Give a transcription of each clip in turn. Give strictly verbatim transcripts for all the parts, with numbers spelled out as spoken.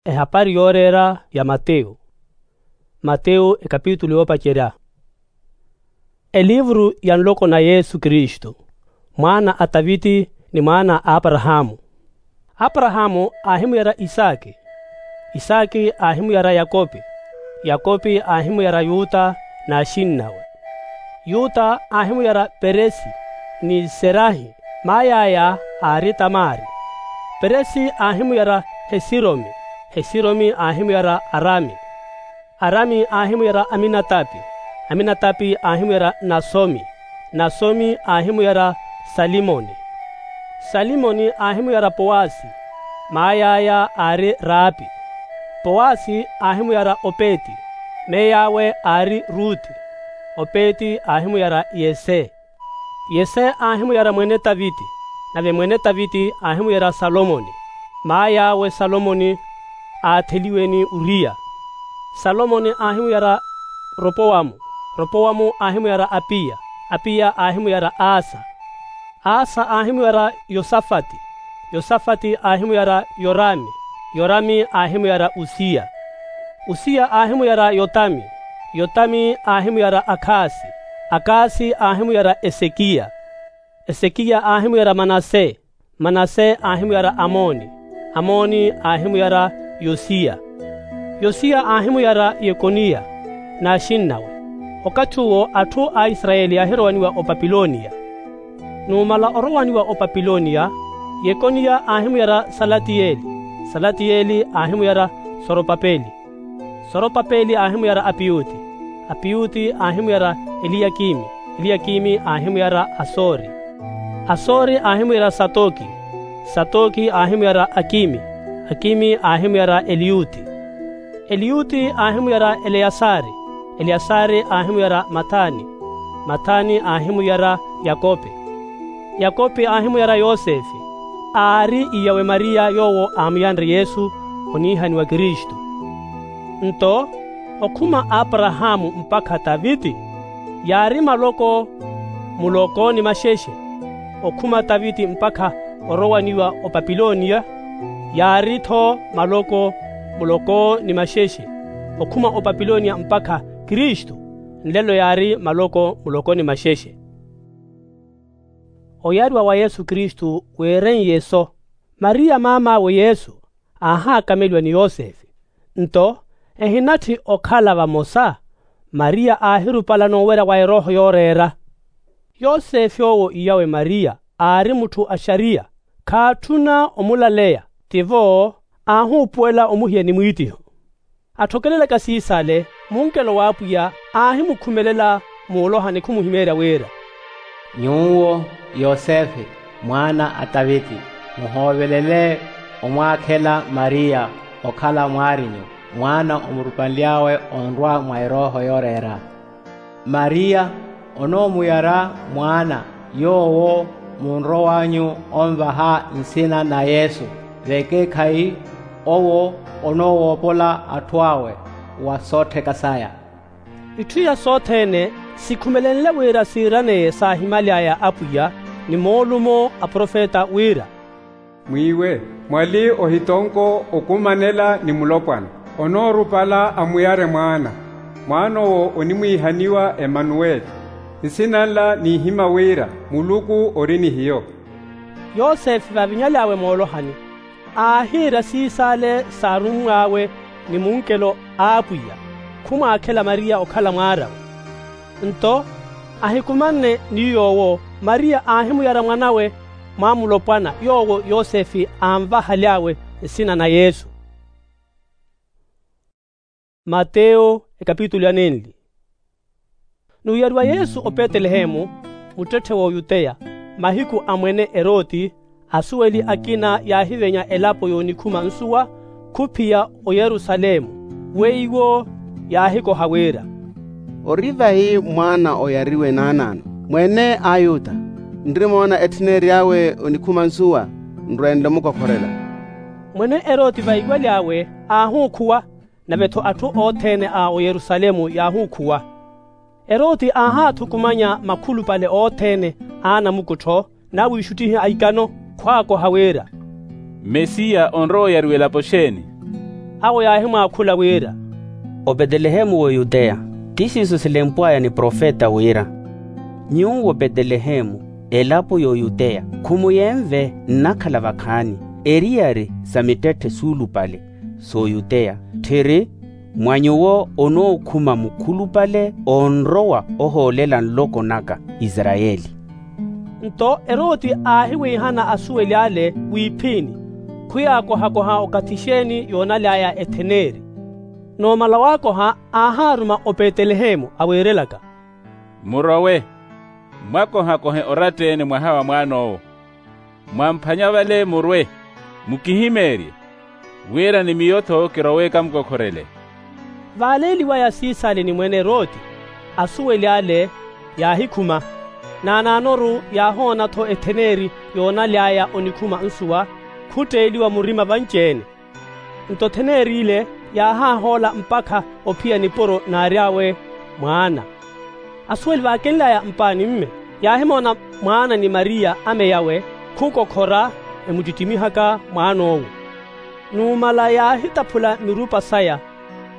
Ehapari yooreera ya mateyu. Mateyu ekapitulu yoopacerya. Elivuru ya nloko na yesu kristu, mwaana a taviti ni mwaana a aparahaamu. Aparahaamu aahimuyara isaaki, isaaki aahimuyara yakopi, yakopi aahimuyara yuta n'axinnawe. Yuta aahimuyara peresi ni serahi, maay'aya aari tamari. Peresi aahimuyara hesiromi, hesiromi aahimuyara arami. Arami aahimuyara aminatapi, aminatapi aahimuyara nasomi, nasomi aahimuyara salimoni. Salimoni aahimuyara powasi, maay'aya aari raapi. Powasi aahimuyara opeti, meey'awe aari ruti. Opeti aahimuyara yese. Yese aahimuyara mwene taviti, nave mwene taviti aahimuyara salomoni. Maay'awe salomoni aatheliwe ni uriya. Salomoni aahimuyara ropowamu, ropowamu aahimuyara apiya, apiya aahimuyara asa. Asa aahimuyara yosafati, yosafati aahimuyara yorami, yorami aahimuyara usiya. Usiya aahimuyara yotami, yotami aahimuyara akhasi, akhasi aahimuyara esekiya. Esekiya aahimuyara manase, manase aahimuyara amoni, amoni aahimuyara yosiya. Yosiya aahimuyara yekoniya n'axinnawe. Okathi uwo atthu a isarayeli yaahirowanyiwa opapiloniya. Numala orowaniwa opapiloniya, yekoniya aahimuyara salatiyeli, salatiyeli aahimuyara soropapeli, soropapeli aahimuyara apiyuti, apiyuti aahimuyara eliyakimi, eliyakimi aahimuyara asori, asori aahimuyara satoki, satoki aahimuyara akimi, akimi aahimuyara eliyuti, eliyuti aahimuyara eleyasari, eleyasari aahimuyara mathani, mathani aahimuyara yakope, yakope aahimuyara yosefe, aari iyawe mariya yoowo aamuyanre yesu oniihaniwa kristu. Nto okhuma aparahaamu mpakha taviti yaari maloko muloko ni maxexe. Okhuma taviti mpakha orowaniwa opapiloniya yaari-tho maloko muloko ni maxexe. Okhuma opapiloniya mpakha kristu nlelo yaari maloko muloko ni maxexe. Oyariwa wa yesu kristu weerenye-so. Mariya maam'awe yesu aahaakameliwa ni yosefe. Nto ehinatthi okhala vamosa, mariya aahirupala noowerya wa erooho yooreera. Yosefe owo iyawe mariya aari mutthu a xariya, khaatthuna omulaleya. Tivo aahuupuwela omuhiya ni mwiittiho. Atthokelelaka siisale munkelo w'apwiya aahimukhumelela muulohani khumuhimeerya wira, nyuwo yosefe mwaana a taviti, muhoovelele omwaakhela mariya okhala mwaarinyu, mwaana omurupanly'awe onrwa mwa erooho yooreera. Mariya onoomuyara mwaana yoowo munrow'anyu onvaha nsina na yesu, vekeekhayi owo onoowoopola atthu awe wa soottheka saya. Itthu iya sothene sikhumelenle wira siiraneye saahimaly'aya apwiya ni moolumo a profeta wira, mwiiwe mwali ohitonko okumanela ni mulopwana, onoorupala amuyare mwaana. Mwaan'owo onimwiihaniwa emanuweli. Nsina nla niihima wira muluku ori ni hiyo. Yosefe vaavinyaly'awe moolohani aahiira siisale saarummw'awe ni munkelo a apwiya, khumwaakhela mariya okhala mwaar'awe. Nto ahikumanne ni yoowo mariya aahimuyara mwan'awe mwa mulopwana yoowo yosefe aanvahaly'awe nsina na yesu. Mateyo ekapitulu ya nenli. Nuuyariwa yesu opetelehemu muttetthe w'oyuteya, mahiku a mwene eroti asuweli akina yaahivenya elapo yoonikhuma nsuwa khuphiya oyerusalemu. Weiwo yaahikoha wira, ori vahi mwaana oyariwe naanaano mwene ayuta, nrimoona etthineery'awe onikhuma nsuwa nrwenle omukokhorela. Mwene eroti vaiwaly'awe aahuukhuwa, nave-tho atthu othene a oyerusalemu yaahuukhuwa. Eroti aahaathukumanya makhulupale othene a anamukuttho n'awiixuttihi a ikano khwaakoha wira, mesiya onrowa oyariwa elapo xeeni? Awo yaahimwaakhula wira, opetelehemu w'oyuteya, ti siiso silempw'aya ni profeta wira, nyuwo petelehemu, elapo y'oyuteya, khumuyenve nnakhala vakhaani, eriyari sa mittetthe suulupale s'oyuteya, tthiri mwa nyuwo onookhuma mukhulupale onrowa ohoolela nloko naka isarayeli. Nto eroti aahiwiihana asuweli ale wiiphini, khuyaakohakoha okathi xeeni yoonaly'aya etheneeri. Numala waakoha aahaaruma opetelehemu aweerelaka, murowe, mwakohakohe oratta-ene mwaha wa mwaan'owo, mwamphanya vale murwe, mukihimeerye, wira ni miyo-tho kirowe kamukokhorele. Vaaleeliwaya siisale ni mwene eroti, asuweli ale yaahikhuma, naanaanoru yaahoona-tho etheneeri yoonaly'aya onikhuma nsuwa khutteeliwa murima vanci-ene. Nto etheneeri ile yaahaahoola mpakha ophiya nipuro naary'awe mwaana. Asuweli vaakenly'aya mpaani mme, yaahimoona mwaana ni mariya amey'awe khukokhora, emuttittimihaka mwaan'owo. Numala yaahitaphula mirupa saya,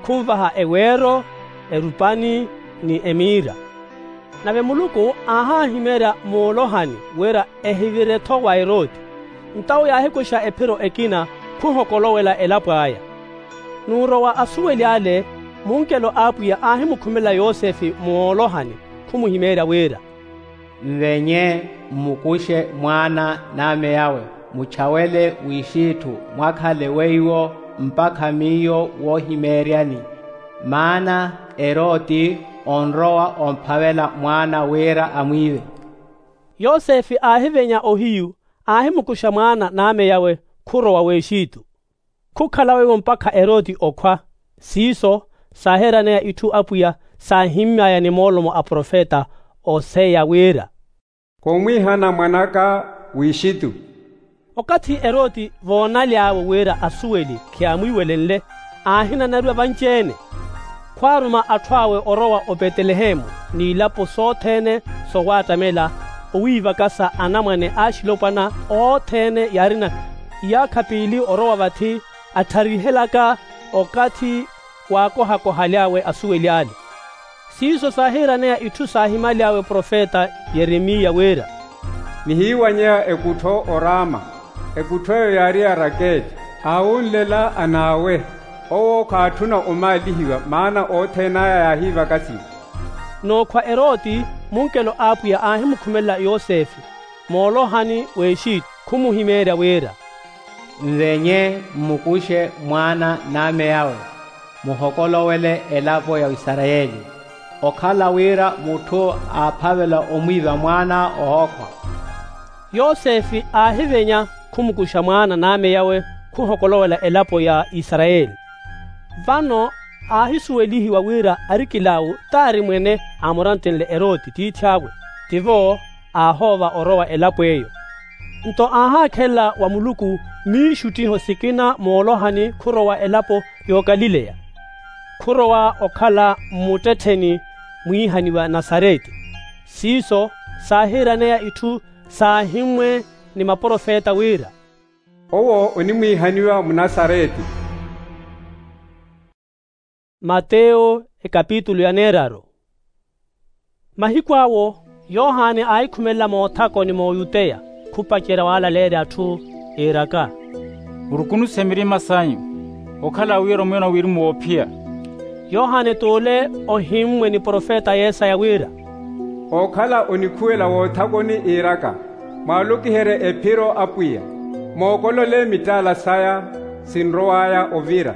khunvaha eweero, erupani, ni emiira. Nave muluku aahahimeerya moolohani wira ehivire-tho wa eroti. Nto awo yaahikuxa ephiro ekina, khuhokolowela elapo aya. Nuurowa asuweli ale, munkelo a apwiya aahimukhumelela yosefe moolohani, khumuhimeerya wira, nvenye, mmukuxe mwaana n'amey'awe, muchawele w'ixitthu, mwakhale weiwo mpakha miyo woohimeeryani. Maana eroti onrowa omphavela mwaana wira amwiive. Yosefe aahivenya ohiyu, aahimukuxa mwaana n'amey'awe, khurowa w'exitu. Khukhala weiwo mpakha eroti okhwa. Siiso saahiiraneya itthu apwiya saahimmy'aya ni moolomo a profeta oseya wira, khumwiihana mwan'aka w'ixitu. Okathi eroti voonaly'awe wira asuweli khiyamwiiwelenle, aahinanariwa vanci-ene. Khwaaruma atthu awe orowa opetelehemu n'ilapo sothene sowaattamela, owiivakasa anamwane axilopwana othene yaarina iyaakha piili orowa vathi, attharihelaka okathi waakohakohaly'awe asuweli ale. Siiso saahiiraneya itthu saahimaly'awe profeta yeremiya wira, nihiiwanyeya ekuttho orama, ekuttho eyo yaari ya rakeli, aawunlela an'awe, owo khaatthuna omaalihiwa maana othene aya yaahiivakasiwa. Nookhwa eroti, munkelo a apwiya aahimukhumelela yosefe moolohani w'exitu, khumuhimeerya wira, nvenye, mmukuxe mwaana n'amey'awe, muhokolowele elapo ya isarayeli, okhala wira mutthu aaphavela omwiiva mwaana ohookhwa. Yosefe aahivenya, khumukuxa mwaana n'amey'awe, khuhokolowela elapo ya isarayeli. Vano aahisuwelihiwa wira arikil'awe t'ari mwene aamuranttenle eroti tiith'awe, tivo aahoova orowa elapo eyo. Nto aahaakhelela wa muluku miixuttiho sikina moolohani khurowa elapo y'okalileya, khurowa okhala mmuttettheni mwiihaniwa nasareti. Siiso saahiiraneya itthu saahimmwe ni maprofeta wira, owo onimwiihaniwa munasareti. Mateyo ekapitulu ya neeraru. Mahiku awo yohani aahikhumelela moothakoni m'oyuteya, khupacerya waalaleerya atthu, iiraka, murukunuxe mirima sanyu, okhala wira omwino wirimu woophiya. Yohani t'ule ohimmwe ni profeta yesaya wira, ookhala onikhuwela woothakoni iiraka, mwaalokiherye ephiro apwiya, mookolole mittaala saya, sinrow'aya ovira.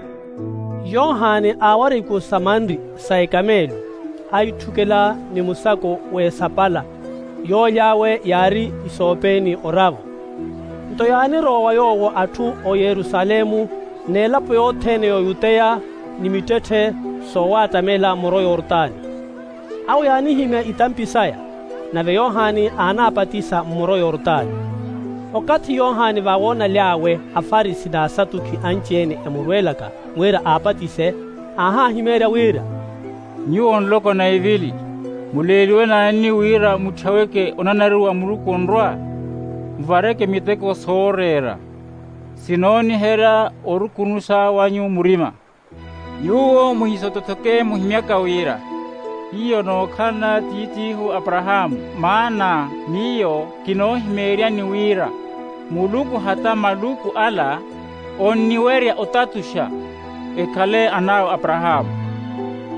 Yohani aawara ikuru sa manri sa ekameelo, aitthukela ni musako w'esapala, yooly'awe yaari isoopeni oravo. Nto yaanirowa wa yoowo atthu o yerusalemu, n'elapo yothene y'oyuteya, ni mittetthe soowattamela muro yortani. Awo yaanihimya itampi saya, nave yohani aanapatisa mmuro yortani. Okathi yohani vaawoonaly'awe afarisi n'asatukhi anci-ene emurweelaka wira aapatise, aahahimeerya wira, nyuwo nloko na ivili, muleeliwe naani wira mutthaweke onanariwa a muluku onrwa? Muvareke miteko sooreera. Sinooniherya orukunusa wanyu murima. Nyuwo muhisotothoke muhimyaka wira hiyo nookhalana tiit'ihu aparahaamu. Maana miyo kinoohimeeryani wira muluku hata maluku ala onniwerya otatuxa ekhale an'awe aparahaamu.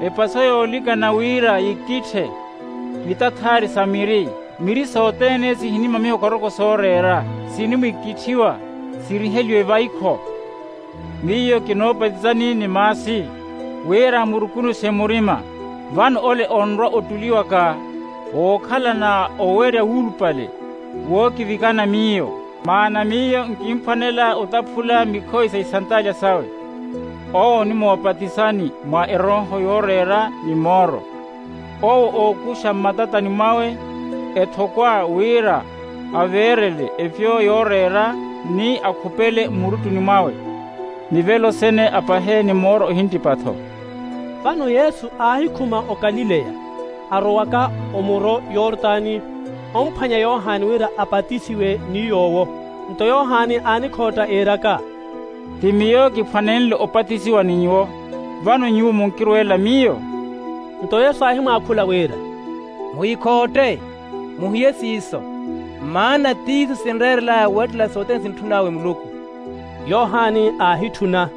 Epaso yoolikana wira yikitthe mitathaari sa miri, miri sothene sihinimamiha okoroko sooreera sinimwikitthiwa siriheliwe vaikho. Miyo kinoopatisani ni maasi wira murukunuxe murima. Vano ole onrwa ottuliwaka wookhalana owerya wuulupale wookivikana miyo. Maana miyo nkinphwanela otaphula mikhoyi sa isantaalya sawe. Owo onimoopatisani mwa erooho yooreera ni mooro. Owo ookuxa mmatatani mwawe ethokwa wira aveerele efyo yooreera ni akhupele mmuruttuni mwawe. Mivelo sene apahe ni mooro ohinttipatho. Vano yesu aahikhuma okalileya arowaka omuro yortani omphwanya yohani wira apatisiwe ni yoowo. Nto yohani aanikhootta iiraka, ti miyo kiphwanenle opatisiwa ni nyuwo, vano nyuwo munkirweela miyo? Nto yesu aahimwaakhula wira, muhikhootte, muhiye siiso, maana tiiso sinreerel'aya weettela sothene sintthun'awe muluku. Yohani aahitthuna.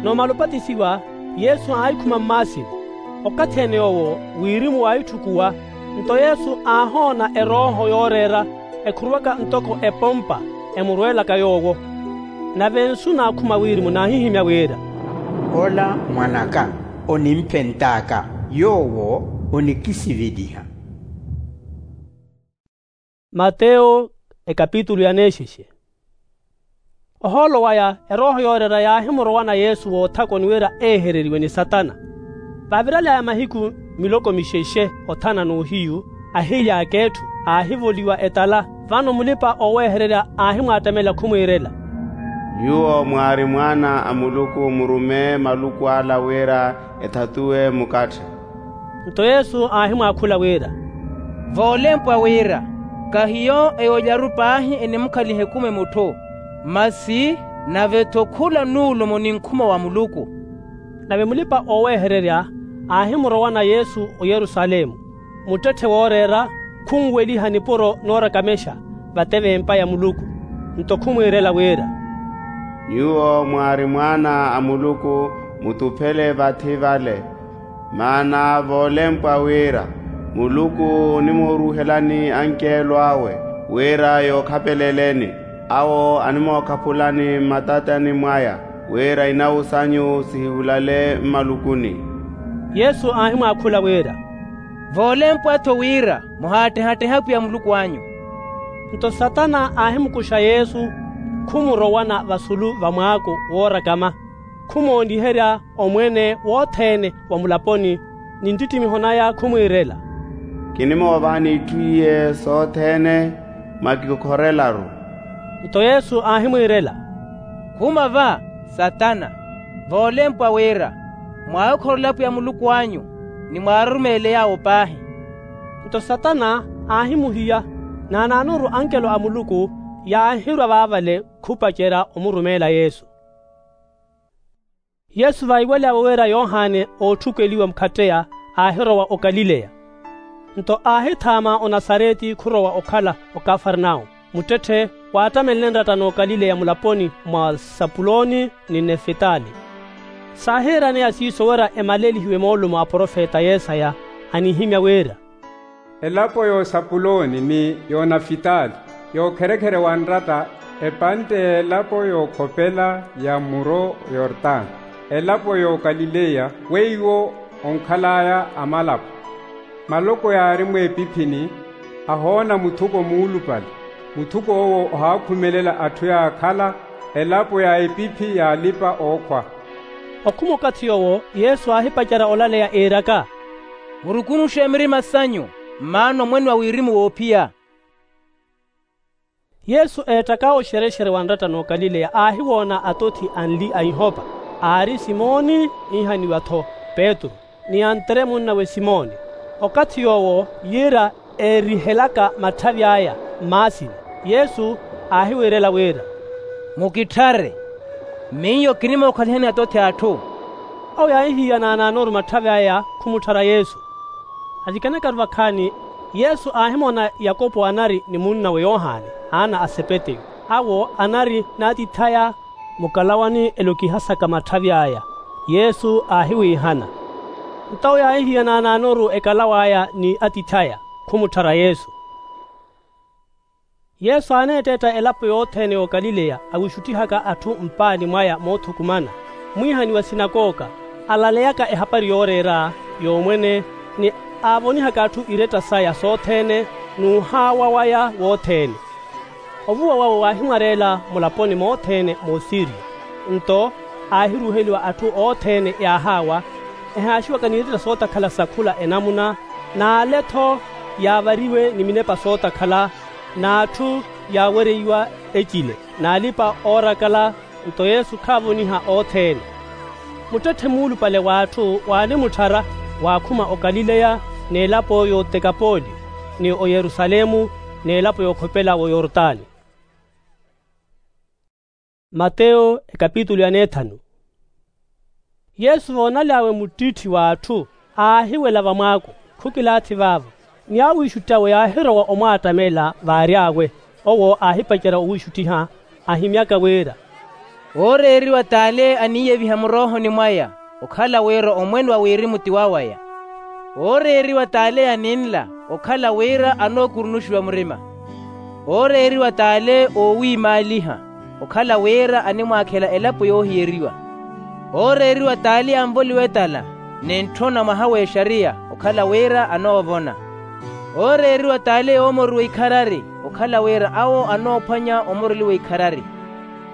Noomala opatisiwa yesu aahikhuma mmaasini. Okathi-ene yoowo wirimu waahitthukuwa. Nto yesu aahoona erooho yooreera ekhuruwaka ntoko epompa emurweelaka yoowo. Nave nsu naakhuma wirimu naahihimya wira, ola mwan'aka, onimphent'aka, yoowo onikisiveliha. Mateyo ekapitulu ya neexexe. Ohoolo waya erooho yooreera yaahimurowana yesu woothakoni wira eehereriwe ni satana. Vaaviral'aya mahiku miloko mixexe othana n'uhiyu, ahily'aka etthu aahivoliwa etala. Vano mulipa-ooweehererya aahimwaattamela khumwiirela, nyuwo mwaari mwaana a muluku murume maluku ala wira ethatuwe mukatthe. Nto yesu aahimwaakhula wira, voolempwa wira, kahiyo eyoolyaru paahi enimukhaliha ekumi mutthu, masi nave-tho khula nuulumo ni nkhuma wa muluku. Nave mulipa-ooweehererya aahimurowana yesu oyerusalemu. Muttetthe wooreera khunweliha nipuro noorakamexa vate v'empa ya muluku. Nto khumwiirela wira, nyuwo mwaari mwaana a muluku, mutuphele vathi vale. Maana voolempwa wira muluku onimooruuhelani ankeelo awe wira yookhapeleleni. Awo animookaphulani mmatatani mwaya wira inawu sanyu sihihulale mmalukuni. Yesu aahimwaakhula wira, voolempwa-tho wira muhaattehatteha apwiya muluku anyu. Nto satana aahimukuxa yesu khumurowana vasulu va mwaako woorakama, khumoonliherya omwene wothene wa mulaponi ni nttittimiho naya khumwiirela, kinimoovani itthu iye sothene mwakikhorelaru. Nto yesu aahimwiirela, khuma va satana, voolempwa wira mwaahikhorela apwiya muluku anyu ni mwaarurumeele yaawo paahi. Nto satana aahimuhiya, naanaanoru ankelo a muluku yaahirwa vaavale khupacerya omurumeela yesu. Yesu vaiwel'awe wira yohane ootthukeliwa mukhatteya aahirowa okalileya. Nto aahithaama onasareti khurowa okhala okafarnao, muttetthe waattamelene nratta n'okalileya mulaponi mwa sapuloni ni nefitali. Saahiiraneya siiso wira emalelihiwe moolumo a profeta yesaya anihimya wira, elapo y'osapuloni ni y'onafitali, y'okherekhere wa nratta, epantte y'elapo y'okhopela ya muro yortano, elapo y'okalileya weiwo onkhal'aya amalapo. Maloko yaari mweepiphini, ahoona muthuko muulupale. Muthuko owo ohaakhumelela atthu yaakhala elapo ya epiphi y'alipa-ookhwa. Okhuma okathi yoowo yesu aahipacerya olaleya iiraka, murukunuxe mirima sanyu, mmaana omwene wa wirimu woophiya. Yesu eettaka oxerexere wa nratta n'okalileya aahiwoona atothi anli a ihopa, aari simoni, iihaniwa-tho petru, ni antere munnawe simoni. Okathi yoowo yiira eerihelaka matthavi aya mmaasini, yesu aahiwiirela wira, Mukitthare, miyo kinimookhaliha ni atothi a atthu. Awo yaahihiyana naanoru matthavi aya khumutthara yesu. Avikanaka-ru vakhaani, yesu aahimona yakopo anari ni munnawe yohani, aana a sepeteyu, awo anari n'atith'aya mukalawani elokihasaka matthavi aya. Yesu aahiwiihana. Nto awo yaahihiyana naanoru ekalaw'aya ni atith'aya, khumutthara yesu. Yesu aaneetteetta elapo yothene y'okalileya awiixuttihaka atthu mpaani mwaya moothukumana, mwiihani wa sinakoka, alaleyaka ehapari yooreera, y'omwene, ni aavonihaka atthu iretta saya sothene, n'uhaawa waya wothene. Ovuwa wawe waahimwareela mulaponi mothene moosiriya. Nto aahiruuheliwa atthu othene yaahaawa, ehaaxiwaka n'iretta sootakhala sa khula enamuna, n'ale-tho yaavariwe ni minepa sootakhala, n'atthu yaawereiwa ecile, n'alipa-oorakala. Nto yesu khaavoniha othene. Muttetthe muulupale w'atthu waanimutthara, waakhuma okalileya, n'elapo y'otekapoli, ni oyerusalemu, n'elapo yookhopela w'oyortani. Mateyo ekapitulu ya neethanu. Yesu voonaly'awe muttitthi w'atthu, aahiwela vamwaako, khukilaathi vaavo, ni awiixutti awe yaahirowa omwaattamela vaary'awe. Owo aahipacerya owiixuttiha, ahimyaka wira, ooreeriwa t'ale aniiyeviha muroohoni mwaya, okhala wira omwene wa wirimu ti wawaya. Ooreeriwa t'ale aninla, okhala wira anookurunuxiwa murima. Ooreeriwa t'ale oowiimaaliha, okhala wira animwaakhela elapo yoohiyeriwa. Ooreeriwa t'ale anvoliwa etala, ni ntthona mwaha w'exariya, okhala wira anoovona. Ooreeriwa t'ale oomoriwa ikharari, okhala wira awo anoophwanya omoreliwa ikharari.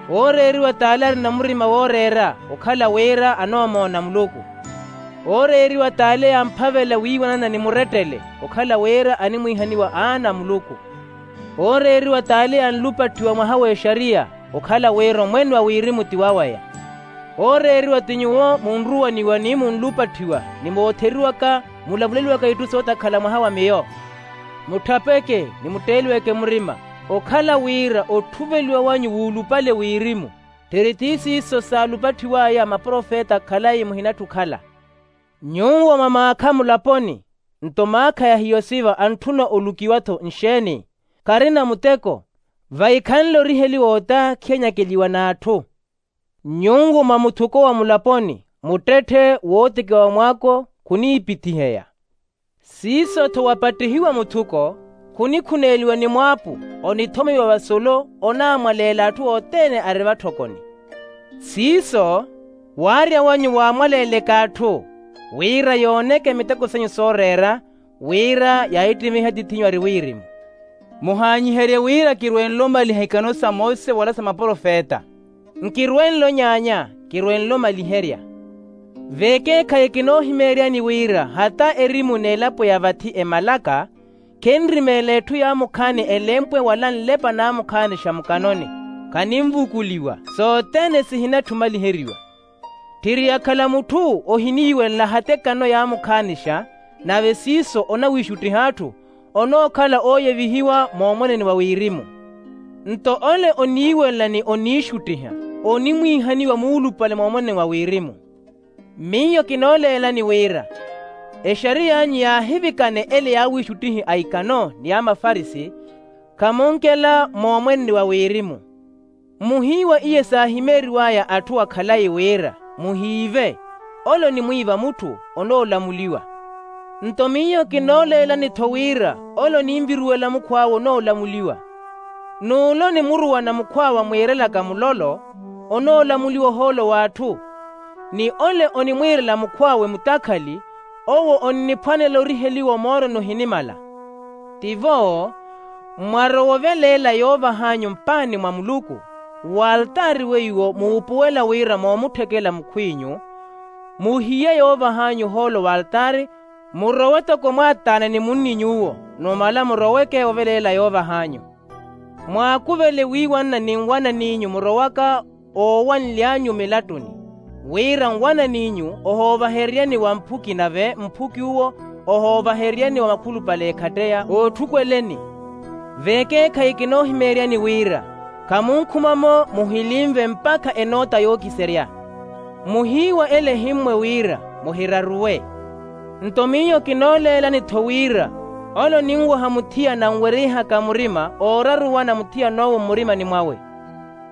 Ooreeriwa t'ale arina murima wooreera, okhala wira anoomoona muluku. Ooreeriwa t'ale amphavela wiiwanana ni murettele, okhala wira animwiihaniwa aana a muluku. Ooreeriwa t'ale anlupatthiwa mwaha w'exariya, okhala wira omwene wa wirimu ti wawaya. Ooreeriwa ti nyuwo munruwaniwa ni munlupatthiwa, ni mootheriwaka mulavuleliwaka itthu sootakhala mwaha wa miyo. Mutthapeke, ni mutteeliweke murima, okhala wira otthuveliwa wanyu wuulupale wirimu. Tthiri ti siiso saalupatthiw'aya maprofeta khalayi muhinatthi okhala. Nyuwo mamaakha mulaponi, nto maakha ya hiyo siva antthuna olukiwa-tho nxeeni? Kharina muteko, vaikhanle oriheliwa ota khiyanyakeliwa n'atthu. Nyuwo mwa muthuko wa mulaponi, muttetthe wootekiwa wa mwaako, khuniipithiheya. Siiso-tho wapattihiwa muthuko, khunikhuneeliwa ni mwaapu, onithomiwa vasolo, onaamwaleela atthu othene ari vatthokoni. Siiso, waarya wanyu waamwaleeleke atthu, wira yooneke miteko sanyu sooreera, wira yaahittimeihe atiith'inyu ari wirimu. Muhaanyiherye wira kirwenle omaliha ikano sa mose wala sa maprofeta. Nkirwenle onyaanya, kirwenle omaliherya. Vekeekhayi kinoohimeeryani wira hata erimu n'elapo ya vathi emalaka, khenrimeela etthu yaamukhaani elempwe wala nlepa naamukhaanixa mukanoni, khanimvukuliwa, sothene sihinatthi omaliheriwa. Tthiri yakhala mutthu ohiniiwelela hata ekano yaamukhaanixa, nave siiso onawiixuttiha atthu, onookhala ooyevihiwa moomweneni wa wirimu. Nto ole oniiwelela ni oniixuttiha, onimwiihaniwa muulupale moomweneni wa wirimu. Miyo kinooleelani wira, exariy'anyu yaahivikane ele yaawiixuttihi a ikano ni a mafarisi, khamunkela moomweneni wa wirimu. Muhiiwa iye saahimeeriw'aya atthu akhalayi wira, muhiive, ole onimwiiva mutthu, onoolamuliwa. Nto miyo kinooleelani-tho wira ole oninviruwela mukhw'awe onoolamuliwa. N'ule onimuruwana mukhw'awe amwiirelaka mulolo, onoolamuliwa ohoolo w'atthu. Ni ole onimwiirela mukhw'awe mutakhali, owo onniphwanela oriheliwa omooroni ohinimala. Tivo, mwarowa oveleela yoovah'anyu mpaani mwa muluku, w'altaari weiwo muupuwela wira moomutthekela mukhw'inyu, muhiye yoovah'anyu ohoolo w'altaari, murowe toko mwaattaana ni munni nyuwo, numala muroweke oveleela yoovah'anyu. Mwaakuvele wiiwanna ni nwananiinyu murowaka oowanly'anyu milattuni, wira nwananiinyu ohoovaheryani wa mphuki nave mphuki uwo ohoovaheryani wa makhulupale ekhatteya ootthukweleni. Vekeekhayi kinoohimeeryani wira, Khamunkhuma-mo muhilinve mpakha enoota yookiserya. Muhiiwa ele ehimmwe wira muhiraruwe. Nto miyo kinooleelani-tho wira ole oninwaha muthiyana anwerihaka murima ooraruwana muthiyan'owo mmurimani mwawe.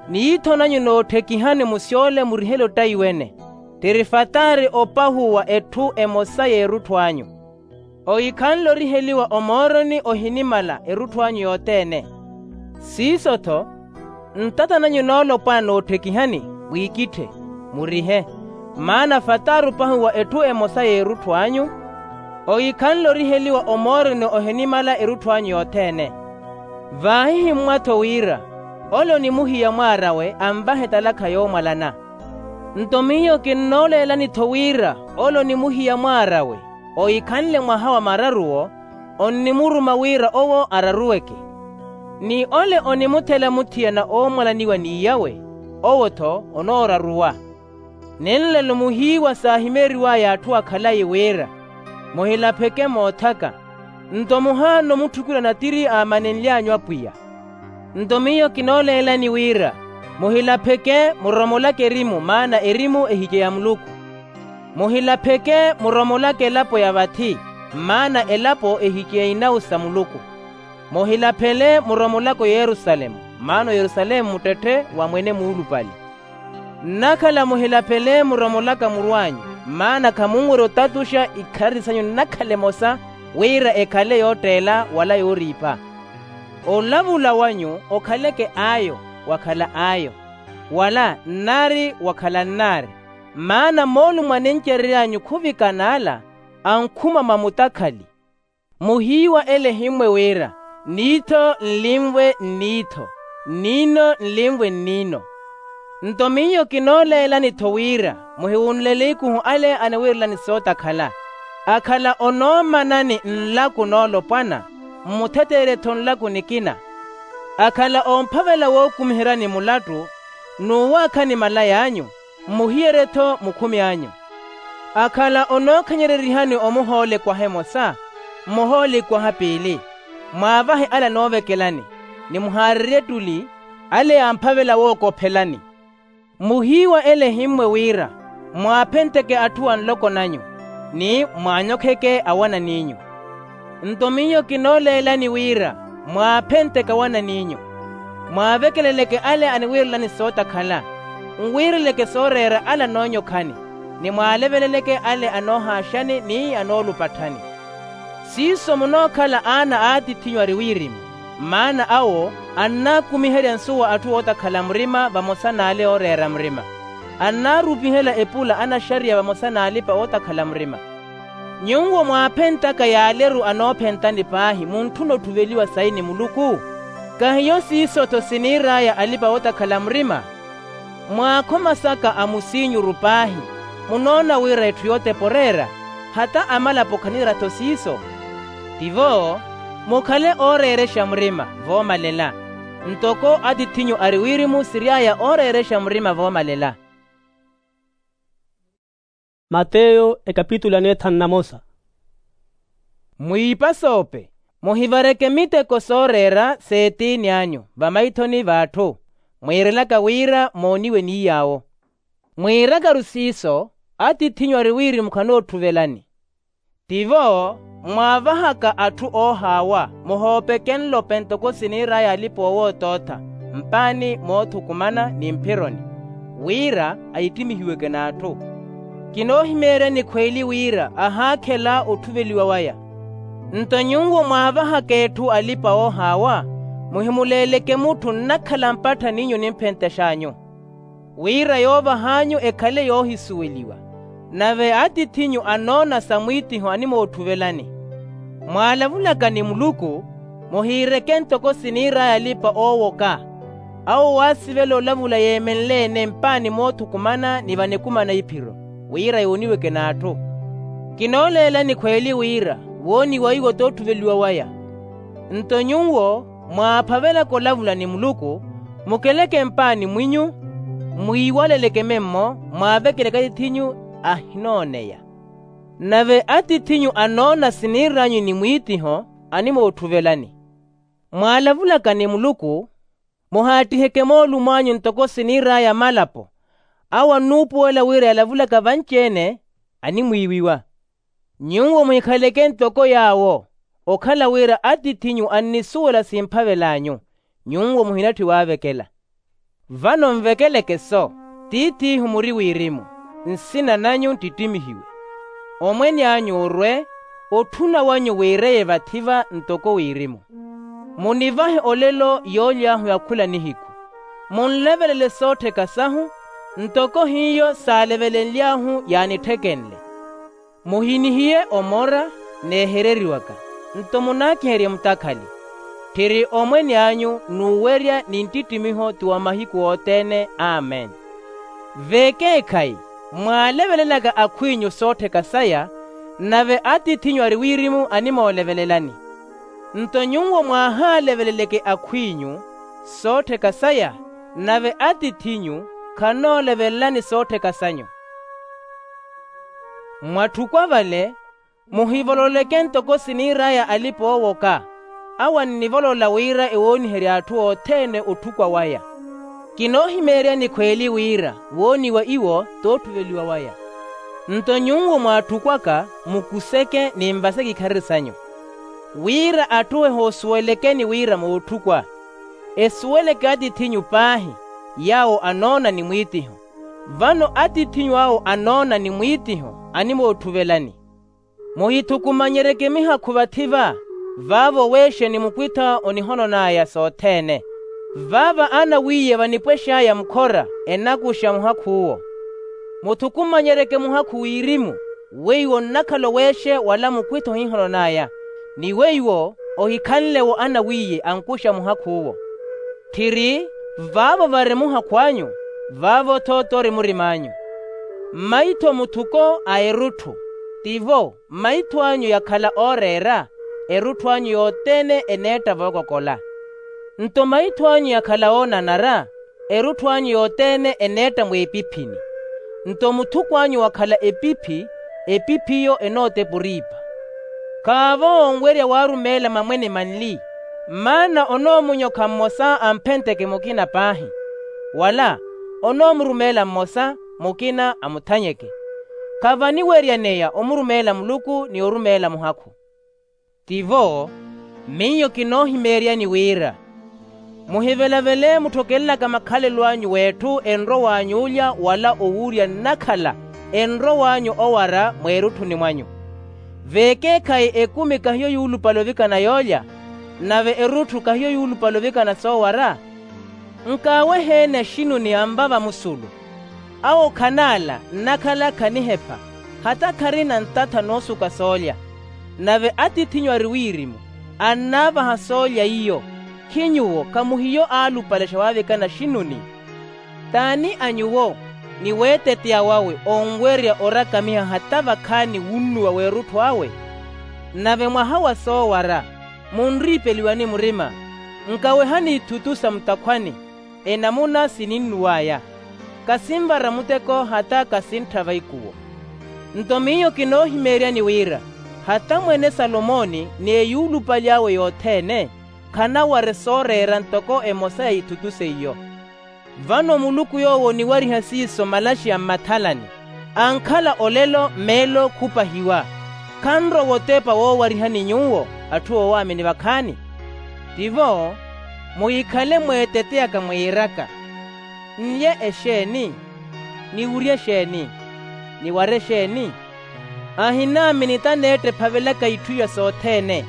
Niitho nanyu nootthekihani musyole murihele ottaiwene. Tiri fataari opahuwa etthu emosa y'erutthu anyu. Ohikhanle oriheliwa omooroni ohinimala erutthu anyu yothene. Siiso-tho, ntata nanyu noolopwana nootthekihani, mwiikitthe, murihe. Maana fataari opahuwa etthu emosa y'erutthu anyu. Ohikhanle oriheliwa omooroni ohinimala erutthu anyu yothene. Vaahihimmwa-tho wira ole onimuhiya mwaar'awe anvahe etalakha yoomwalana. Nto miyo kinnooleelani-tho wira ole onimuhiya mwaar'awe ohikhanle mwaha wa mararuwo, onnimuruma wira owo araruweke. Ni ole onimuthela muthiyana oomwalaniwa n'iy'awe, owo-tho onooraruwa. Ni nlelo muhiiwa saahimeeriw'aya atthu akhalayi wira, muhilapheke moothaka. Nto muhaana omutthukulana tiri aamanenly'anyu apwiya. Nto miyo kinooleelani wira muhilapheke muromolake erimu maana erimu ehikye ya muluku. Muhilapheke muromolake elapo ya vathi, maana elapo ehikye inawu sa muluku. Muhilaphele muromolake oyerusalemu, maana oyerusalemu muttetthe wa mwene muulupale. Nnakhala muhilaphele muromolaka muru anyu, maana khamunwerya otatuxa ikharari sanyu nnakhala emosa, wira ekhale yootteela wala yooriipa. Olavula wanyu okhaleke ayo wakhala ayo, wala nnaari wakhala nnaari. Maana moolumo anencerery'anyu khuvikana ala ankhuma mwa mutakhali. Muhiiwa ele ehimmwe wira niitho nlimvwe nniitho, nniino nlimvwe nniino. Nto miyo kinooleelani-tho wira muhiwunlele ikuhu ale aniwiirelani sootakhala. Akhala onoomanani nlaku noolopwana, mmutheteerye-tho nlaku nikina. Akhala oomphavela wookumiheryani mulattu, n'uwaakhani malay'anyu, mmuhiyerye-tho mukhumi anyu. Akhala onookhanyererihani omuhoolekwaha emosa, mmuhoolekwaha piili, mwaavahe ale anoovekelani, ni muhaarerye ettuli ale yaamphavela wookophelani. Muhiiwa ele ehimmwe wira mwaaphenteke atthu a nloko nanyu, ni mwaanyokheke awanan'inyu. Nto miyo kinooleelani wira mwaaphenteke awanan'inyu, mwaavekeleleke ale aniwiirelani sootakhala, nwiireleke sooreera ale anoonyokhani, ni mwaaleveleleke ale anoohaaxani ni anoolupatthani. Siiso munookhala aana a atith'inyu ari wirimu, maana awo annaakumiherya nsuwa atthu ootakhala murima vamosa n'ale ooreera murima. Annaarupihela epula anaxariya vamosa n'alipa ootakhala murima. Nyuwo mwaaphentaka y'aleru anoophentani paahi muntthuna otthuveliwa sayi ni muluku? Kahiyo siiso-tho siniir'aya alipa ootakhala murima? Mwaakhomasaka amusiinyuru paahi, munoona wira etthu yootepa oreera, hata amalapo khanira-tho siiso? Tivo, mukhale ooreerexa murima voomalela, ntoko atith'inyu ari wirimu siry'aya ooreerexa murima voomalela. Mateyo ekapitulu ya neethanu na mosa. Mwiipasoope, muhivareke miteko sooreera s'etiini anyu vamaithoni v'atthu, mwiirelaka wira mooniwe ni yaawo. Mwiirakaru siiso, atith'inyu ari wirimu khanoottuvelani. Tivo, mwaavahaka atthu oohaawa, muhoopeke nlope ntoko siniir'aya alipa owoottootha, mpaani moothukumana ni mphironi, wira ahittimihiweke n'atthu. Kinoohimeeryani khweeli wira ahaakhela otthuveliwa waya. Nto nyuwo mwaavahaka etthu alipa oohaawa, muhimuleeleke mutthu nnakhala mpatthani inyu ni mphentex'anyu, wira yoovah'anyu ekhale yoohisuweliwa. Nave atith'inyu anoona sa mwiitiho animootthuvellani. Mwaalavulaka ni muluku, muhiireke ntoko siniir'aya alipa oowoka. Awo waasivela olavula yeemenle-ene mpaani moothukumana ni vanekumana iphiro, wira yooniweke n'atthu. Kinooleelani khweeli wira wooniwa iwo t'otthuveliwa waya. Nto nyuwo mwaaphavelaka olavula ni muluku, mukeleke mpaani mwinyu, mwiiwaleleke memmo mwaavekeleke atith'inyu ahinooneya. Nave atith'inyu anoona siniir'anyu ni mwiitiho animootthuvellani. Mwaalavulaka ni muluku, Muhaattiheke moolumo anyu ntoko siniir'aya malapo. Awo annuupuwela wira yalavulaka vanci-ene animwiiwiwa. Nyuwo muhikhaleke ntoko yaawo, okhala wira atiith'inyu annisuwela simphavel'anyu. Nyuwo muhinatthi waavekela. Vano nvekeleke-so, tiith'ihu muri wirimu, nsina nanyu nttittimihiwe. Omwene anyu orwe, otthuna wanyu wiireye vathi-va ntoko wirimu. Munivahe olelo yooly'ahu ya khula nihiku. Munlevelele soottheka sahu, ntoko hiyo saalevelenly'ahu yaanitthikenle. Muhinihiye omora n'ehereriwaka, nto munaakiherye mutakhali. Tthiri omwene anyu n'uwerya ni nttittimiho ti wa mahiku othene. Amen. Vekeekhayi, mwaalevelelaka akhw'inyu soottheka saya, nave atiith'inyu ari wirimu animoolevelelani. Nto nyuwo mwaahaaleveleleke akhw'inyu soottheka saya, nave atiith'inyu khanoolevelelani soottheka sanyu. Mwatthukwavale, muhivololeke ntoko siniir'aya alipa oowoka. Awo annivolola wira ewooniherye atthu othene otthukwa waya. Kinoohimeeryani khweeli wira wooniwa iwo t'otthuveliwa waya. Nto nyuwo mwatthukwaka, mukuseke ni nvaseke ikharari sanyu, wira atthu ehoosuwelekeni wira mootthukw'a. Esuweleke atiith'inyu paahi, yaawo anoona ni mwiitiho. Vano atiith'inyu awo anoona ni mwiitiho animoothuvelani. Muhithukumanyereke mihakhu vathi-va, vaavo weexe ni mukwitho onihonon'aya sothene. Vaava anawiiye vanipwex'aya mukhora enakuxa muhakh'uwo. Muthukumanyereke muhakhu wirimu, weiwo nnakhala oweexe wala mukwitho ohinhonon'aya, ni weiwo ohikhanle-wo anawiiye ankuxa muhakh'uwo. Tthiri, vaavo vari muhakhw'anyu, vaavo-tho tori murim'anyu. Mmaitho muthuko a erutthu, tivo mmaitho anyu yakhala ooreera, erutthu anyu yothene eneetta vookokola. Nto mmaitho anyu yakhala oonanara, erutthu anyu yothene eneetta mweepiphini. Nto muthuko anyu wakhala epiphi, epiphiyo enootepa oriipa. Khaavo onwerya waarumeela mamwene manli, maana onoomunyokha mmosa amphentteke mukina paahi, wala onoomurumeela mmosa, mukina amuthanyeke. Khavaniweryaneya omurumeela muluku ni orumeela muhakhu. Tivo, miyo kinoohimeeryani wira, muhivelavele mutthokelelaka makhalelo anyu w'etthu enrow'any'ulya wala owurya nnakhala enrow'anyu owara mweerutthuni mwanyu. Vekeekhayi ekumi kahiyo yuulupale ovikana yoolya, nave erutthu kahiyo yuulupale ovikana soowara. Nkaawehe-ene axinuni anva vamusulu. Awo khanaala nnakhala khanihepha, hata kharina ntatha noosuka soolya. Nave atiith'inyu ari wirimu, annaavaha soolya iyo. Khi nyuwo khamuhiyo aalupalexa waavikana axinuni? T'ani a nyuwo ni weeteteya wawe onwerya orakamiha hata vakhaani wunnuwa w'erutthu awe? Nave mwaha wa soowara, munriipeliwani murima, nkawehani ithutu sa mutakhwani, enamuna sininnuw'aya. Kasinvara muteko hata kasintthava ikuwo. Nto miyo kinoohimeeryani wira, hata mwene salomoni ni eyuulupali awe yothene, khanaware sooreera ntoko emosa ya ithutu seiyo. Vano muluku yoowo oniwariha siiso malaxi a mmathalani, ankhala olelo meelo khupahiwa. Khanrowa otepa woowarihani nyuwo atthu oowaamini vakhaani? Tivo, muhikhale mweeteteyaka mwiiraka, nlye exeeni? Niwurye exeeni? Niware exeeni? Ahinaamini taneetta ephavelaka itthu iya sothene.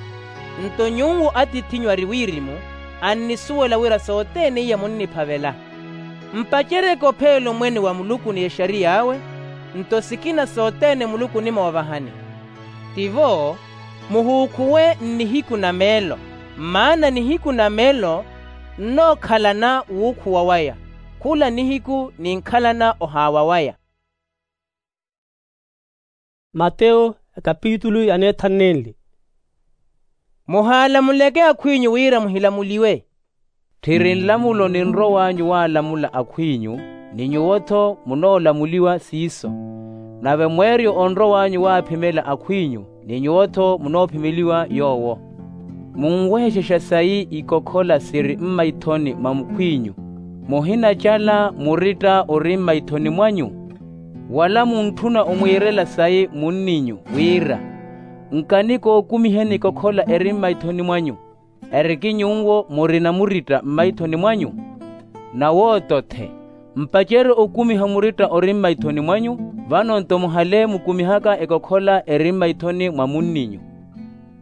Nto nyuwo atiith'inyu ari wirimu, annisuwela wira sothene iya munniphavela. Mpaceryeke opheela omwene wa muluku ni exariy'awe, nto sikina sothene muluku onimoovahani. Tivo, muhuukhuwe nnihiku na meelo, maana nihiku na meelo nnookhalana wuukhuwa waya, khula nihiku ninkhalana ohaawa waya. Mateyo, ekapitulu ya neethanu nenli. Muhaalamuleke akhw'inyu wira muhilamuliwe. Tthiri nlamulo ninrow'anyu waalamula akhw'inyu, ni nyuwo-tho munoolamuliwa siiso. Nave mweeryo onrow'anyu waaphimela akhw'inyu, ni nyuwo-tho munoophimeliwa yoowo. Munwehexexa sayi ikokhola siri mmaithoni mwa mukhw'inyu, muhinacala muritta ori mmaithoni mwanyu? Wala muntthuna omwiirela sayi munninyu wira, nkani kookumiheni ikokhola eri mmaithoni mwanyu, eriki nyuwo murina muritta mmaithoni mwanyu? Nawooto-the, mpacerye okumiha muritta ori mmaithoni mwanyu, vano-nto muhale mukumihaka ekokhola eri mmaithoni mwa munninyu.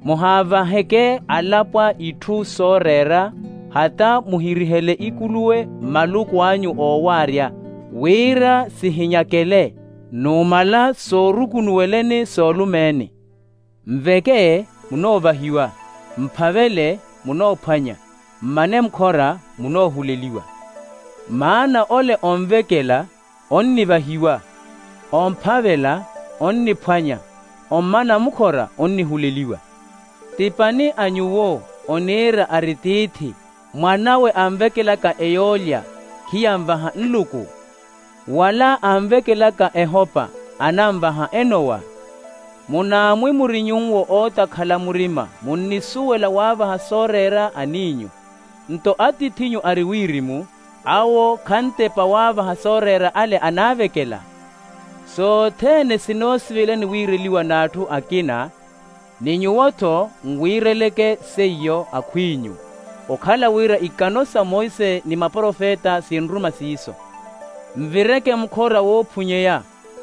Muhaavaheke alapwa itthu sooreera, hata muhirihele ikuluwe mmaluku anyu oowaarya, wira sihinyakele, numala soorukunuweleni soolumeeni. Nveke, munoovahiwa; mphavele, munoophwanya; mmane mukhora, munoohuleliwa. Maana ole onvekela, onnivahiwa; omphavela, onniphwanya; ommana mukhora, onnihuleliwa. Tipani a nyuwo oniira ari tiithi, mwan'awe anvekelaka eyoolya, khiyanvaha nluku? Wala anvekelaka ehopa, ananvaha enowa? Munaamwi muri nyuwo ootakhala murima munnisuwela waavaha sooreera aniinyu. Nto atiith'inyu ari wirimu, awo khantepa waavaha sooreera ale anaavekela. Sothene sinoosivelani wiireliwa n'atthu akina, ni nyuwo-tho nwiireleke seiyo akhw'inyu, okhala wira ikano sa monse ni maprofeta sinruma siiso. Nvireke mukhora woophunyeya,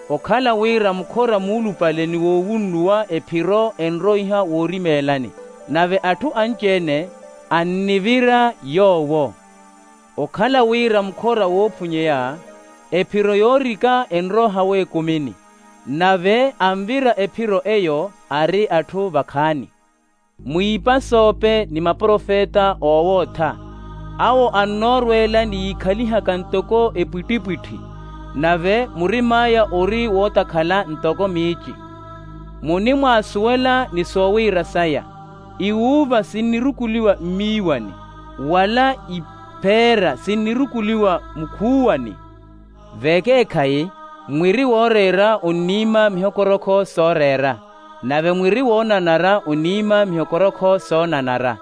okhala wira mukhora muulupale ni woowunnuwa ephiro enroiha woorimeelani, nave atthu anci-ene annivira yoowo. Okhala wira mukhora woophunyeya, ephiro yoorika enroha w'ekumini, nave anvira ephiro eyo ari atthu vakhaani. Mwiipasoope ni maprofeta oowootha, awo annoorweela ni yiikhalihaka ntoko epwittipwitthi, nave murim'aya ori wootakhala ntoko miici. Munimwaasuwela ni soowiira saya, iwuuva sinnirukuliwa mmiiwani, wala ipheera sinnirukuliwa mukhuuwani. Vekeekhayi, mwiri wooreera onniima mihokorokho sooreera, nave mwiri woonanara onniima mihokorokho soonanara.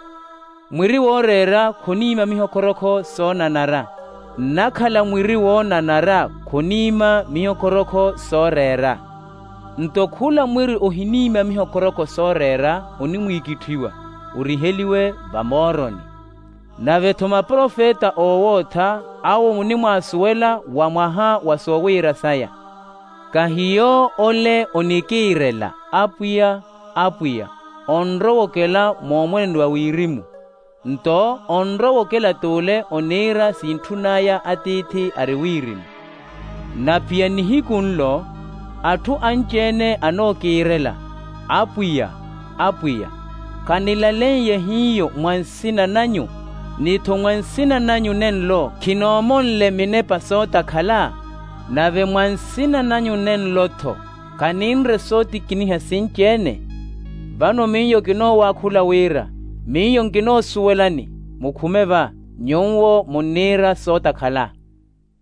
Mwiri wooreera khoniima mihokorokho soonanara, nnakhala mwiri woonanara khoniima mihokorokho sooreera. Nto khula mwiri ohiniima mihokorokho sooreera onimwiikitthiwa, oriheliwe vamooroni. Nave-tho maprofeta oowootha, awo munimwaasuwela wa mwaha wa soowiira saya. Kahiyo ole onikiirela, Apwiya, Apwiya, onrowokela moomwene wa wirimu, nto onrowokela t'ule oniira sintthun'aya atiithi ari wirimu. Na pwiya nihiku nlo, atthu anci-ene anookiirela, Apwiya, Apwiya, khanilaleiye hiyo mwa nsina nanyu? Ni-tho mwa nsina nanyu nenlo khinoomonle minepa sootakhala? Nave mwa nsina nanyu nenlo-tho khaninre sootikiniha sinci-ene? Vano miyo kinoowakhula wira, miyo nkinoosuwelani, mukhume va, nyuwo munniira sootakhala.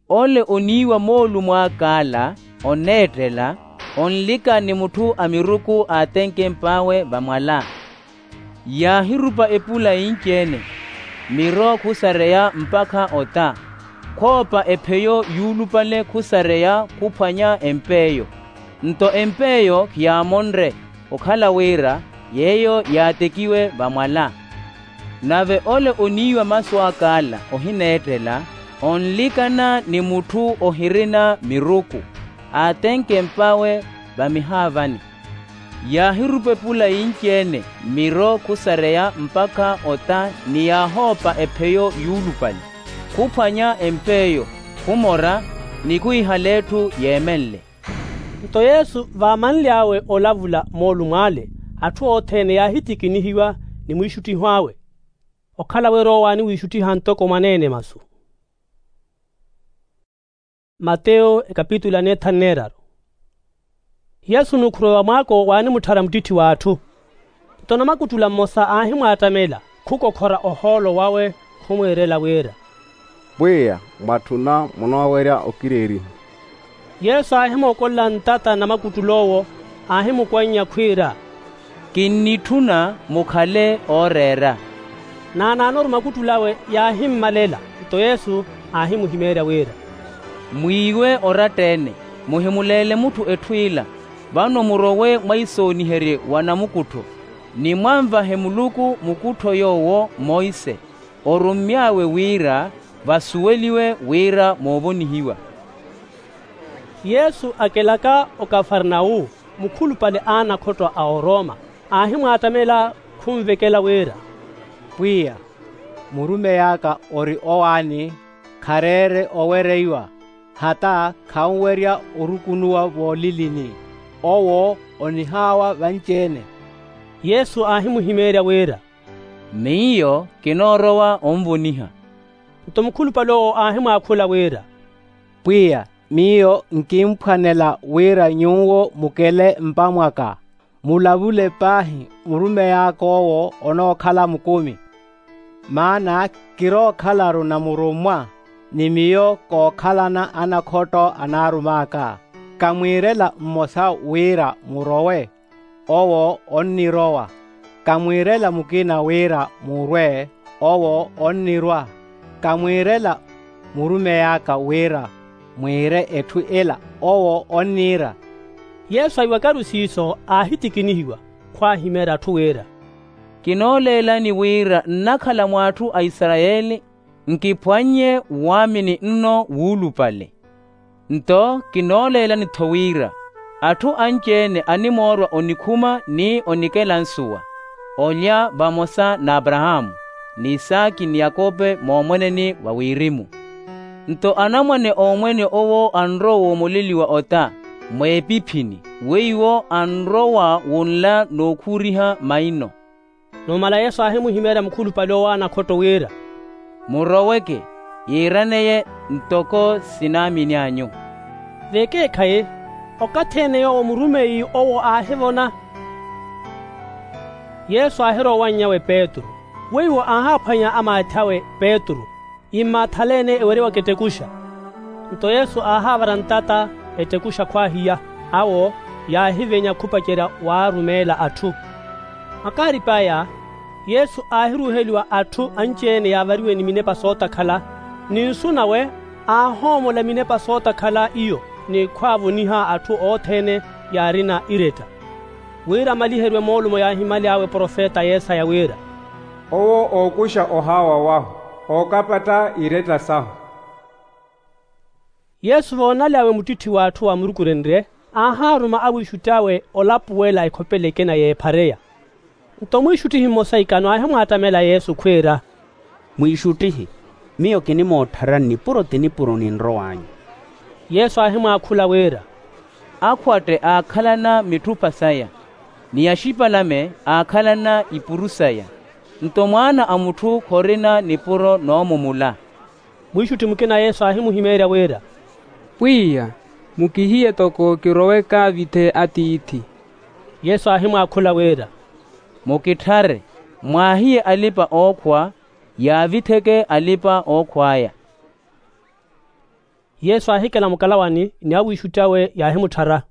Ole oniiwa moolumo ak'ala, oneettela, onlika ni mutthu a miruku aatenkemp'awe vamwala. Yaahirupa epula inci-ene, miro khusareya mpakha ota, khoopa epheyo yuulupale khusareya khuphwanya emp'eyo. Nto emp'eyo khiyaamonre, okhala wira yeeyo yaatekiwe vamwala. Nave ole oniiwa masu ak'ala ohineettela, onlikana ni mutthu ohirina miruku, aatenkemp'awe vamihaavani. Yaahirupa epula inci-ene, miro khusareya mpakha ota, ni yaahoopa epheyo yuulupale, khuphwanya emp'eyo, khumora, ni khuhihala etthu yeemenle. Nto yesu vaamanly'awe olavula moolumo ale, atthu othene yaahitikinihiwa ni mwiixuttih'awe. Okhala wira owo aaniwiixuttiha ntoko mwaneene masu. Mateyo ekapitulu ya neethanu neeraru. Yesu n'ukhuruwa wa mwaako waanimutthara muttitthi w'atthu. Nto namakuttula mmosa aahimwaattamela, khukokhora ohoolo wawe, khumwiirela wira, pwiya, mwatthuna munoowerya okireeriha. Yesu aahimookolela ntata namakuttul'owo, aahimukwannya khwiira, Kinnitthuna mukhale ooreera. Naanaanoru makuttul'awe yaahimmalela. Nto yesu aahimuhimeerya wira, mwiiwe oratta-ene, muhimuleele mutthu etthu ila. Vano murowe mwaisooniherye wa namukuttho, ni mwanvahe muluku mukuttho yoowo monse orummy'awe wira vasuweliwe wira moovonihiwa. Yesu akelaka okafarnawu, mukhulupale a anakhotto a oroma aahimwattamela khunvekela wira, pwiya, murumey'aka ori owaani, khareere owereiwa, hata khanwerya orukunuwa voolilini. Owo onihaawa vanci-ene. Yesu aahimuhimeerya wira, miyo kinoorowa onvoniha. Nto mukhulupale owo aahimwaakhula wira, pwiya, miyo nkimphwanela wira nyuwo mukele mpa mwaka, mulavule paahi murumey'ak'owo onookhala mukumi. Maana kirookhalaru namurummwa, ni miyo kookhalana anakhotto anaarum'aka. Kamwiirela mmosa wira murowe, owo onnirowa. Kamwiirela mukina wira murwe, owo onnirwa. Kamwiirela murumey'aka wira mwiire etthu ila, owo onniira. Yesu aiwakaru siiso aahitikinihiwa, khwaahimeerya atthu wira, kinooleelani wira nnakhala mw'atthu a isarayeli, nkiphwannye waamini nno wuulupale. Nto kinooleelani-tho wira atthu anci-ene animoorwa onikhuma ni onikela nsuwa, olya vamosa n'aparahaamu, n'isaki ni yakope moomweneni wa wirimu. Nto anamwane a omwene owo anrowa woomoleliwa ota, mw'epiphini weiwo anrowa wunla n'ukhuuriha maino. Numala yesu aahimuhimeerya mukhulupale owo a anakhotto wira, muroweke, yiiraneye ntoko sinaamini anyu. Vekeekhayi, okathi-ene yoowo murumeyi owo aahivona. Yesu aahirowa owanny'awe petru, weiwo aahaaphwanya amaathi awe petru, immaathalene ewerewaka ettekuxa. Nto yesu aahaavara ntata ettekuxa khwaahiya, awo yaahivenya khupacerya waarumeela atthu. Makaarip'aya, yesu aahiruuheliwa atthu anci-ene yaavariwe ni minepa sootakhala, ni nsu nawe aahoomola minepa sootakhala iyo, ni khwaavoniha atthu othene yaarina iretta. Wira amaliheriwe moolumo yaahimyaly'awe profeta yesaya wira, owo ookuxa ohaawa wahu, ookapatta iretta sahu. Yesu voonaly'awe muttitthi w'atthu amurukurenrye, aahaaruma awiixutt'awe olapuwela ekhopela ekina y'ephareya. Nto mwiixuttihi mmosa ikano aahimwaattamela yesu khwiira, mwiixuttihi, miyo kinimootthara nnipuro ti nipuro ninrow'anyu. Yesu aahimwaakhula wira, akhwatte aakhalana mitthupha saya, ni axipalame aakhalana ipuru saya, nto mwaana a mutthu khorina nipuro noomumula. Mwiixutthi mukina yesu aahimuhimeerya wira, pwiya, mukihiye toko kirowe kaavithe atiithi. Yesu aahimwaakhula wira, mukitthare, mwaahiye alipa-ookhwa, yaavitheke alipa-ookhw'aya. Yesu aahikela mukalawani ni awiixutt'awe yaahimutthara.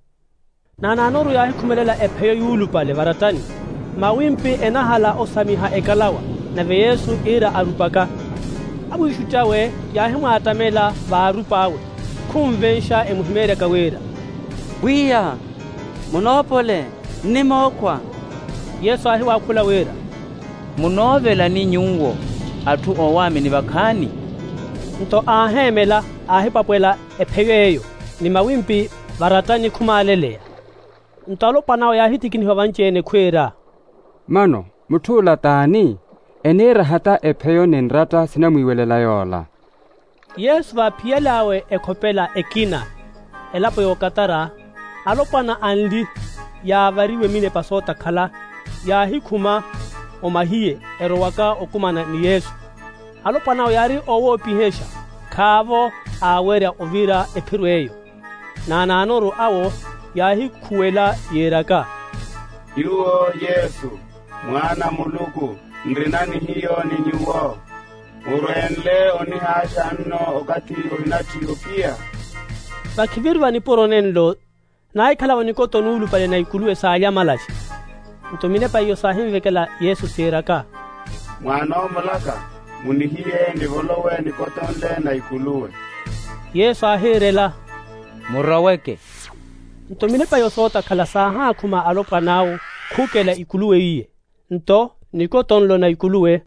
Naanaanoru yaahikhumelela epheyo yuulupale varattani, mawimpi enahala osamiha ekalawa, nave yesu iira arupaka. Awiixutt'awe yaahimwaattamela vaarup'awe, khunvenxa emuhimeeryaka wira, pwiya, munoopole, nnimookhwa. Yesu aahiwaakhula wira, munoovelani nyuwo atthu oowaamini vakhaani? Nto aaheemela, aahipwapwela epheyo eyo, ni mawimpi varattani khumaaleleya. Nto alopwan'awe yaahittikinihiwa vanci-ene khwiira, mano, mutth'ula t'ani? Eniira hata epheyo ni nratta sinamwiiwelela yoola. Yesu vaaphiyal'awe ekhopela ekina, elapo y'okatara, alopwana anli yaavariwe minepa sootakhala, yaahikhuma omahiye erowaka okumana ni yesu. Alopwan'awe yaari oowoopihexa, khaavo aawerya ovira ephiro eyo. Naanaanoru awo yaahikhuwela yiiraka, nyuwo yesu, mwaana a muluku, nrina ni hiyo ni nyuwo. Murweenle onihaaxa nno okathi ohinatthiya opiya. Vakhivirwa nipuro nenlo, naahikhalavo nikoto nuulupale na ikuluwe s'alya amalaxi. Nto minepa iyo saahinvekela yesu siiraka, mwaanoomolaka, munihiye nivolowe nikotonle na ikuluwe. Yesu aahiirela, muroweke. Nto minepa iyo sootakhala saahaakhuma alopwan'awo khukela ikuluwe iye. Nto nikotonlo na ikuluwe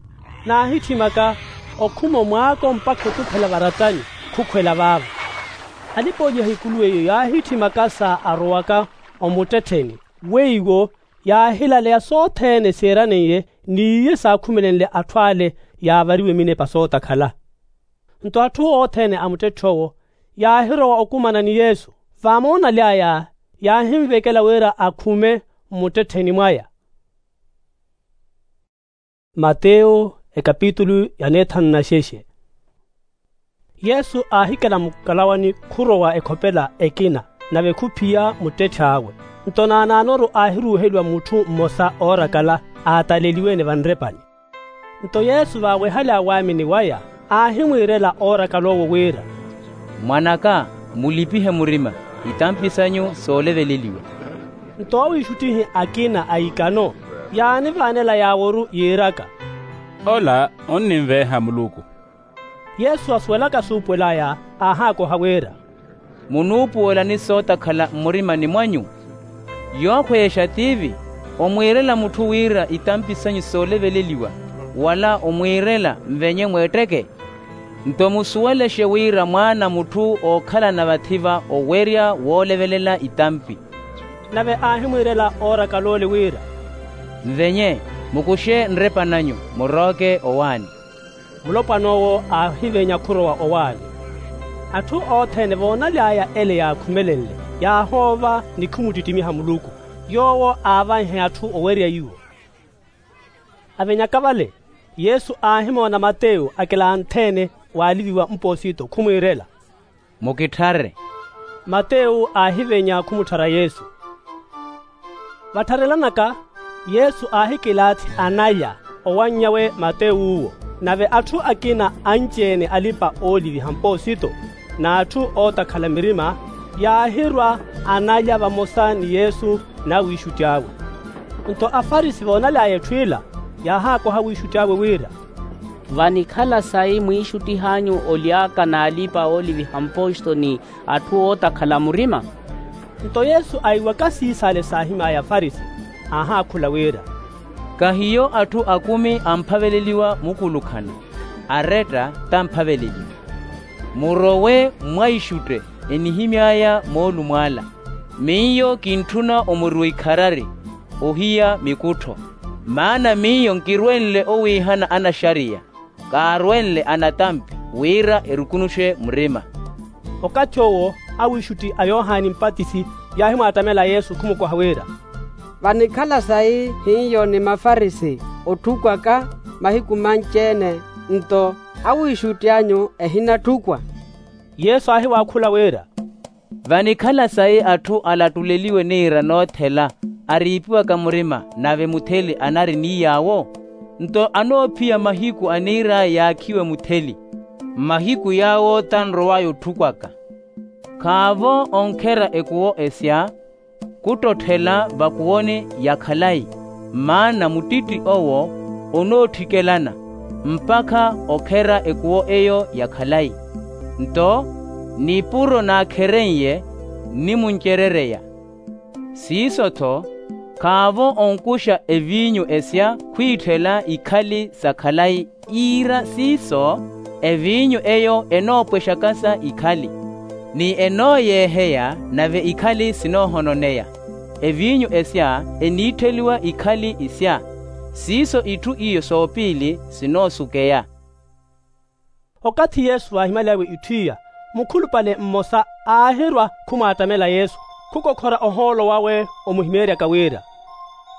naahitthimaka okhuma omwaako mpakha otukhela varattani khukhwela vaavo. Alipa-ooliha ikuluwe iyo yaahitthimaka sa arowaka omuttettheni weiwo yaahilaleya sothene siiraneiye n'iye saakhumelenle atthu ale yaavariwe minepa sootakhala. Nto atthu othene a muttetthe owo yaahirowa okumana ni yesu. Vaamoonaly'aya yaahinvekela wira akhume mmuttettheni mwaya. Mateyo ekapitulu ya neethanu na xexe. Yesu aahikela mukalawani khurowa ekhopela ekina nave khuphiya muttetth'awe. Nto naanaanoru aahiruuheliwa mutthu mmosa oorakala aataleliwe-ene vanrepani. Nto yesu vaawehal'aya waamini waya aahimwiirela oorakala owo wira, mwan'aka, mulipihe murima itampi s'anyu sooleveleliwa. Nto awiixuttihi akina a ikano yaanivaanela yaaworu yiiraka, ola onninveeha muluku. Yesu asuwelaka suupuwel'aya aahaakoha wira, munuupuwelani sootakhala mmurimani mwanyu? Yookhweyexa tiivi omwiirela mutthu wira itampi s'anyu sooleveleliwa, wala omwiirela nvenye mweetteke? Nto musuwelexe wira mwaana a mutthu ookhalana vathi-va owerya woolevelela itampi. Nave aahimwiirela oorakal'ole wira, nvenye, mukuxe nrepa n'anyu, murooke owaani. Mulopwan'owo aahivenya khurowa owaani. Atthu othene voonaly'aya ele yaakhumelenle yaahoova ni khumuttittimiha muluku, yoowo aavanhe atthu owerya iwo. Avenyaka vale, yesu aahimoona mateyo akilanthe-ene waaliviwa mpoosito khumwiirela, mukitthare. Mateyo aahivenya khumutthara yesu. Vattharelanaka, yesu aahikilaathi analya owannyawe matew'uwo. Nave atthu akina anci-ene alipa-ooliviha mpoosito n'atthu ootakhala mirima yaahirwa analya vamosa ni yesu n'awiixutti awe. Nto afarisi voonaly'aya etthu ila yaahaakoha awiixutti awe wira, vanikhala sayi mwiixuttih'anyu oly'aka n'alipa-ooliviha mpoosito ni atthu ootakhala murima? Nto yesu aiwaka siis'ale saahim'aya afarisi aahaakhula wira, kahiyo atthu akumi amphaveleliwa mukulukhana, aretta t'amphaveleliwa. Murowe mwaixutte enihimy'aya moolumo ala. Miyo kintthuna omuriwa ikharari ohiya mikuttho. Maana miyo nkirwenle owiihana anaxariya, kaarwenle anatampi wira erukunuxe murima. Okathi owo awiixutti a yohani mpatisi yaahimwaattamela yesu khumukoha wira, vanikhala sayi hiyo ni mafarisi otthukwaka mahiku manci-ene, nto awiixutti anyu ehinatthukwa? Yesu aahiwaakhula wira, vanikhala sayi atthu alattuleliwe niira noothela ariipiwaka murima nave mutheli anari ni yaawo? Nto anoophiya mahiku aniir'aya yaakhiwe mutheli, mmahiku yaawo tanrow'aya otthukwaka. Khaavo onkherya ekuwo esya kuttotthela vakuwoni ya khalayi, maana muttitti owo onoottikelana mpakha okherya ekuwo eyo ya khalayi. Nto nipuro naakhereiye nnimuncerereya. Siiso-tho khaavo onkuxa eviinyu esya khwiitthela ikhali sa khalayi, iira siiso eviinyu eyo enoopwexakasa ikhali, ni enooyeeheya nave ikhali sinoohononeya. Eviinyu esya eniittheliwa ikhali isya, siiso itthu iyo soopiili sinoosukeya. Okathi yesu aahimaly'awe itthu iya, mukhulupale mmosa aahirwa khumwaattamela yesu, khukokhora ohoolo wawe omuhimeeryaka wira,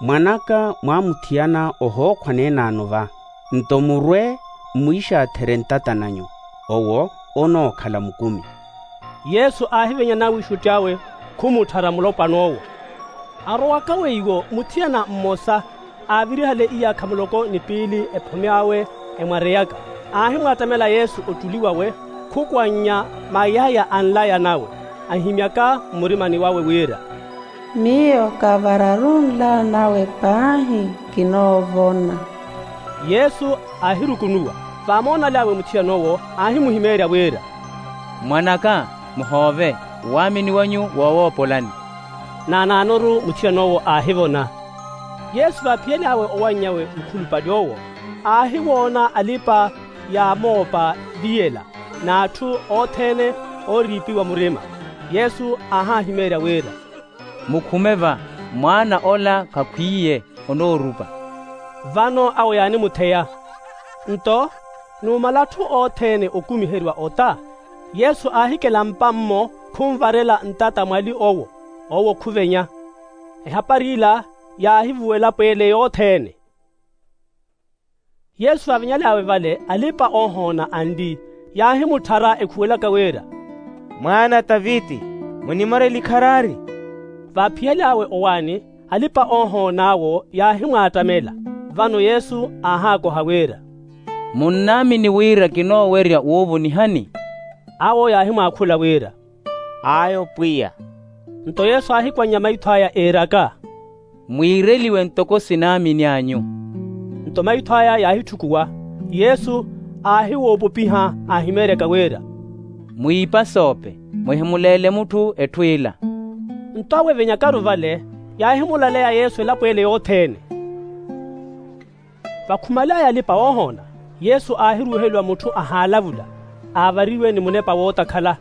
mwan'aka mwaamuthiyana ohookhwa neen'ano va, nto murwe mmwiixaatherye ntattan'anyu, owo onookhala mukumi. Yesu aahivenya n'awiixutti awe khumutthara mulopwana owo. Arowaka weiwo muthiyana mmosa aavirihale iyaakha muloko ni piili ephome awe emwareyaka, aahimwaattamela yesu ottuli wawe, khukwannya mayaya a nlaya nawe, ahimyaka mmurimani wawe wira, Miyo kavararu nlawa nawe paahi kinoovona. Yesu aahirukunuwa. Vaamoonal'awe muthiyan'owo aahimuhimeerya wira, mwan'aka, muhoove, waamini wanyu woowoopolani. Naanaanoru muthiyan'owo aahivona. Yesu vaaphiyel'awe owannyawe mukhulupale owo, aahiwoona alipa-yaamoopa viyela n'atthu othene ooriipiwa murima. Yesu aahaahimeerya wira, mukhume va, mwaana ola khakhwiiye, onoorupa. Vano awo yaanimutheya. Nto numala atthu othene okumiheriwa ota, yesu aahikela mpa-mmo khunvarela ntata mwali owo. Owo khuvenya. Ehapari ila yaahivuwa elapo ele yothene. Yesu vaavenyal'awe vale, alipa-oohoona anli yaahimutthara ekhuwelaka wira, mwaana a taviti, munimorele ikharari. Vaaphiyel'awe owaani, alipa-oohoon'awo yaahimwaattamela. Vano yesu aahaakoha wira, munnaamini wira kinoowerya woovonihani? Awo yaahimwaakhula wira, ayo pwiya. Nto yesu aahikwannya maitho aya eeraka, mwiireliwe ntoko sinaamini anyu. Nto maitho aya yaahitthukuwa. Yesu aahiwoopopiha aahimeeryaka wira, mwiipasoope, muhimuleele mutthu etthu ila. Nto awo evenyakaru vale yaahimulaleya yesu elapo ele yothene. Vakhumal'aya alipa-oohoona, yesu aahiruuheliwa mutthu ahaalavula, aavariwe ni munepa wootakhala.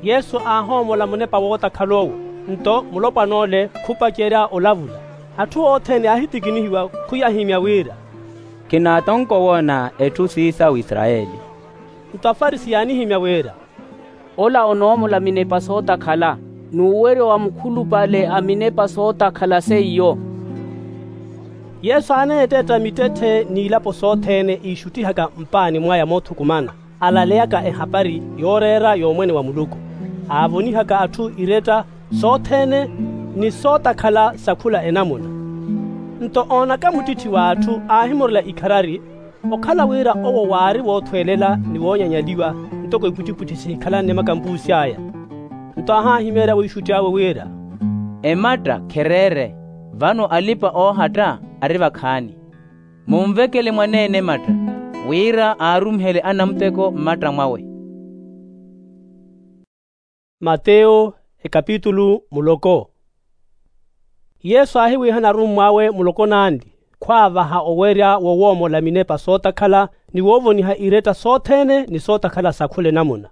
Yesu aahoomola munepa wootakhal'owo, nto mulopwan'ole khupacerya olavula. Atthu othene yaahitikinihiwa khuyahimya wira, khinaatonka owoona etthu siisawu israyeli. Nto afarisi yaanihimya wira, ola onoomola minepa sootakhala, n'uweryo wa mukhulupale a minepa sootakhala seiyo. Yesu aaneettetta mittetthe n'ilapo sothene iixuttihaka mpaani mwaya moothukumana, alaleyaka ehapari yooreera y'omwene wa muluku, aavonihaka atthu iretta sothene ni sootakhala sa khula enamuna. Nto oonaka muttitthi w'atthu aahimurela ikharari, okhala wira owo waari woothwelela ni woonyanyaliwa, ntoko ipwittipwitthi sihikhalane makampuusi aya. Nto aahaahimeerya wiixutti awe wira, ematta khereere, vano alipa-oohatta ari vakhaani. Munvekele mwaneene ematta, wira aarumihele anamuteko mmatta mwawe. Mateyo, ekapitulu muloko. Yesu aahiwihana arummw'awe muloko n'anli, khwaavaha owerya wowoomola minepa sootakhala ni woovoniha iretta sothene ni sootakhala sa khula enamuna.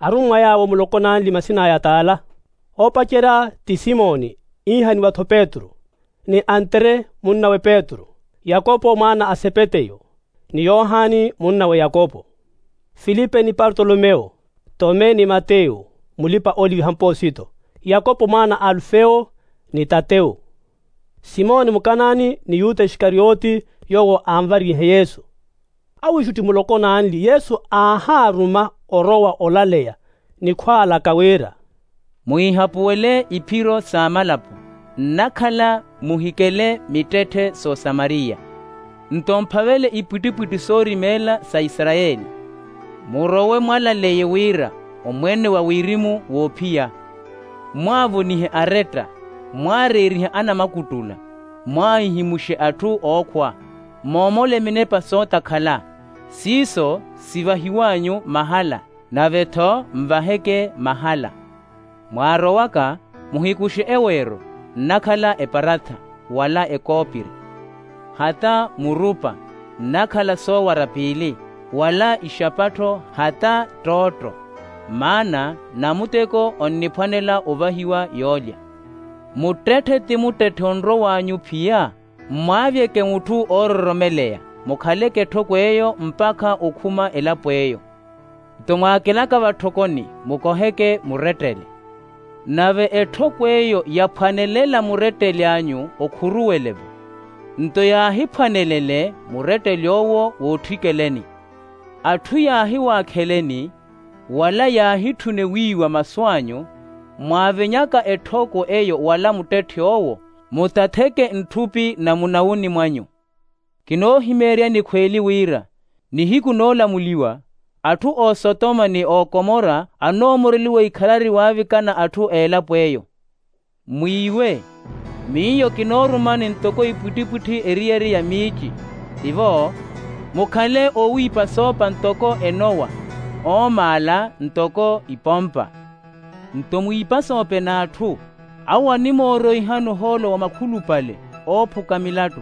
Arummwa yaawo muloko n'anli masin'aya t'ala. Oopacerya ti simoni, iihaniwa-tho petru, ni antre, munnawe petru, yakopo mwaana a sepeteyo, ni yohani munnawe yakopo, filipe ni partolomewo, tome ni mateyo, mulipa-ooliviha mposito, yakopo mwaana a alufewo, ni tatewo, simoni mukanani ni yuta isikarioti, yoowo aanvarihe yesu. Awiixutti muloko n'anli yesu aahaaruma orowa olaleya, ni khwaalaka wira, mwiihapuwele iphiro s'amalapo, nnakhala muhikele mittetthe s'osamariya. Nto mphavele ipwittipwitthi soorimeela sa isarayeli, murowe mwalaleye wira omwene wa wirimu woophiya, mwaavonihe aretta, mwaareerihe anamakuttula, mwaahihimuxe atthu ookhwa, moomole minepa sootakhala. Siiso sivahiw'anyu mahala, nave-tho nvaheke mahala. Mwaarowaka, muhikuxe eweero nnakhala eparatha, wala ekoopiri, hata murupa nnakhala soowara piili, wala ixapattho hata ttootto. Maana namuteko onniphwanela ovahiwa yoolya. Muttetthe ti muttetthe onrow'anyu phiya, mmwaavyeke mutthu oororomeleya, mukhaleke etthoko eyo mpakha okhuma elapo eyo. Nto mwaakelaka vatthokoni, mukoheke murettele. Nave etthoko eyo yaphwanelela muretteli anyu okhuruwele-vo. Nto yaahiphwanelele muretteli owo wootthikeleni. Atthu yaahiwaakheleni, wala yaahitthune wiiwa masu anyu, mwaavenyaka etthoko eyo wala muttetthe owo, mutatheke ntthupi na munawuni mwanyu. Kinoohimeeryani khweeli wira, nihiku noolamuliwa, atthu a osotoma ni a okomora anoomoreliwa ikharari waavikana atthu a elapo eyo. Mwiiwe, miyo kinoorumani ntoko ipwittipwitthi eriyari ya miici. Tivo, mukhale oowiipa soopa ntoko enowa, oomaala ntoko ipompa. Nto mwiipasoope n'atthu, awo animooroihani ohoolo wa makhulupale oophuka milattu,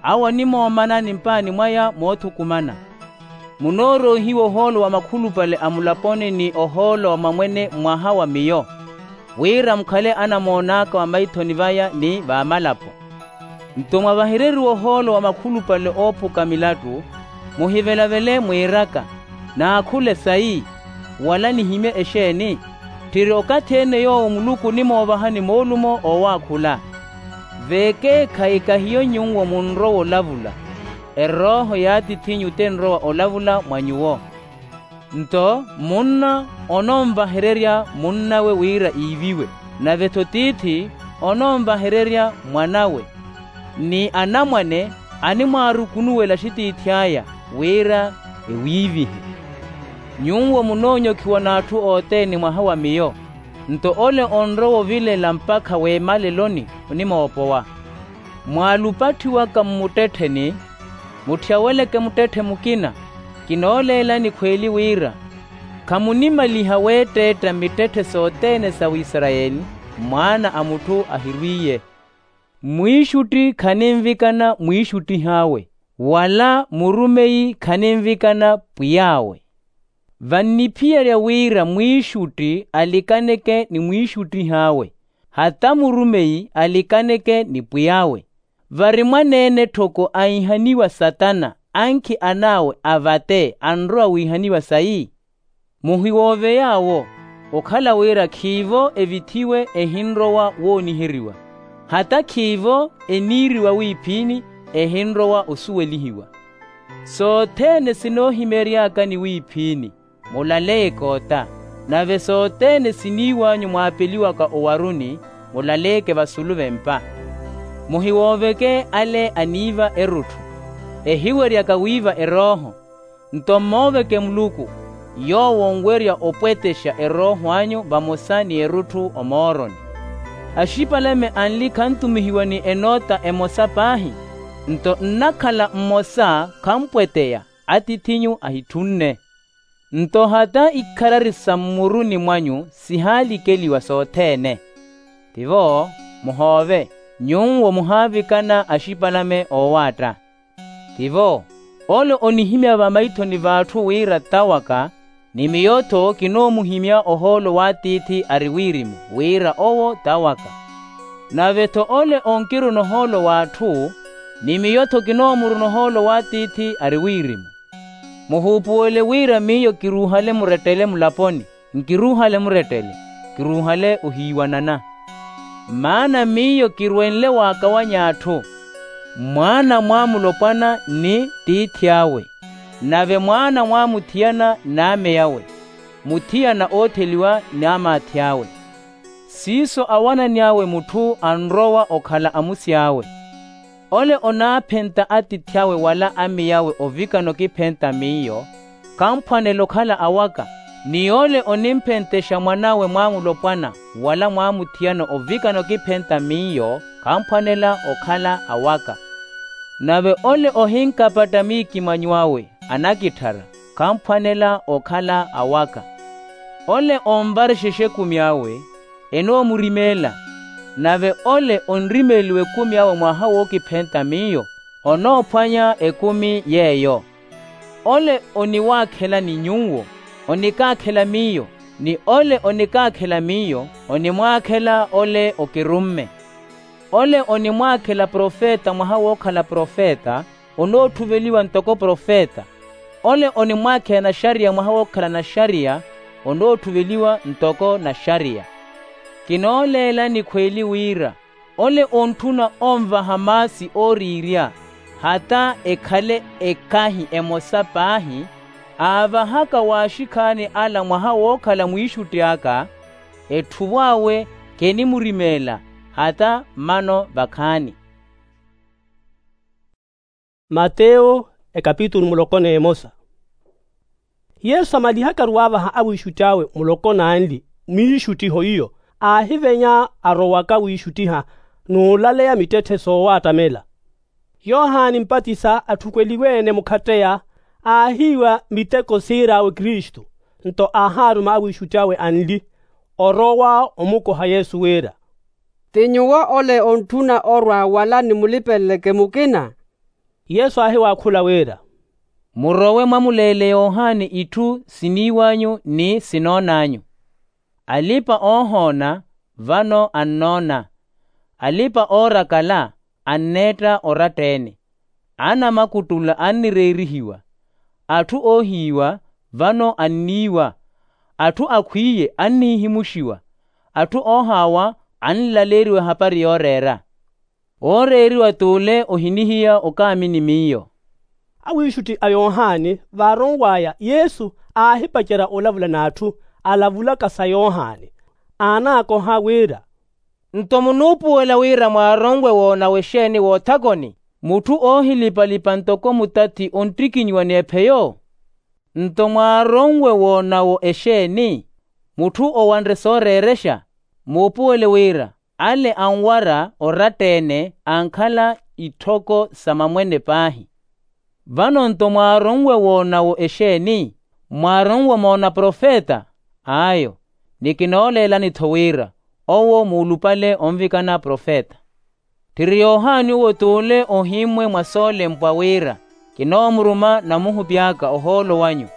awo animoomanani mpaani mwaya moothukumana. Munooroihiwa ohoolo wa makhulupale a mulaponi ni ohoolo wa mamwene mwaha wa miyo, wira mukhale anamoon'aka va maithoni vaya ni vamalapo. Nto mwavahereriwa ohoolo wa makhulupale oophuka milattu, muhivelavele mwiiraka, naakhule sayi, wala nihimye exeeni? Tthiri okathi-ene yoowo muluku onimoovahani moolumo oowaakhula. Veekeekhayi kahiyo nyuwo munrowa olavula, erooho y'atiith'inyu tinrowa olavula mwa nyuwo. Nto munna ononvahererya munn'awe wira iiviwe, nave-tho tiithi ononvahererya mwan'awe. Ni anamwane animwaarukunuwela axitiithi aya wira ewiivihe. Nyuwo munoonyokhiwa n'atthu othene mwaha wa miyo, nto ole onrowa ovilela mpakha w'emaleloni onimoopowa. Mwaalupatthiwaka mmuttettheni, mutthiyaweleke muttetthe mukina. Kinooleelani khweeli wira, khamunimaliha weetteetta mittetthe sothene sa wisarayeli mwaana a mutthu ahirwiiye. Mwiixutti khaninvikana mwiixuttih'awe, wala murumeyi khaninvikana pwiy'awe. Vanniphiyerya wira mwiixutti alikaneke ni mwiixuttih'awe, hata murumeyi alikaneke ni pwiy'awe. Vari mwaneene tthoko aihaniwa satana, ankhi an'awe avate anrowa wiihaniwa sayi? Muhiwoove yaawo, okhala wira khiivo evithiwe ehinrowa wooniheriwa, hata khiivo eniiriwa wiiphiini ehinrowa osuwelihiwa. Sothene sinoohimeery'aka ni wiiphiini, mulaleyeke ota, nave sothene siniiw'anyu mwaapeliwaka owaruni, mulaleyeke vasulu v'empa. Muhiwooveke ale aniiva erutthu, ehiweryaka wiiva erooho. Nto mmooveke muluku, yoowo onwerya opwetexa erooho anyu vamosa ni erutthu omooroni. Axipalame anli khantumihiwa ni enoota emosa paahi, nto nnakhala mmosa khampweteya, atiith'inyu ahitthunne. Nto hata ikharari sa mmuruni mwanyu sihaalikeliwa sothene. Tivo, muhoove, nyuwo muhaavikana axipalame oowaatta. Tivo, ole onihimya vamaithoni v'atthu wira t'awaka, ni miyo-tho kinoomuhimya ohoolo w'atiithi ari wirimu wira owo t'awaka. Nave-tho ole onkiruna ohoolo w'atthu, ni miyo-tho kinoomuruna ohoolo w'atiithi ari wirimu. Muhuupuwele wira miyo kiruuhale murettele mulaponi, nkiruuhale murettele, kiruuhale ohiiwanana. Maana miyo kirwenle waakawanya atthu. Mwaana mwaamulopwana ni tiithi awe, nave mwaana mwaamuthiyana n'ame awe, muthiyana ootheliwa n'amaathi awe. Siiso awanani awe mutthu anrowa okhala amusi awe. Ole onaaphenta atiithi awe wala amiyawe ovikana okiphenta miyo, kamphwanela okhala awaka. Ni ole onimphentexa mwan'awe mwaamulopwana wala mwaamuthiyana ovikana okiphenta miyo, kamphwanela okhala awaka. Nave ole ohinkapatta miikimanyo awe anakitthara, kamphwanela okhala awaka. Ole onvarexexa ekumi awe, enoomurimeela. Nave ole onrimeeliwa ekumi awe mwaha wookiphenta miyo, onoophwanya ekumi yeeyo. Ole oniwaakhelani nyuwo, onikaakhela miyo, ni ole onikaakhela miyo, onimwaakhela ole okirumme. Ole onimwaakhela profeta mwaha wookhala profeta, onoottuveliwa ntoko profeta. Ole onimwaakhela naxariya mwaha wookhala naxariya, onoottuveliwa ntoko naxariya. Kinooleelani khweeli wira, ole ontthuna onvaha maasi ooriirya, hata ekhale ekahi emosa paahi, aavahaka waaxikhaani ala mwaha wookhala mwiixutti aka, etthuvo awe kenimurimeela, hata mmano vakhaani. Mateyo, ekapitulu muloko n'emosa. Yesu amalihakaru waavaha awiixutti awe muloko n'anli, mwiixuttiho iyo, aahivenya arowaka wiixuttiha n'ulaleya mittetthe soowaattamela. Yohani mpatisa atthukweliwe-ene mukhatteya, aahiiwa miteko siir'awe kristu. Nto aahaaruma awiixutti awe anli, orowa omukoha yesu wira, ti nyuwo ole ontthuna orwa wala nimulipeleleke mukina? Yesu aahiwaakhula wira, murowe mwamuleele yohani itthu siniiw'anyu ni sinoon'anyu. Alipa-oohoona vano annoona, alipa-oorakala anneetta oratta-ene, anamakuttula annireerihiwa, atthu oohiiwa vano anniiwa, atthu akhwiiye annihimuxiwa, atthu oohaawa anlaleeriwa ehapari yooreera. Wooreeriwa t'ule ohinihiya okaamini miyo. Awiixutti a yohani vaaronw'aya yesu aahipacerya olavula n'atthu alavulaka sa yohani, aanaakoha wira, nto munuupuwela wira mwaaronwe woonawo exeeni woothakoni? Mutthu oohilipalipa ntoko mutathi onttikinyiwa ni epheyo? Nto mwaaronwe woonawo exeeni? Mutthu owanre sooreerexa, muupuwele wira ale anwara oratta-ene ankhala itthoko sa mamwene paahi. Vano nto mwaaronwe woonawo exeeni? Mwaaronwe omoona profeta? Ayo, ni kinooleelani-tho wira owo muulupale onvikana profeta. Tthiri yohani owo t'ule ohimmwe mwa soolempwa wira kinoomuruma namuhupi aka ohoolo wanyu,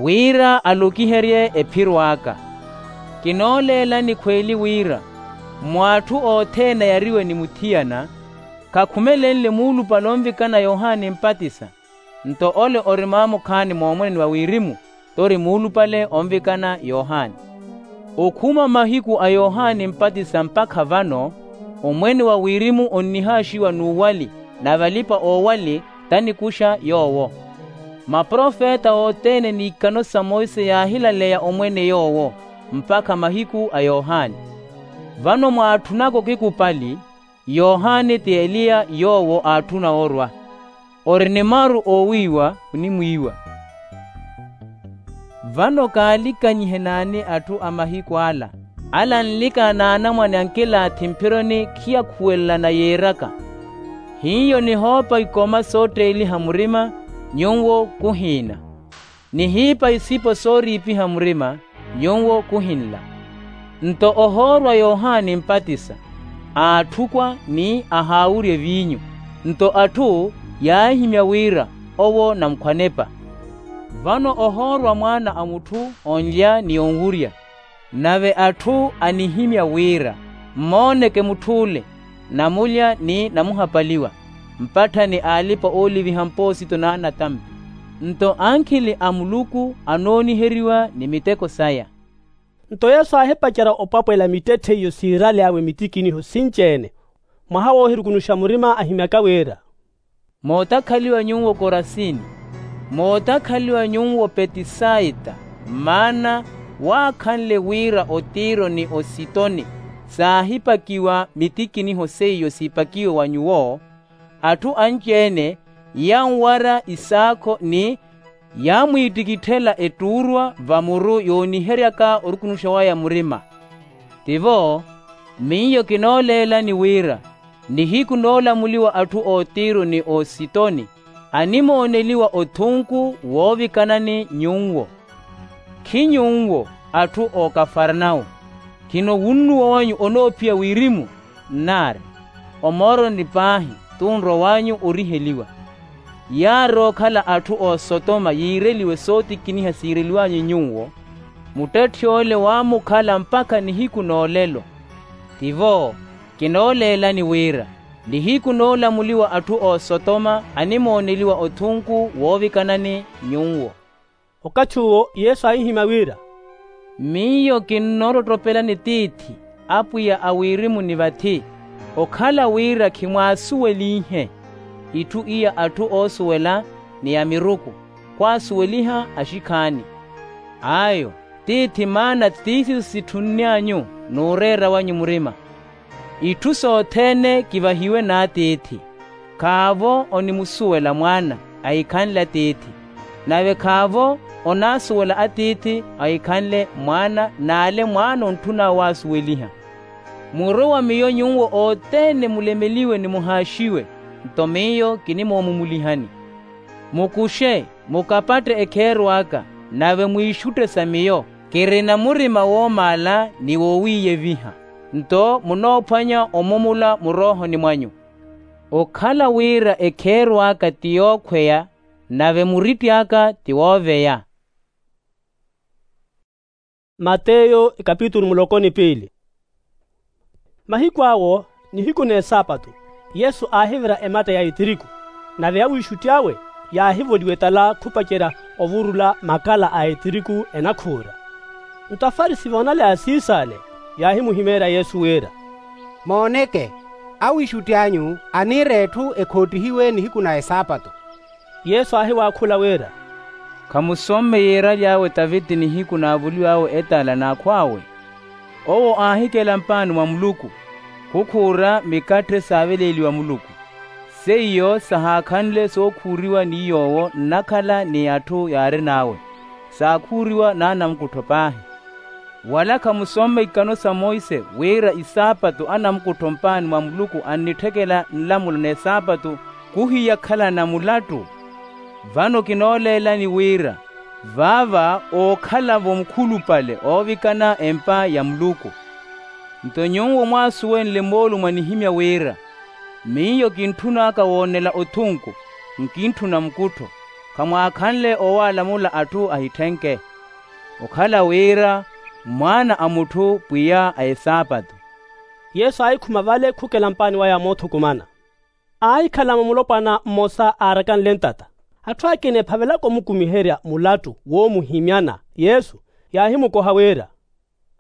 wira alokiherye ephiro aka. Kinooleelani khweeli wira, mw'atthu othene ayariwe ni muthiyana, khakhumelenle muulupale onvikana yohani mpatisa. Nto ole ori maamukhaani moomwene wa wirimu t'ori muulupale onvikana yohani. Okhuma mahiku a yohani mpatisa mpakha vano, omwene wa wirimu onnihaaxiwa n'uwali, nave alipa-oowali t'anikuxa yoowo. Maprofeta othene n'ikano sa monse yaahilaleya omwene yoowo, mpakha mahiku a yohani. Vano mwaatthunaka okikupali, yohani ti eliya yoowo aatthuna orwa. Ori ni maru oowiiwa onimwiiwa. Vano kaalikanyihe n'ani atthu a mahiku ala? Ala anlikana n'anamwane ankilaathi mphironi khiyakhuwelelana yiiraka. Hiyo nihoopa ikoma sootteeliha murima, nyuwo khuhiina. Nihiipa isipo sooriipiha murima, nyuwo khuhinla. Nto ohoorwa yohani mpatisa, aatthukwa ni ahaawurya eviinyu. Nto atthu yaahihimya wira owo namukhwanepa. Vano ohoorwa mwaana a mutthu onlya ni onwurya. Nave atthu anihimya wira, mmooneke mutth'ule, namulya ni namuhapaliwa, mpatthani aalipa ooliviha mpoosito n'anatampi. Nto ankhili a muluku anooniheriwa ni miteko saya. Nto yesu aahipacerya opwapwela mittetthe iyo siirale awe mitikiniho sinci-ene. Mwaha woohirukunuxa murima ahimyaka wira, mootakhaliwa nyuwo korasini, mootakhaliwa nyuwo petisaita, maana waakhanle wira otiro ni ositoni saahipakiwa mitikiniho seiyo siipakiwe wa nyuwo. Atthu anci-ene yanwara isaakho ni yaamwiittikitthela ettuurwa vamuru yooniheryaka orukunuxa waya murima. Tivo, miyo kinooleelani wira nihiku noolamuliwa atthu ottiro ni ositoni animooneliwa othunku woovikanani nyuwo. Khi nyuwo atthu okafarnau, khino wunnuwa wanyu onoophiya wirimu? Nnaari, omooroni paahi t'unrowa wanyu oriheliwa. Yaari okhala atthu osotoma yiireliwe sootikiniha siireliwanyu nyuwo. Muttetthi ole waamukhala mpakha nihiku n'olelo. Tivo, kinooleelani wira nihiku noolamuliwa atthu osotoma animooneliwa othunku woovikanani nyuwo. Okathi uwo yesu aahihimya wira, miyo kinnoottottopelani tiithi, apwiya a wirimu ni vathi, okhala wira khimwaasuwelinhe itthu iya atthu oosuwela ni ya miruku, khwaasuweliha axikhaani. Ayo, tiithi maana tiithi sitthunny'anyu n'ureera wanyu murima. Itthu sothene kivahiwe n'atiithi. Khaavo onimusuwela mwaana ahikhanle atiithi, nave khaavo onaasuwela atiithi ahikhanle mwaana n'ale mwaana ontthun'awe waasuweliha. Murowa miyo nyuwo othene mulemeliwe ni muhaaxiwe. Nto miyo kinimoomumulihani. Mukuxe, mukapatte ekheero aka, nave mwiixutte sa miyo. Kirina murima woomaala ni wowiiyeviha. Nto munoophwanya omumula muroohoni mwanyu. Okhala wira ekheero aka ti yookhweya, nave muritti aka ti wooveya. Mateyo ikapitulu muloko ni piili. Mahiku awo, nihiku n'esaapatu, yesu aahivira ematta ya etiriku. Nave awiixutti awe yaahivoliwa etala khupacerya ovurula makala a etiriku enakhuura. Nto afarisi voonale a siisaale, yaahimuhimeerya yesu wira, mooneke, awiixutti anyu aniira etthu ekhoottihiwe nihiku na esaapatu. Yesu aahiwaakhula wira, khamusomme yiiraly'awe taviti nihiku naavuliw'awe etala n'akhw'awe? Owo aahikela mpaani mwa muluku, khukhuura mikatthe saaveleeliwa muluku. Seiyo sahaakhanle sookhuuriwa ni yoowo nnakhala ni atthu yaarin'awe, saakhuuriwa n'anamukuttho paahi. Wala khamusomme ikano sa monse wira isaapatu anamukuttho mpaani mwa muluku annitthekela nlamulo n'esaapatu, khuhiyakhalana mulattu? Vano kinooleelani wira vaava ookhalavo mukhulupale oovikana empa ya muluku. Nto nyuwo mwaasuwenle moolumo anihimya wira, miyo kintthun'aka woonela othunku, nkintthuna mukuttho. Khamwaakhanle owaalamula atthu ahitthenke. Okhala wira mwaana a mutthu pwiya a esaapatu. Yesu aahikhuma vale khukela mpaani waya moothukumana. Aahikhalamo mulopwana mmosa aarakanle ntata. Atthu akina ephavelaka omukumiherya mulattu woomuhimyana yesu, yaahimukoha wira,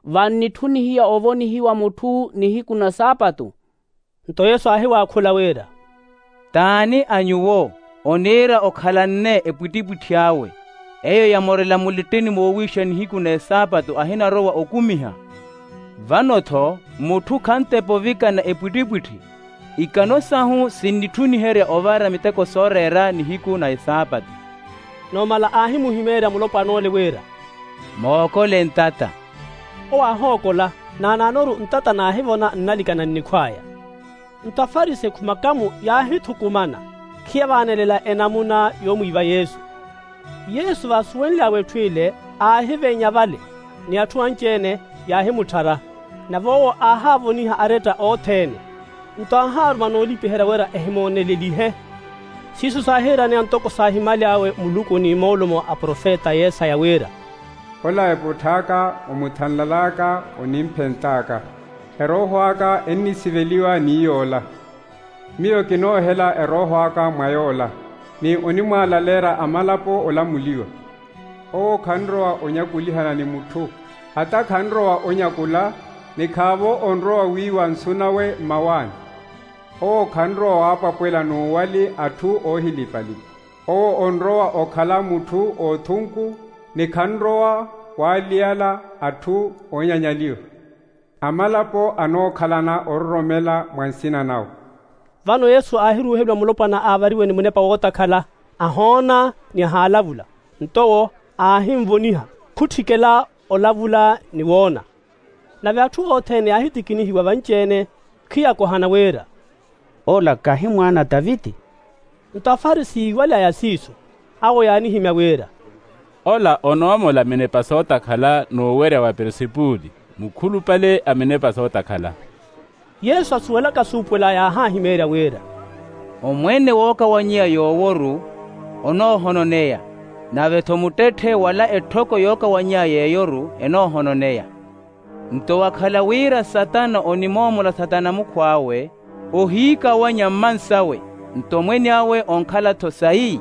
vannitthunihiya ovonihiwa mutthu nihiku na saapatu? Nto yesu aahiwaakhula wira, t'ani a nyuwo oniira okhalanne epwittipwitthi awe, eyo yamorela mulittini moowiixa nihiku n'esaapatu ahinarowa okumiha? Vano-tho mutthu khantepa ovikana epwittipwitthi. Ikano sahu sinnitthuniherya ovara miteko sooreera nihiku na esaapatu. Numala aahimuhimeerya mulopwan'ole wira, mookole ntata. Owo aahookola, naanaanoru ntata naahivona nnalikana nnikhw'aya. Nto afarisi ekhumakamu yaahithukumana, khiyavaanelela enamuna yoomwiiva yesu. Yesu vaasuwenly'awe etthu ile, aahiveenya vale, ni atthu anci-ene yaahimutthara. Nave owo aahaavoniha aretta othene. Nto aahaaruma noolipiherya wira ehimoonelelihe. Siiso saahiiraneya ntoko saahimaly'awe muluku ni moolumo a profeta yesaya wira, ola eputthaaka, omuthanlal'aka, onimphent'aka. Erooho aka ennisiveliwa ni yoola. Miyo kinoohela erooho aka mwa yoola, ni onimwaalaleerya amalapo olamuliwa. Owo khanrowa onyakulihana ni mutthu, hata khanrowa onyakula, ni khaavo onrowa wiiwa nsu nawe mmawaani. Owo khanrowa waapwapwela n'uwali atthu oohilipa-lipa. Owo onrowa okhala mutthu oothunku, ni khanrowa waaliyala atthu oonyanyaliwa. Amalapo anookhalana ororomela mwa nsina nawe. Vano yesu aahiruuheliwa mulopwana aavariwe ni munepa wootakhala, ahoona ni ahaalavula. Nto owo aahimvoniha, khutthikela olavula ni woona. Nave atthu othene yaahitikinihiwa vanci-ene, khiyakohana wira, ola kahi mwaana a taviti? Nto afarisi yiiwaly'aya siiso, awo yaanihimya wira, ola onoomola minepa sootakhala n'uwerya wa peresepuli, mukhulupale a minepa sootakhala. Yesu asuwelaka suupuwela yaahaahimeerya wira, omwene wookawanyeya yoowo-ru onoohononeya, nave-tho muttetthe wala etthoko yookawanyeya yeeyo-ru enoohononeya. Nto wakhala wira satana onimoomola satana mukhw'awe, ohiikawanya mmansawe, nto omwene awe onkhala-tho sayi.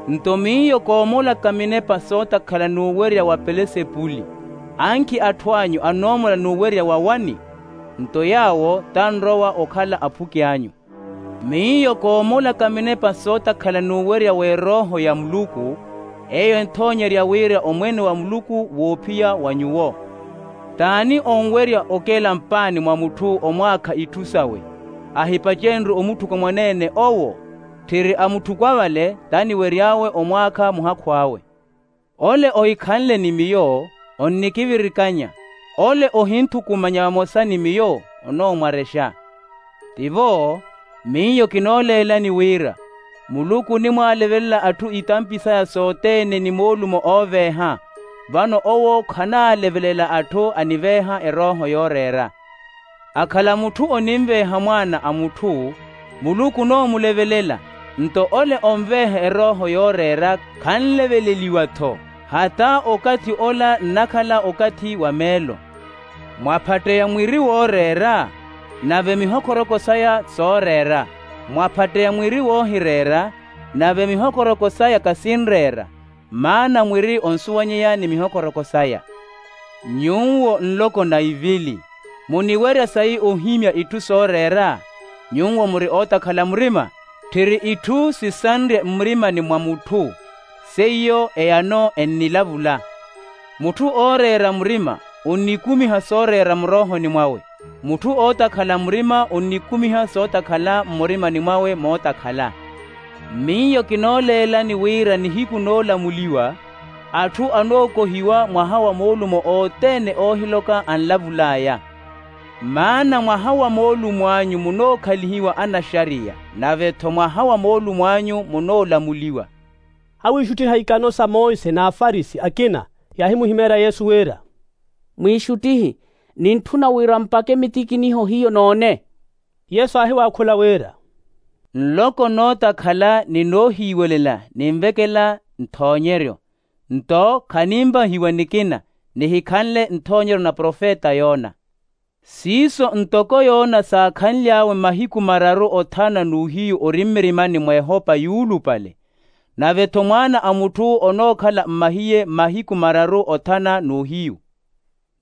Nto miyo koomolaka minepa sootakhala n'uwerya wa pelesepuli, ankhi atthu anyu anoomola n'uwerya wa wani? Nto yaawo tanrowa okhala aphuki anyu. Miyo koomolaka minepa sootakhala n'uwerya w'erooho ya muluku, eyo enthoonyerya wira omwene wa muluku woophiya wa nyuwo. T'ani onwerya okela mpaani mwa mutthu omwaakha itthu sawe, ahipacenrye omutthuka mwaneene owo? Tthiri a mutthuka vale t'aniwery'awe omwaakha muhakhu awe. Ole ohikhanle ni miyo, onnikivirikanya. Ole ohinthukumanya vamosa ni miyo, onoomwarexa. Tivo miyo kinooleelani wira muluku onimwaalevelela atthu itampi saya sothene ni moolumo ooveeha. Vano owo khanaalevelela atthu aniveeha erooho yooreera. Akhala mutthu oninveeha mwaana a mutthu, muluku onoomulevelela. Nto ole onveeha erooho yooreera khanleveleliwa-tho, hata okathi ola nnakhala okathi wa meelo. Mwaphatteya mwiri wooreera, nave mihokhoroko saya sooreera. Mwaphatteya mwiri woohireera, nave mihokhoroko saya kasinreera. Maana mwiri onsuwanyeya ni mihokhoroko saya. Nyuwo nloko na ivili, muniwerya sayi ohimya itthu sooreera? Nyuwo muri ootakhala murima. Tthiri itthu sisanrye mmurimani mwa mutthu, seiyo eyano ennilavula. Mutthu ooreera murima onnikumiha sooreera muroohoni mwawe. Mutthu ootakhala murima onnikumiha sootakhala mmurimani mwawe mootakhala. Miyo kinooleelani wira nihiku noolamuliwa atthu anookohiwa mwaha wa moolumo othene oohiloka anlavul'aya. Maana mwaha wa moolumo anyu munookhalihiwa anaxariya, nave-tho mwaha wa moolumo anyu munoolamuliwa. Awiixuttiha ikano sa monse n'afarisi akina yaahimuhimeerya yesu wira, mwiixuttihi, nintthuna wira mpakhe mitikiniho hiyo noone. Yesu aahiwaakhula wira, nloko nootakhala ni noohiiwelela ninvekela nthoonyeryo. Nto khaninvahiwa nikina nihikhanle nthoonyeryo na profeta yona. Siiso ntoko yona saakhanly'awe mahiku mararu othana n'uhiyu ori mmirimani mw'ehopa yuulupale. Nave-tho mwaana a mutthu onookhala mmahiye mahiku mararu othana n'uhiyu.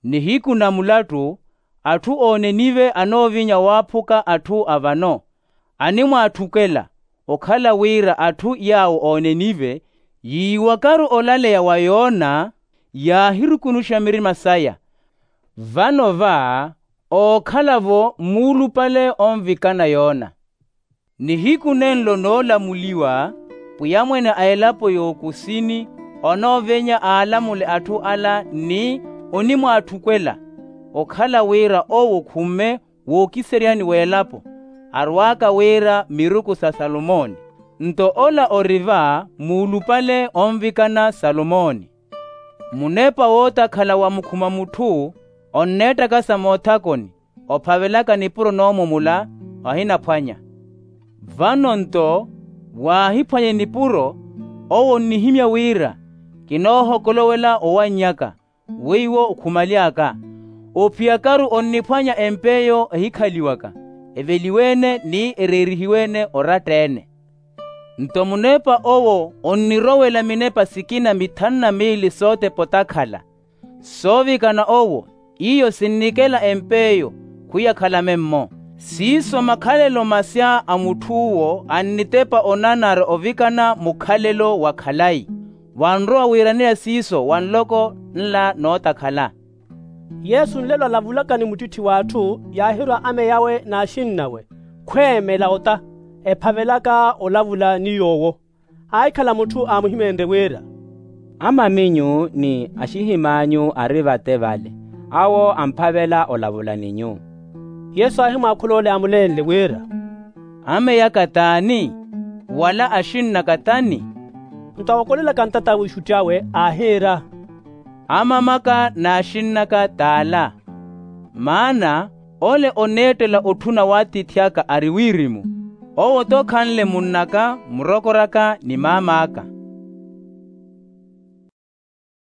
Nihiku na mulattu atthu oonenive anoovinya waaphuka atthu a vano, animwaatthukela. Okhala wira atthu yaawo oonenive yiiwakaru olaleya wa yona, yaahirukunuxa mirima saya. Vano va ookhala-vo muulupale onvikana yona. Nihiku nenlo noolamuliwa, pwiya mwene a elapo y'okusini onoovenya aalamule atthu ala ni onimwaatthukela. Okhala wira owo khumme wookiseryani w'elapo, arwaaka wira miruku sa salomoni. Nto ola ori va muulupale onvikana salomoni. Munepa wootakhala wa mukhuma mutthu onneettakasa moothakoni, ophavelaka nipuro noomumula, ohinaphwanya. Vano nto waahiphwanya enipuro, owo onnihimya wira kinoohokolowela owanny'aka, weiwo okhumaly'aka. Ophiyakaru onniphwanya empa eyo ehikhaliwaka, eveliwe-ene ni ereerihiwe-ene oratta-ene. Nto munepa owo onnirowela minepa sikina mithanu na miili sootepa otakhala. Soovikana owo, iyo sinnikela empa eyo, khwiyakhala memmo. Siiso makhalelo masya a mutth'uwo annitepa onanara ovikana mukhalelo wa khalayi. Wanrowa wiiraneya siiso wa nloko nla nootakhala. Yesu nlelo alavulaka ni muttitthi w'atthu yaahirwa ame yawe n'axinnawe, khweemela ota, ephavelaka olavula ni yoowo. Aahikhala mutthu aamuhimeenrye wira, amaminyu ni axihim'anyu ari vate vale, awo amphavela olavula ni nyu. Yesu aahimwaakhula ole aamuleenle wira, ame yaka t'ani? Wala axinn'aka t'ani? Nto awokolelaka ntata a wiixutti awe aahiira, amam'aka n'axinn'aka t'ala. Maana ole oneettela otthuna w'atiithi aka ari wirimu, owo-tho khanle munn'aka, murokor'aka ni maam'aka.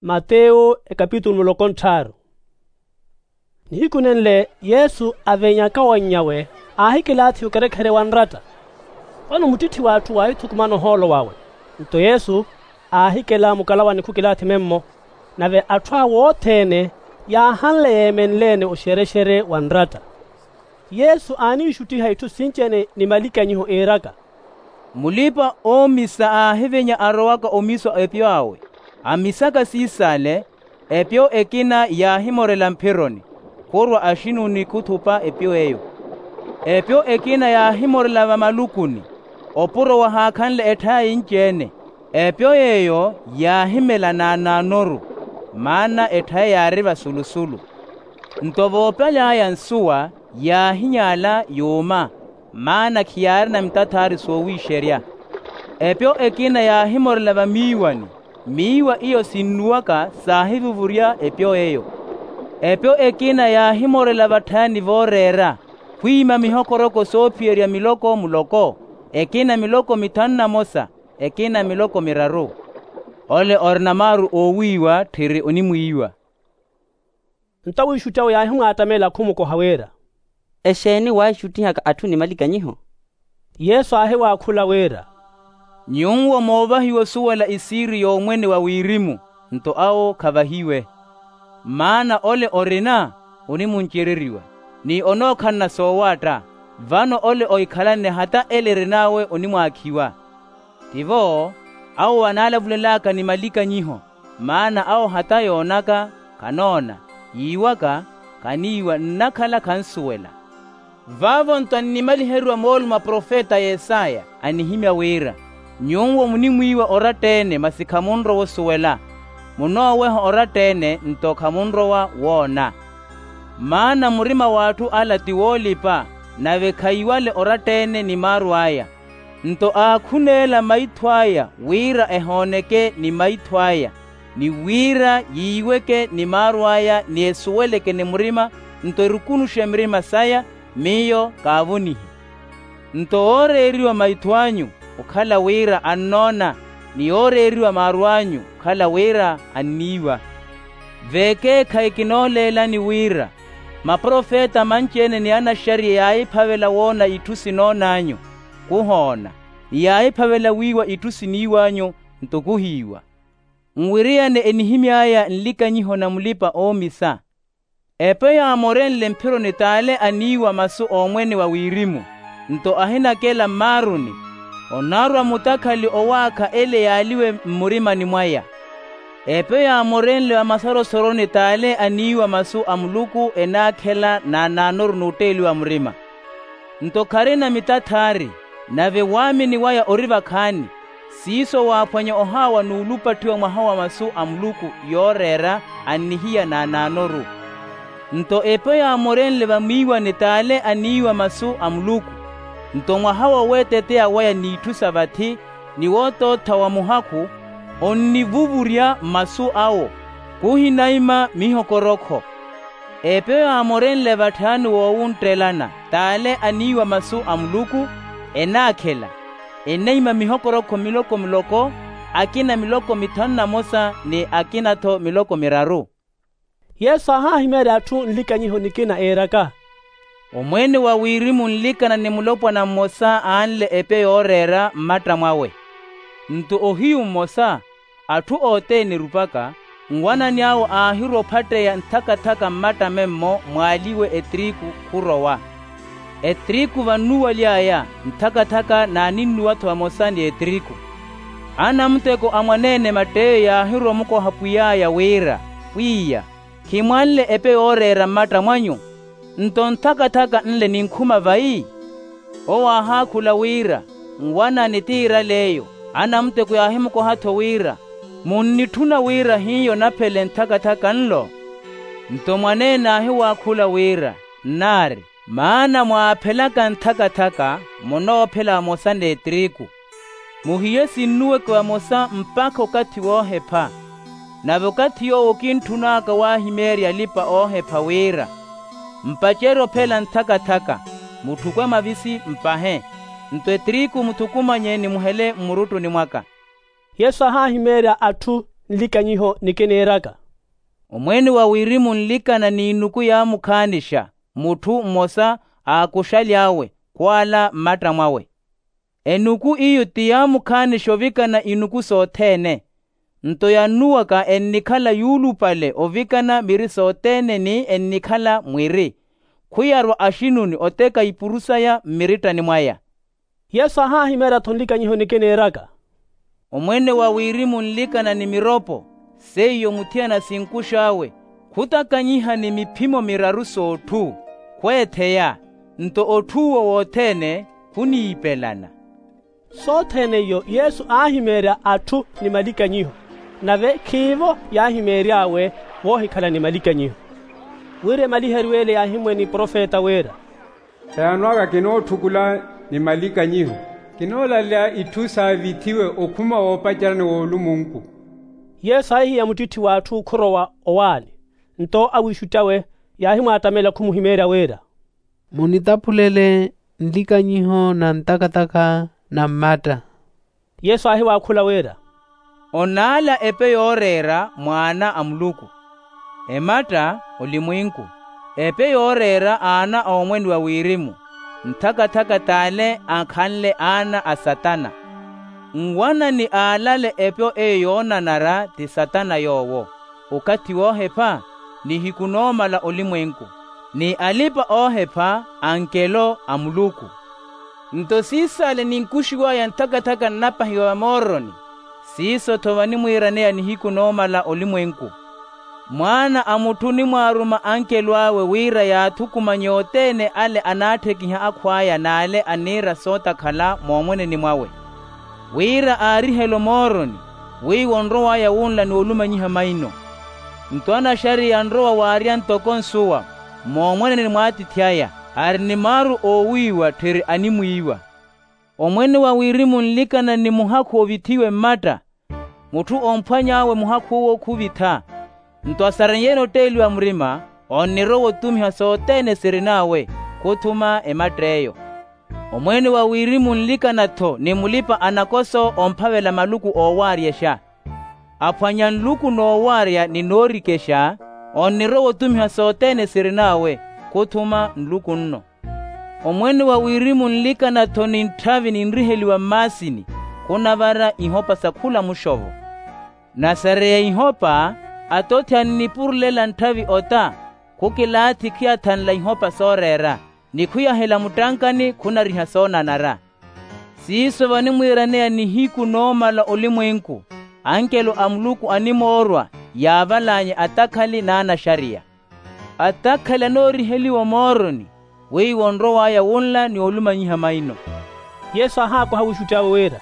Mateyo ekapitulu muloko nttharu. Nihiku nenle yesu avenyaka owanny'awe, aahikilaathi okerekhere wa nratta. Vano muttitthi w'atthu waahithukumana ohoolo wawe. Nto yesu aahikela mukalawa ni khukilaathi memmo. Nave atthu awe othene yaahanle yeemenle-ene oxerexere wa nratta. Yesu aaniixuttiha itthu sinci-ene ni malikanyiho iiraka, mulipa-oomisa aahivenya arowaka omisa epyo awe. Amisaka siisale, epyo ekina yaahimorela mphironi, khurwa axinuni khuthupa epyo eyo. Epyo ekina yaahimorela vamalukuni, opuro wahaakhanle etthaya yinci-ene. Epyo yeeyo yaahimela naanaanoru, maana etthaya yaari vasulusulu. Nto voopaly'aya nsuwa, Yaahinyaala yuuma, maana khiyaarina mitathaari soowiixerya. Epyo ekina yaahimorela vamiiwani, miiwa iyo sinnuwaka saahivuvurya epyo eyo. Epyo ekina yaahimorela vatthayani vooreera, khwiima mihokoroko soophiyerya miloko muloko, ekina miloko mithanu na mosa, ekina miloko miraru. Ole orina maaru oowiiwa tthiri onimwiiwa. Nto awiixutti awe yaahimwaattamela khumukoha wira, exeeni waaxuttihaka atthu ni malikanyiho? Yesu aahiwaakhula wira, nyuwo moovahiwa osuwela isiiri y'omwene wa wirimu, nto awo khavahiwe. Maana ole orina onimuncereriwa, ni onookhalana soowaatta, vano ole ohikhalanne hata ele erin'awe onimwaakhiwa. Tivo awo anaalavulelaka ni malikanyiho, maana awo hata yoonaka, khanoona, yiiwaka, khaniiwa nnakhala khansuwela. Vaavo-nto annimaliheriwa moolumo a profeta yesaya anihimya wira, nyuwo munimwiiwa oratta-ene masi khamunrowa osuwela, munooweha oratta-ene nto khamunrowa woona. Maana murima w'atthu ala ti woolipa, nave khayiwale oratta-ene ni maaru aya. Nto aakhuneela maitho aya wira ehooneke ni maitho aya, ni wira yiiweke ni maaru aya ni esuweleke ni murima, nto erukunuxe mirima saya, miyo kaavonihi. Nto ooreeriwa maitho anyu okhala wira annoona, ni ooreeriwa maaru anyu okhala wira anniiwa. Veekeekhayi kinooleelani wira, maprofeta manci-ene ni anaxariya yaahiphavela woona itthu sinoon'anyu, khuhoona, ni yaahiphavela wiiwa itthu siniiw'anyu, nto khuhiiwa. Nwiriyane enihimy'aya nlikanyiho na mulipa-oomisa. Epe yaamorenle mphironi t'ale aniiwa masu a omwene wa wirimu, nto ahinakela mmaaruni, onaarwa mutakhali owaakha ele yaaliwe mmurimani mwaya. Epe yaamorenle va masarosoroni t'ale aniiwa masu a muluku enaakhela naanaanoru n'utteeliwa murima. Nto kharina mitathaari, nave waamini waya ori vakhaani. Siiso waaphwanya ohaawa n'ulupatthiwa mwaha wa masu a muluku yooreera, annihiya naanaanoru. Nto epe yaamorenle vamiiwani t'ale aniiwa masu a muluku, nto mwaha woweeteteya waya n'itthu sa vathi, ni wootootha wa muhakhu, onnivuvurya masu awo, khuhinaima mihokorokho. Epe yaamorenle vatthayani woowunttelana t'ale aniiwa masu a muluku, enaakhela, eneima mihokorokho miloko miloko, akina miloko mithanu na mosa ni akina-tho miloko miraru. Yesu aahahimeerya atthu nlikanyiho nikina eeraka, omwene wa wirimu nlikana ni mulopwana mmosa aanle epe yooreera mmatta mwawe. Nto ohiyu mmosa, atthu othene erupaka, nwanani awo aahirwa ophatteya nthakathaka mmatta memmo mwaaliwe etiriku khurowa. Etiriku vannuwaly'aya nthakathaka naaninnuwa-tho vamosa ni etiriku. Anamuteko a mwaneene matt'eyo yaahirwa omukoha pwiy'aya wira, pwiya, khimwanle epe yooreera mmatta mwanyu? Nto nthakathaka nle ninkhuma vayi? Owo aahaakhula wira, nwanani t'iirale eyo. Anamuteko yaahimukoha-tho wira, munnitthuna wira hiyo naphele nthakathaka nlo? Nto mwaneene aahiwaakhula wira, nnaari, maana mwaaphelaka nthakathaka munoophela vamosa n'etiriku. Muhiye sinnuweke vamosa mpakha okathi woohepha. Nave okathi yoowo kintthun'aka waahimeerya alipa-oohepha wira, mpacerye ophela nthakathaka, mutthukwe mavisi mpahe, nto etiriku muthukumanye ni muhele mmuruttuni mwaka. Yesu aahahimeerya atthu nlikanyiho nikineeraka, omwene wa wirimu nlikana n'inuku yaamukhaanixa mutthu mmosa aakuxaly'awe khwaala mmatta mwawe. Enuku iyo ti yaamukhaanixa ovikana inuku sothene. Nto yannuwaka ennikhala yuulupale ovikana miri sothene ni ennikhala mwiri, khwiyarwa axinuni oteka ipuru saya mmirittani mwaya. Yesu aahahimeerya-tho nlikanyiho nikineeraka, omwene wa wirimu nlikana ni miropo, seiyo muthiyana sinkux'awe, khutakanyiha ni miphimo miraru s'otthu, khweetheya, nto otthuuwo wothene khuniipelana. Sothene iyo yesu aahimeerya atthu ni malikanyiho, nave khiivo yaahimeery'awe woohikhala ni malikanyiho. Wira emaliheriwe ele yaahimwene profeta wira, Sayanwaka kinootthukhula ni malikanyiho, kinoolaleya itthu saavithiwe okhuma woopacerani w'olumunku. Yesu aahihiya muttitthi w'atthu khorowa owaani. Nto awiixutti awe yaahimwaattamela khumuhimeerya wira, munitaphulele nlikanyiho na ntakatakha na mmatta. Yesu aahiwaakhula wira, onaala epe yooreera mwaana a muluku, ematta olimwinku, epe yooreera aana a omwene wa wirimu, nthakathaka t'ale akhanle aana a satana. Nwanani aalale epe eyo yoonanara ti satana yoowo. Okathi woohepha nihiku noomala olimwenku, ni alipa-oohepha ankelo a muluku. Nto siisaale ninkuxiw'aya nthakathaka nnapahiwa vamooroni, siiso-tho vanimwiiraneya nihiku noomala olimwenku. Mwaana a mutthu onimwaaruma ankelo awe wira yaathukumanye othene ale anaatthikiha akhw'aya n'ale aniira sootakhala moomweneni mwawe, wira aarihele omooroni, wiiwo onrow'aya wunla ni olumanyiha maino. Nto anaxariya anrowa waarya ntoko nsuwa moomweneni mw'atiithi aya, ari ni maaru oowiiwa tthiri animwiiwa. Omwene wa wirimu onlikana ni muhakhu ovithiwe mmatta, mutthu omphwany'awe muhakhu owo khuvitha. Nto asareiye-ene otteeliwa murima, onnirowa otumiha sothene sirin'awe, khuthuma ematt'eyo. Omwene wa wirimu onlikana-tho ni mulipa-anakoso omphavela maluku oowaaryexa. Aphwanya nluku noowaarya ni noorikexa, onnirowa otumiha sothene sirin'awe, khuthuma nluku nno. Omwene wa wirimu onlikana-tho ni ntthavi ninriheliwa mmaasini, khunavara ihopa sa khula muxovo. Nasareya ihopa, atothi annipurulela ntthavi ota, khukilaathi khiyathanla ihopa sooreera, ni khuyahela muttankani khunariha soonanara. Siiso vanimwiiraneya nihiku noomala olimwenku, ankelo a muluku animoorwa yaavalaanye atakhali n'anaxariya. Atakhali anooriheliwa omooroni, wiiwo onrow'aya wunla ni olumanyiha maino. Yesu aahaakoha wiixutti awe wira,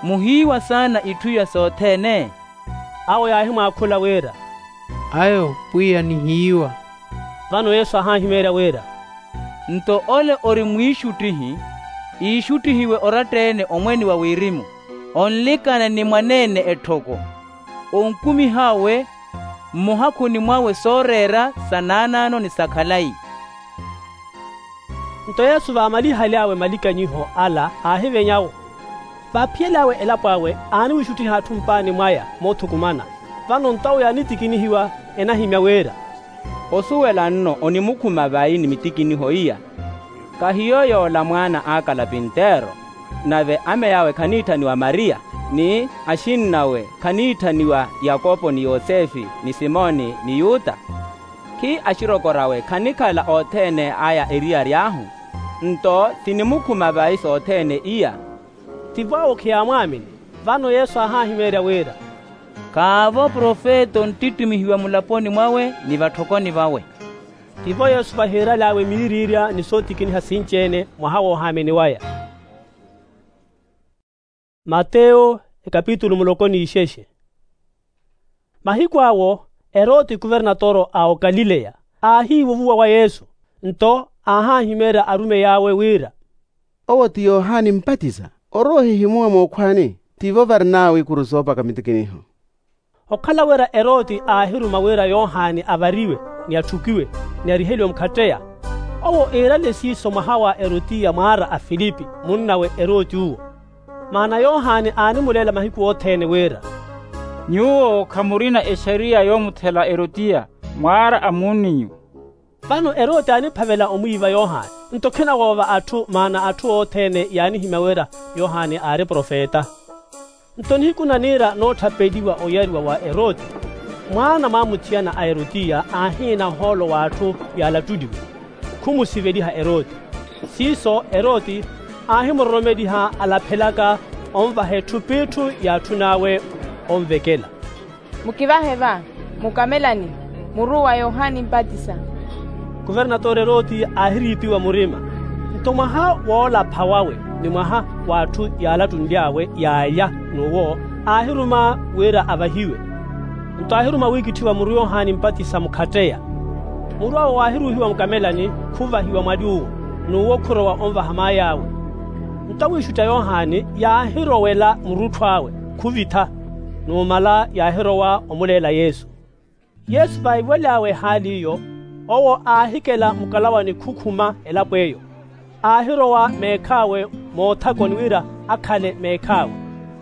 muhiiwa saana itthu iya sothene? Awo yaahimwaakhula wira, ayo pwiya nihiiwa. Vano yesu aahanhimeerya wira, nto ole ori mwiixuttihi, iixuttihiwe oratta-ene omwene wa wirimu, onlikana ni mwaneene etthoko, onkumih'awe mmuhakhuni mwawe sooreera sa naanaano ni sa khalayi. Nto yesu vaamalihaly'awe malikanyiho ala aahiveny'awo, vaaphiyel'awe elapo awe aaniwiixuttiha atthu mpaani mwaya moothukumana. Vano nto awo yaanitikinihiwa enahimya wira, osuwela nno onimukhuma vayi ni mitikiniho iya? Kahiyo yoola mwaana a kalapintero? Nave ame awe khaniitthaniwa mariya, ni axinn'awe khaniitthaniwa yakopo ni yosefe ni simoni ni yuta? Khi axirokori awe khanikhala othene aya eriyari ahu? Nto sinimukhuma vayi sothene iya? Tivo awo khiyaamwaamini. Vano yesu aahahimeerya wira, khaavo profeta onttittimihiwa mulaponi mwawe ni vatthokoni vawe. Tivo yesu vahiiraly'awe miiriirya ni sootikiniha sinci-ene mwaha woohaamini waya. Mateyo ekapitulu muloko n'ixexe. Mahiku awo eroti kuvernatoro a okalileya aahiivuvuwa wa yesu, nto aahahimeerya arumeyi awe wira, owo ti yohani mpatisa. Orowa ohihimuwa mookhwaani, tivo varin'awe ikuru soopaka mitikiniho. Okhala wira eroti aahiruma wira yohani avariwe, ni atthukiwe, ni ariheliwe mukhatteya. Owo iirale siiso mwaha wa erotiya mwaara a filipi munnawe eroti uwo. Maana yohani aanimuleela mahiku othene wira, nyuwo khamurina exariya yoomuthela erotiya mwaara a muun'inyu. Vano eroti aaniphavela omwiiva yohani, nto khina woova atthu maana atthu othene yaanihimya wira yohani aari profeta. Nto nihiku naniira nootthapeliwa oyariwa wa eroti, mwaana mwa muthiyana a erotiya aahiina ohoolo w'atthu yaalattuliwe, khumusiveliha eroti. Siiso eroti aahimuroromeliha alaphelaka onvaha etthu p'itthu y'atthun'awe onvekela. Mukivahe va mukamelani muru wa yohani mpatisa. Kuvernatore eroti aahiriipiwa murima, nto mwaha woolapha wawe ni mwaha w'atthu yaalattunly'awe yaalya n'uwo aahiruma wira avahiwe. Nto aahiruma wiikitthiwa muru yohani mpatisa mukhatteya. Muru awo waahiruuhiwa mukamelani khuvahiwa mwali uwo. n'uwo khurowa onvaha maay'awe. Nto awiixutti a yohani yaahirowela murutthu awe khuvitha. Numala yaahirowa omuleela yesu. Yesu vaiwel'awe ehaali iyo, owo aahikela mukalawani khukhuma elapo eyo. Aahirowa meekh'awe moothakoni wira akhale meekh'awe.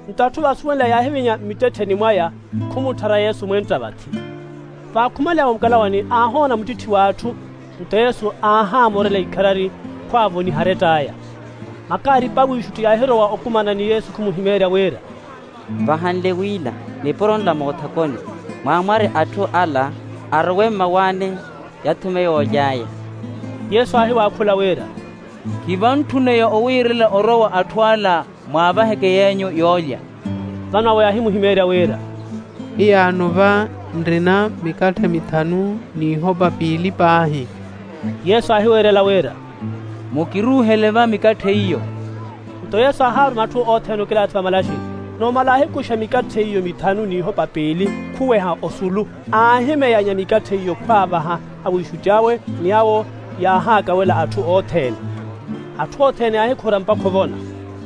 Nto atthu vaasuwenle yaahivinya mmittettheni mwaya, khumutthara yesu mwenta vathi. Vaakhumale awe mukalawani aahoona muttitthi w'atthu. Nto yesu aahaamorela ikharari, khwaavoniha arett'aya. Makaaripa awiixutti yaahirowa okumana ni yesu khumuhimeerya wira, vahanle wila nipuro nla moothakoni, mwaamware atthu ala arowe mmawaani, yathume yooly'aya. Yesu aahiwaakhula wira, khivantthuneya owiirela orowa atthu ala mwaavaheke yeenyu yoolya. Vano awo yaahimuhimeerya wira, hiyaano va nrina mikatthe mithanu n'ihopa piili paahi. Yesu aahiweerela wira, mukiruuhele va mikatthe iyo. Nto yesu aahaaruma atthu othene okilathi vamalaxini. Numala aahikuxa mikatthe iyo mithanu n'ihopa piili, khuweha osulu, aahimeyanya mikatthe iyo khwaavaha awiixutti awe, ni awo yaahaakawela atthu othene. Atthu othene yaahikhura mpakha ovona.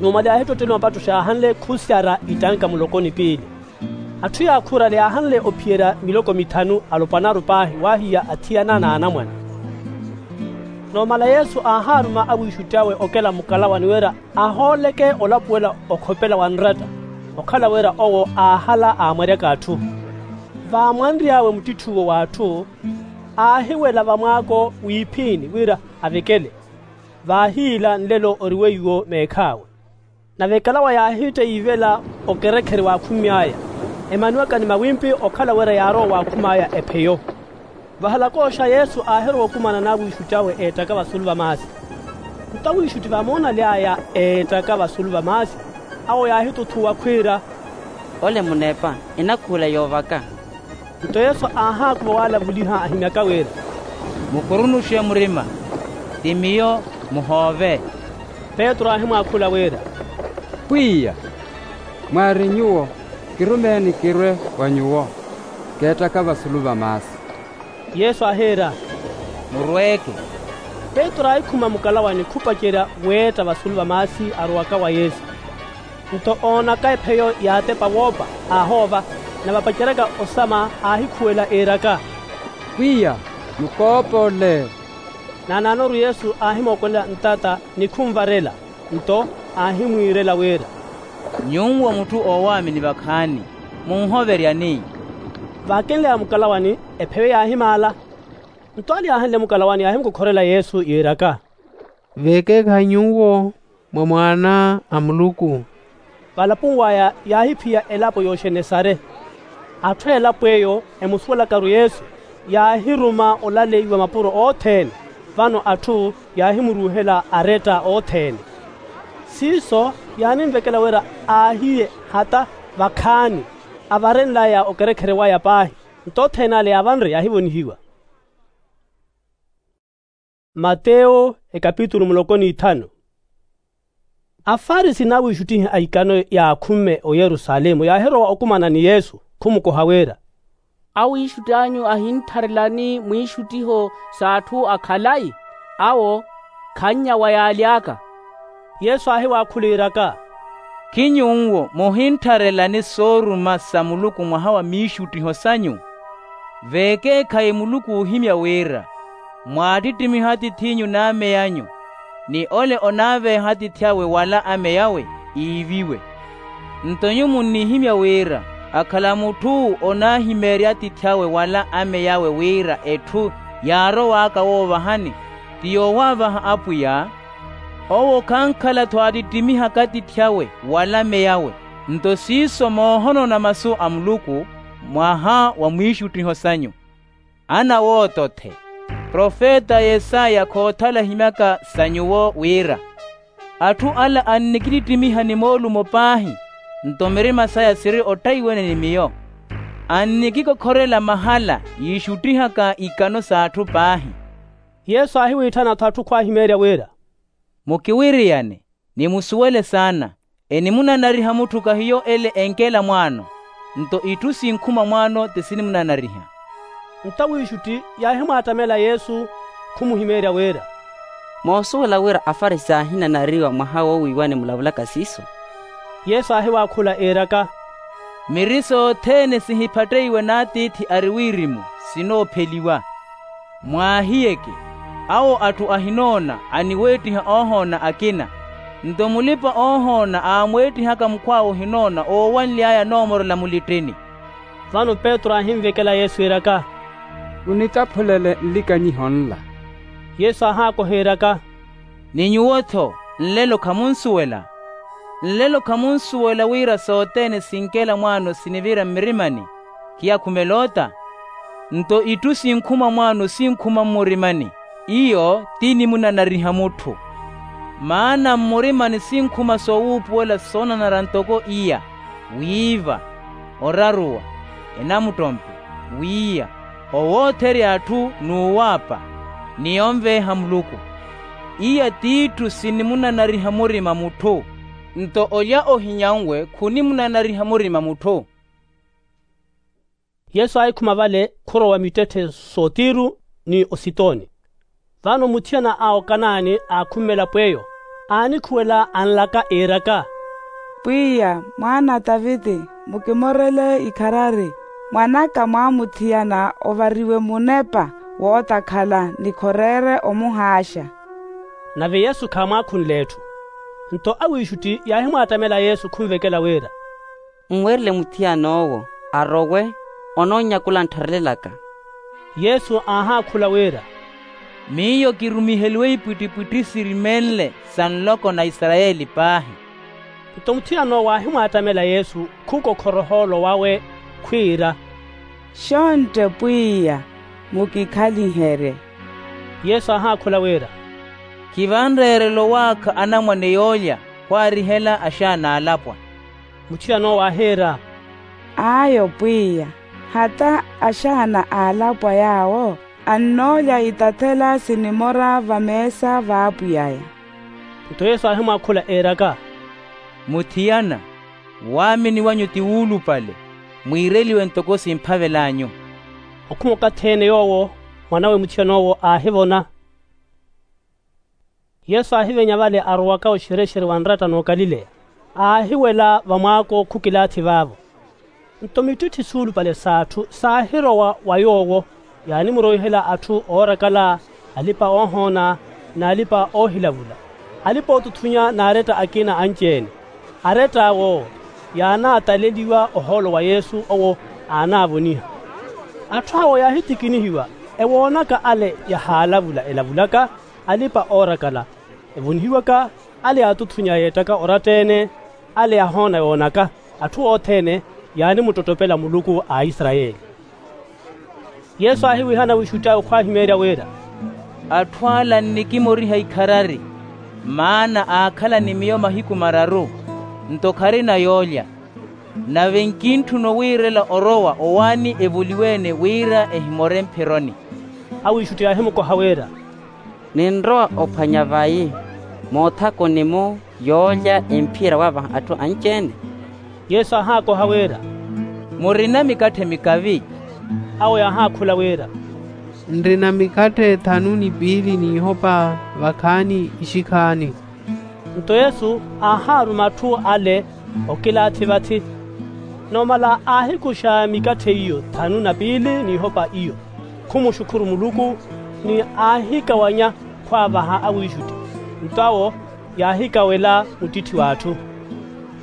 Numala yaahittotteliwa mapattoxi aahanle khusyara itanka muloko ni piili. Atthu yaakhurale yaahanle ophiyerya miloko mithanu alopwanaru paahi waahiya athiyana n'anamwane. Numala yesu aahaaruma awiixutti awe okela mukalawani wira ahooleke olapuwela okhopela wa nratta, okhala wira owo aahala aamwaryaka atthu. Vaamwanry'awe muttitthuwo w'atthu, aahiwela vamwaako w'iphini wira avekele. Vaahiila nlelo ori weiwo meekh'awe. Nave ekalawa yaahiitta yiivela okerekhere waakhumy'aya, emaniwaka ni mawimpi okhala wira yaarowa waakhum'aya epheyo. Vahalak'oxa yesu aahirowa okumana n'awiixutti awe eettaka vasulu va maasi. Nto awiixutti vamoona aly'aya eettaka vasulu va maasi, awo yaahituthuwa khwiira, ole muneepa, enakhuula yoovaka. Nto yesu aahaakuva waalavuliha ahimyaka wira, mukurunuxe murima, ti miyo, muhoove. Petru aahimwaakhula wira, pwiya, mwaari nyuwo, kirumeeni kirwe wa nyuwo. Keettaka vasulu va maasi. Yesu aahiira, murweeke. Petru aahikhuma mukalawani khupacerya weetta vasulu va maasi arowaka wa yesu. Nto oonaka epheyo yaatepa woopa, aahoova. Nave apaceryaka osama aahikhuwela iiraka, pwiya, mukoopoole. Naanaanoru yesu aahimookolela ntata ni khunvarela. Nto aahimwiirela wira, nyuwo mutthu oowaamini vakhaani, munhoveryani. Vaakenly'aya mukalawani, epheyo yaahimaala. Nto ale yaahenle mukalawani yaahimukokhorela yesu yiiraka, veekeekhayi nyuwo mwa mwaana a muluku. Valapuni waya yaahiphiya elapo y'oxenesare. Atthu a elapo eyo emusuwelakaru yesu, yaahiruma olaleiwa mapuro othene. Vano atthu yaahimuruuhela aretta othene. Siiso yaaninvekela wira aahiye hata vakhaani, avarenl'aya okerekhere waya paahi. Nto othene ale yaavanre yaahivonihiwa. Mateyo ekapitulu muloko n'ithanu. Afarisi n'awiixuttihi a ikano yaakhumme oyerusalemu yaahirowa okumana ni yesu, khumukoha wira, awiixutti anyu ahintharelani mwiixuttiho s'atthu a khalayi? Awo khannya wa yaaly'aka. Yesu aahiwaakhula iiraka, khinyuwo muhintharelani sooruma sa muluku mwaha wa miixuttiho sanyu? Veekeekhayi muluku oohimya wira, mwaattittimiha atiith'inyu n'amey'anyu, ni ole onaaveeha atiith'awe wala amey'awe, iiviwe. Nto nyuwo munnihimya wira, akhala mutthu onaahimeerya atiith'awe wala amey'awe wira etthu yaarow'aka woovahani, ti yoowaavaha apwiya, owo khankhala-tho aattittimiha katiith'awe wala mey'awe. Nto siiso moohonona masu a muluku mwaha wa mwiixuttiho sanyu. Ana wooto-the, profeta yesaya khoothala ahimyaka sa nyuwo wira, atthu ala annikittittimiha ni moolumo paahi, nto mirima saya siri ottaiwene ni miyo. Annikikokhorela mahala yiixuttihaka ikano s'atthu paahi. Yesu aahiwitthana-tho atthu khwaahimeerya wira, mukiwiriyane, ni musuwele saana. Enimunanariha mutthu kahiyo ele enkela mwaano, nto itthu sinkhuma mwaano ti sinimunanariha. Nto awiixutti yaahimwaattamela yesu, khumuhimeerya wira, moosuwela wira afarisi aahinanariwa mwaha woowiiwani mulavulaka siiso? Yesu aahiwaakhula iiraka, miri sothene sihiphatteiwe n'atiithi ari wirimu sinoopheliwa. Mwaahiyeke, awo atthu ahinoona aniweettiha oohoona akina, nto mulipa-oohoona aamweettihaka mukhw'awe ohinoona oowanly'aya anoomorela mulittini. Vano petru aahinvekela yesu iiraka, munitaphulele nlikanyiho nla. Yesu aahaakoha iiraka, ni nyuwo-tho nlelo khamunsuwela? Nlelo khamunsuwela wira sothene sinkela mwaano sinivira mmirimani, khiyakhumela ota? Nto itthu sinkhuma mwaano sinkhuma mmurimani, iyo ti nimunanariha mutthu. Maana mmurimani sinkhuma soowuupuwela soonanara ntoko iya, wiiva, oraruwa, enamuttompe, wiiya, owootherya atthu n'uwaapa, ni onveeha muluku. Iya t'itthu sinimunanariha murima mutthu. Nto olya ohinyanwe khunimunanariha murima mutthu. Yesu aahikhuma vale khurowa mittetthe s'otiru ni ositoni. Vano muthiyana a okanaani aakhummela pw'eyo, aanikhuwela anlaka iiraka, pwiya, mwaana a taviti, mukimorele ikharari. Mwan'aka mwaamuthiyana ovariwe munepa wootakhala ni khoreere omuhaaxa. Nave yesu khaamwaakhunle etthu. Nto awiixutti yaahimwaattamela yesu khunvekela wira, mmwerele muthiyan'owo arowe, onoonyakula anttharelelaka. Yesu aahaakhula wira, miyo kirumiheliwe ipwittipwitthi sirimenle sa nloko na isarayeli paahi. Nto muthiyan'owo aahimwaattamela yesu khukokhora ohoolo wawe, khwiira, xontte pwiya, mukikhaliherye. Yesu aahaakhula wira, khivanreerela owaakha anamwane yoolya khwaarihela axaana aalapwa. Muthiyan'owo aahiira, ayo pwiya, hata axaana aalapwa yaawo annoolya itathela sinimora vameesa v'apwiy'aya. Nto yesu aahimwaakhula iiraka, muthiyana, waamini wanyu ti wuulupale, mwiireliwe ntoko simphavel'anyu. Okhuma okathi-ene yoowo, mwan'awe muthiyan'owo aahivona. Yesu aahivenya vale arowaka oxerexere wa nratta n'okalileya, aahiwela vamwaako khukilaathi vaavo. Nto mittitthi suulupale s'atthu saahirowa wa yoowo, yaanimuroihela atthu oorakala, alipa-oohoona, n'alipa-oohilavula, alipa-ootuthunya n'aretta akina anci-ene. Arett'awo yaanaataleliwa ohoolo wa yesu owo, aanaavoniha. Atthu awo yaahittikinihiwa ewoonaka ale yahaalavula elavulaka, alipa-oorakala, evonihiwaka, ale yaatuthunya yeettaka oratta-ene, ale yahoona yoonaka. Atthu othene yaanimuttottopela muluku a aisarayeli. Yesu aahiwihana wiixutti awe khwaahimeerya wira, atthu ala nnikimoriha ikharari, maana aakhala ni miyo mahiku mararu, nto kharina yoolya. Nave nkintthuna owiirela orowa owaani evoliwe-ene wira ehimore mphironi. Awiixutti yaahimukoha wira, ninrowa ophwanya vayi moothakuni-mu yoolya emphira waavaha atthu anci-ene? Yesu aahaakoha wira, murina mikatthe mikavi? Awo yaahaakhula wira, nrina mikatthe thanu ni piili n'ihopa vakhaani ixikhaani. Nto yesu aahaaruma atthu ale okilaathi vathi. Numala aahikuxa mikatthe iyo thanu na piili n'ihopa iyo, khumuxukhuru muluku, ni aahikawanya khwaavaha awiixutti. Nto awo yaahikawela muttitthi w'atthu.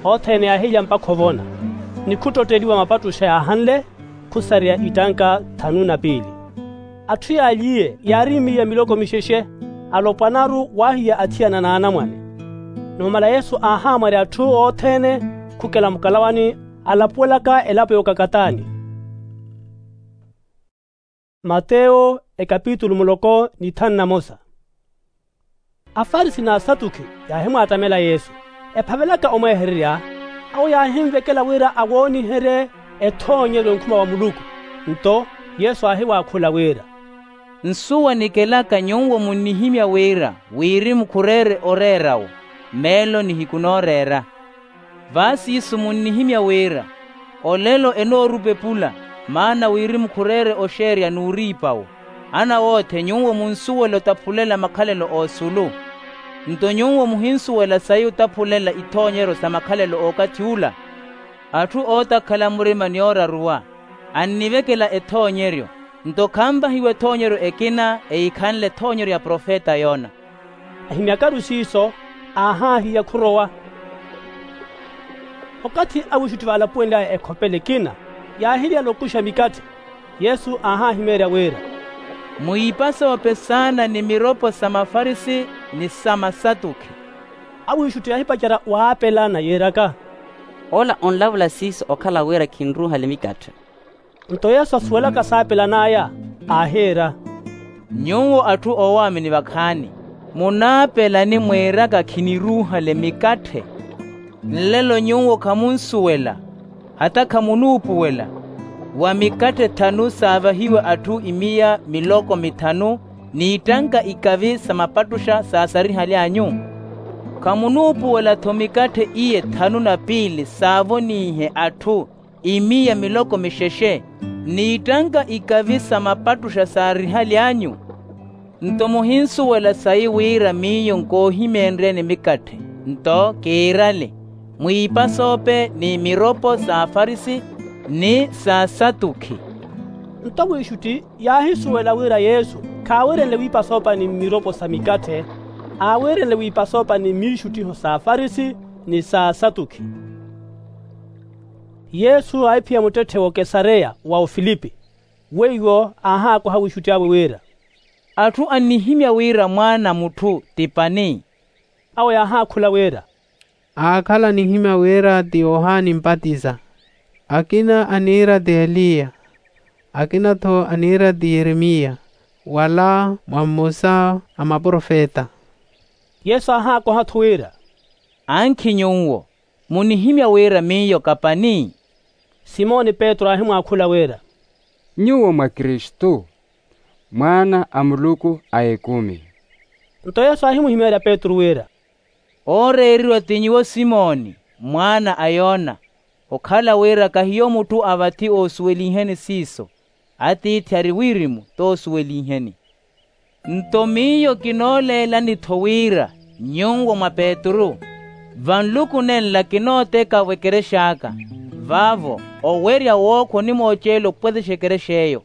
Othene yaahilya mpakha ovona, ni khuttotteliwa mapattuxa yaahanle, khusareya ittanka thanu na piili. Atthu yaaliye yaari miya miloko mixexe, alopwanaru waahiya athiyana n'anamwane. Numala yesu aahaamwarya atthu othene khukela mukalawani, alapuwelaka elapo y'okakatani. Mateyo ekapitulu muloko ni thanu na mosa. Afarisi n'asatukhi yaahimwaattamela yesu, ephavelaka omwehererya. Awo yaahinvekela wira awooniherye ethoonyeryo nkhuma wa muluku. Nto yesu aahiwaakhula wira, nsuwa nikelaka nyuwo munnihimya wira wirimu khureere oreera-wo, meelo nihiku nooreera. Vaaciisu munnihimya wira olelo enoorupepula, maana wirimu khureere oxeerya n'uriipa-wo. Anawootthe nyuwo munsuwela otaphulela makhalelo oosulu. Nto nyuwo muhinsuwela sayi otaphulela ithoonyeryo sa makhalelo ookathi ula. Atthu ootakhala murima ni ooraruwa annivekela ethoonyeryo. Nto khanvahiwa ethoonyeryo ekina eyikhanle ethoonyeryo ya profeta yona. Ahimyakaru siiso, aahaahiya khurowa. Okathi awiixutti vaalapuwenly'aya ekhopela ekina, yaahiryala okuxa mikatthe. Yesu aahahimeerya wira, muyiipasoope saana ni miropo sa mafarisi ni sa masatukhi. Awiixutti yaahipacerya waapelana yiiraka, ola onlavula siiso okhala wira khinruuhale mikatthe. Nto yesu asuwelaka saapelan'aya, aahiira, nyuwo atthu oowaamini vakhaani, munaapelani mwiiraka khiniruuhale mikatthe? Nlelo nyuwo khamunsuwela, hata khamunuupuwela, wa mikatthe thanu saavahiwe atthu imiya miloko mithanu, n'ittanka ikavi sa mapattuxa saasarihaly'anyu? Khamunuupuwela-tho mikatthe iye thanu na piili saavoniihe atthu imiya miloko mixexe, n'ittanka ikavi sa mapattuxa saarihaly'anyu? Nto muhinsuwela sayi wira miyo nkoohimeenryeni mikatthe, nto kiirale, mwiipasoope ni miropo sa afarisi ni sa asatukhi. Nto awiixutti yaahisuwela wira yesu khaawiirenle wiipasoopa ni mmiropo sa mikatthe, aawiirenle wiipasoopa ni miixuttiho sa afarisi ni sa asatukhi. Yesu aahiphiya muttetthe w'okesareya wa ofilipi. Weiwo aahaakoha awiixutti awe wira, atthu annihimya wira mwaana a mutthu ti pani? Awo yaahaakhula wira, aakhala anihimya wira ti yohani mpatiza, akina aniira ti eliya, akina-tho aniira ti yeremiya, wala mwa mmosa a maprofeta. Yesu aahaakoha-tho wira, ankhi nyuwo, munihimya wira miyo kapani? Simoni petru aahimwaakhula wira, nyuwo mwa kristu, mwaana a muluku a ekumi. Nto yesu aahimuhimeerya petru wira, ooreeriwa ti nyuwo simoni, mwaana a yona, okhala wira kahiyo mutthu a vathi oosuweliheni siiso, atiithi ari wirimu t'osuweliheni. Nto miyo kinooleelani-tho wira nyuwo mwa petru, vanluku nenla kinooteka-vo ekerex'aka, vaavo owerya wookhwa onimooceela opwetexa ekerex'eyo.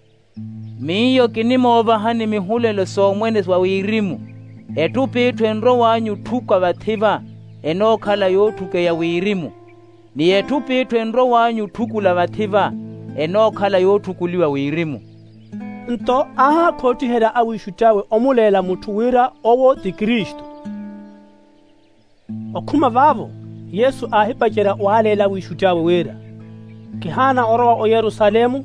Miyo kinimoovahani mihulelo soomwene wa wirimu. Etthu p'itthu enrow'anyu otthuku a vathi-va, enookhala yootthukeya wirimu, ni etthu p'itthu enrow'anyu otthukula vathi-va, enookhala yootthukuliwa wirimu. Nto aahaakhoottiherya awiixutti awe omuleela mutthu wira owo ti kristu. Okhuma vaavo, yesu aahipacerya waaleela awiixutti awe wira, kihaana orowa oyerusalemu,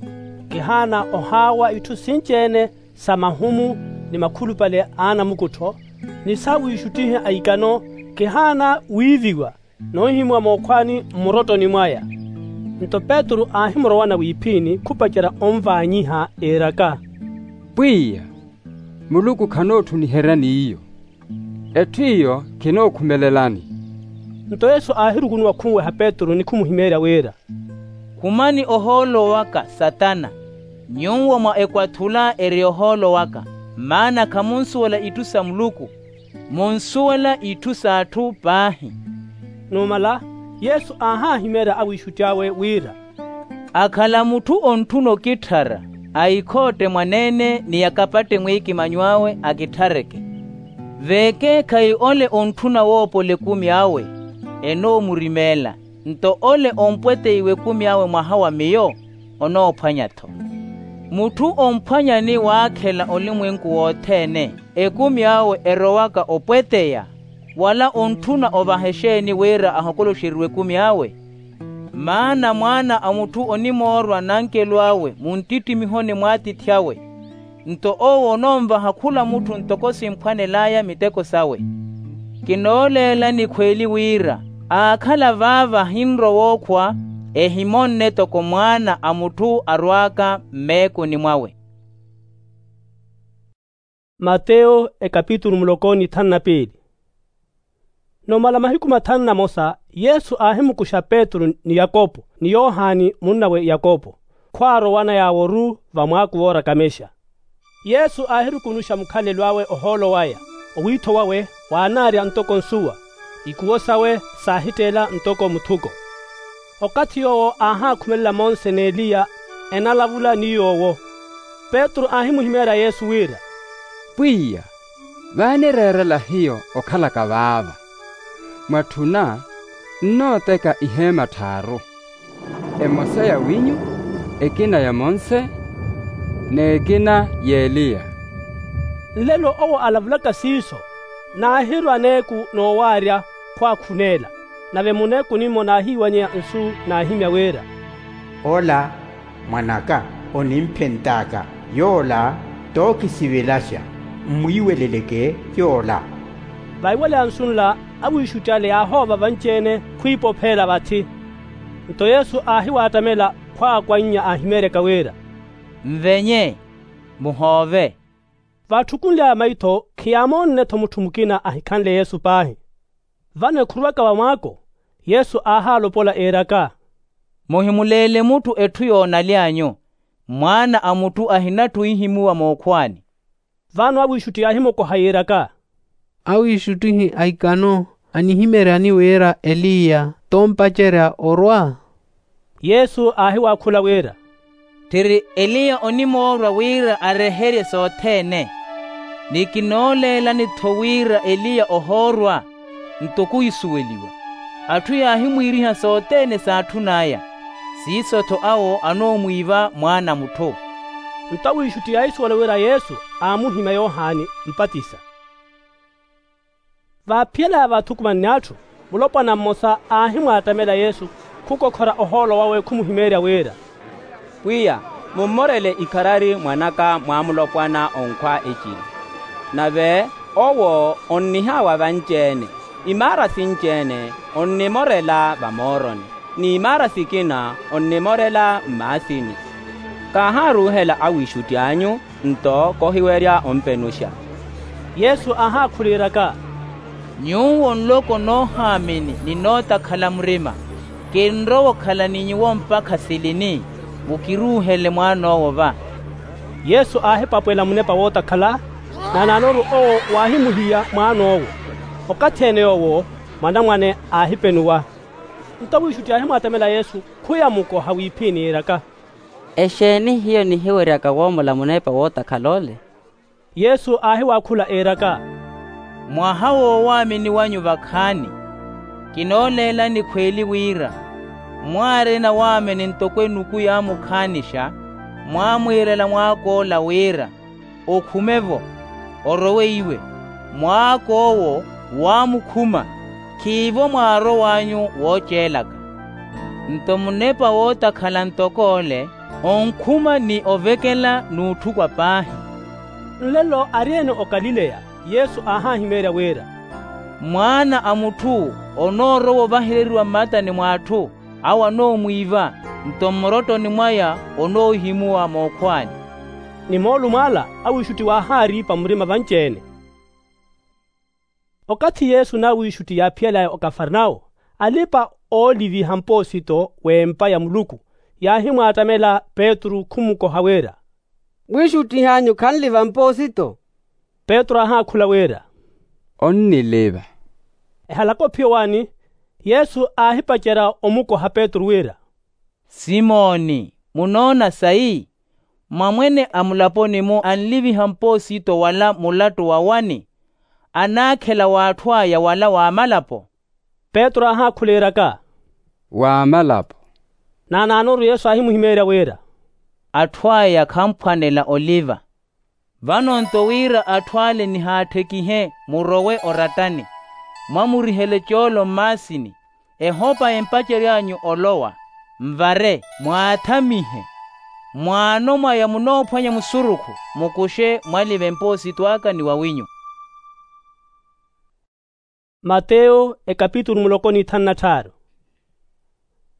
kihaana ohaawa itthu sinci-ene sa mahumu ni makhulupale a anamukuttho, ni saawiixuttihe a ikano, kihaana wiiviwa, n'uhimwa mookhwani mmurottoni mwaya. Nto petru aahimurowana wiiphiini khupacerya onvaanyiha iiraka, pwiya, muluku khanootthuniherya n'iyo, etthu iyo khinookhumelelani. Nto yesu aahirukunuwa khunweha petru ni khumuhimeerya wira, khumani ohoolo waka satana. Nyuwo mwa ekwathula eri ohoolo waka, maana khamunsuwela itthu sa muluku, munsuwela itthu s'atthu paahi. Numala, yesu aahaahimeerya awiixutti awe wira, akhala mutthu ontthuna okitthara, aikhootte mwaneene ni akapatte mwiikimanyo awe akitthareke. Veekeekhayi ole ontthuna woopola ekumi awe, enoomurimeela. Nto ole ompweteiwa ekumi awe mwaha wa miyo, onoophwanya-tho. Mutthu omphwanyani waakhela olimwenku wothene, ekumi awe erowaka opweteya, wala ontthuna ovaha exeeni wira ahokoloxeriwe ekumi awe? Maana mwaana a mutthu onimoorwa nankelo awe munttittimihoni mw'atiithi awe, nto owo onoonvaha khula mutthu ntoko simphwanel'aya miteko sawe. Kinooleelani khweeli wira, aakhala vaava ahinrowa okhwa, ehimonne toko mwaana a mutthu arwaaka mmeekuni mwawe. Mateyo ekapitulu muloko ni thanu na piili. Numala mahiku mathanu na mosa, yesu aahimukuxa petru ni yakopo ni yohani munnawe yakopo, khwaarowana yaaworu vamwaaku woorakamixa. Yesu aahirukunuxa mukhalelo awe ohoolo waya. Owiitho wawe waanaarya ntoko nsuwa. Ikuwo sawe saahitteela ntoko muthuko. Okathi yoowo aahaakhumelela monse n'eliya enalavula ni yoowo. Petru aahimuhimeerya yesu wira, pwiya, vaanireerela hiyo okhalaka vaava. Mwatthuna nnooteka iheema tthaaru, emosa ya winyu, ekina ya monse, n'ekina y'eliya. Nlelo owo alavulaka siiso, naahirwa aneeku noowaarya khwaakhuneela. Nave muneeku nimmo naahiiwanyeya nsu naahimya wira, ola mwan'aka onimphent'aka, yoola t'okisivelaxa. Mmwiiweleleke yoola. Vaiwaleya nsu nla awiixutti ale yaahoova vanci-ene khwiipopheela vathi. Nto yesu aahiwaattamela khwaakwannya aahimeeryaka wira, nvenye, muhoove. Vaatthukunly'aya maitho khiyaamoonne-tho mutthu mukina ahikhanle yesu paahi. Vano ekhuruwaka vamwaako, yesu aahaalopola eeraka, muhimuleele mutthu etthu yoonaly'anyu. Mwaana a mutthu ahinatthu ohihimuwa mookhwaani. Vano awiixutti yaahimukoha yiiraka, awiixuttihi a ikano anihimeeryani wira eliya t'ompacerya orwa? Yesu aahiwaakhula wira, tthiri eliya onimoorwa wira areherye sothene. Ni kinooleelani-tho wira eliya ohoorwa, nto khuhisuweliwa. Atthu yaahimwiiriha sothene saatthun'aya. Siiso-tho awo anoomwiiva mwaana a mutthu. Nto awiixutti yaahisuwela wira yesu aamuhimya yohani mpatisa. Vaaphiyelaya vaathukumanni atthu, mulopwana mmosa aahimwaattamela yesu khukokhora ohoolo wawe khumuhimeerya wira, pwiya, mummorele ikharari mwan'aka mwaamulopwana onkhwa ecili. Nave owo onnihaawa vanci-ene, imaara sinci-ene onnimorela vamooroni, n'imaara sikina onnimorela mmaasini. Kaahaaruuhela awiixutti anyu, nto kohiwerya ompenuxa. Yesu aahaakhuliryaka, nyuwo nloko noohaamini ni nootakhala murima, kinrowa okhala ni nyuwo mpakha silini? Mukiruuhele mwaan'owo va. Yesu aahipapwela munepa wootakhala, naanaanoru owo waahimuhiya mwaan'owo. Okathi-ene yoowo mwanamwane aahipenuwa. Nto awiixutti aahimwaattamela yesu khuyamukoha wiiphiini yiiraka, exeeni hiyo nihiweryaka woomola munepa wootakhala ole? Yesu aahiwaakhula eeraka, mwaha woowaamini wanyu vakhaani. Kinooleelani khweeli wira, mwaarina waamini ntoko enuku yaamukhaanisha, mwaamwiirela mwaak'ola wira, okhume-vo, orowe iwe. Mwaak'owo waamukhuma, khiivo mwaarow'anyu wooceelaka. Nto munepa wootakhala ntok'ole onkhuma ni ovekela n'utthukwa paahi. Nlelo ari-ene okalileya, yesu aahahimeerya wira, mwaana a mutthu onoorowa ovahereriwa mmatani mw'atthu, awo anoomwiiva, nto mmurottoni mwaya onoohimuwa mookhwaani. Ni moolumo ala awiixutti waahaariipa murima vanci-ene. Okathi yesu n'awiixutti yaaphiyalaya okafarnawo, alipa-ooliviha mpoosito w'empa ya muluku yaahimwaattamela petru khumukoha wira, mwiixuttih'anyu khanliva mpoosito? Petru aahaakhula wira, onniliva. Ehalaka ophiya owaani, yesu aahipacerya omukoha petru wira, simoni, munoona sayi? Mwamwene a mulaponi-mu anliviha mpoosito wala mulattu wa wani? Anaakhela w'atthu aya wala w'amalapo? Petru aahaakhula iiraka, w'amalapo. Naanaanoru yesu aahimuhimeerya wira, atthu aya khamphwanela oliva. Vano nto wira atthu ale nihaatthekihe murowe orattani, mwamurihele coolo mmaasini, ehopa empacery'anyu olowa, mvare, mwaathamihe. Mwaano mwaya munoophwanya musurukhu, mukuxe mwalive mpoosito aka ni wawinyu. Mateyo ekapitulu muloko n'ithanu na tthaaru.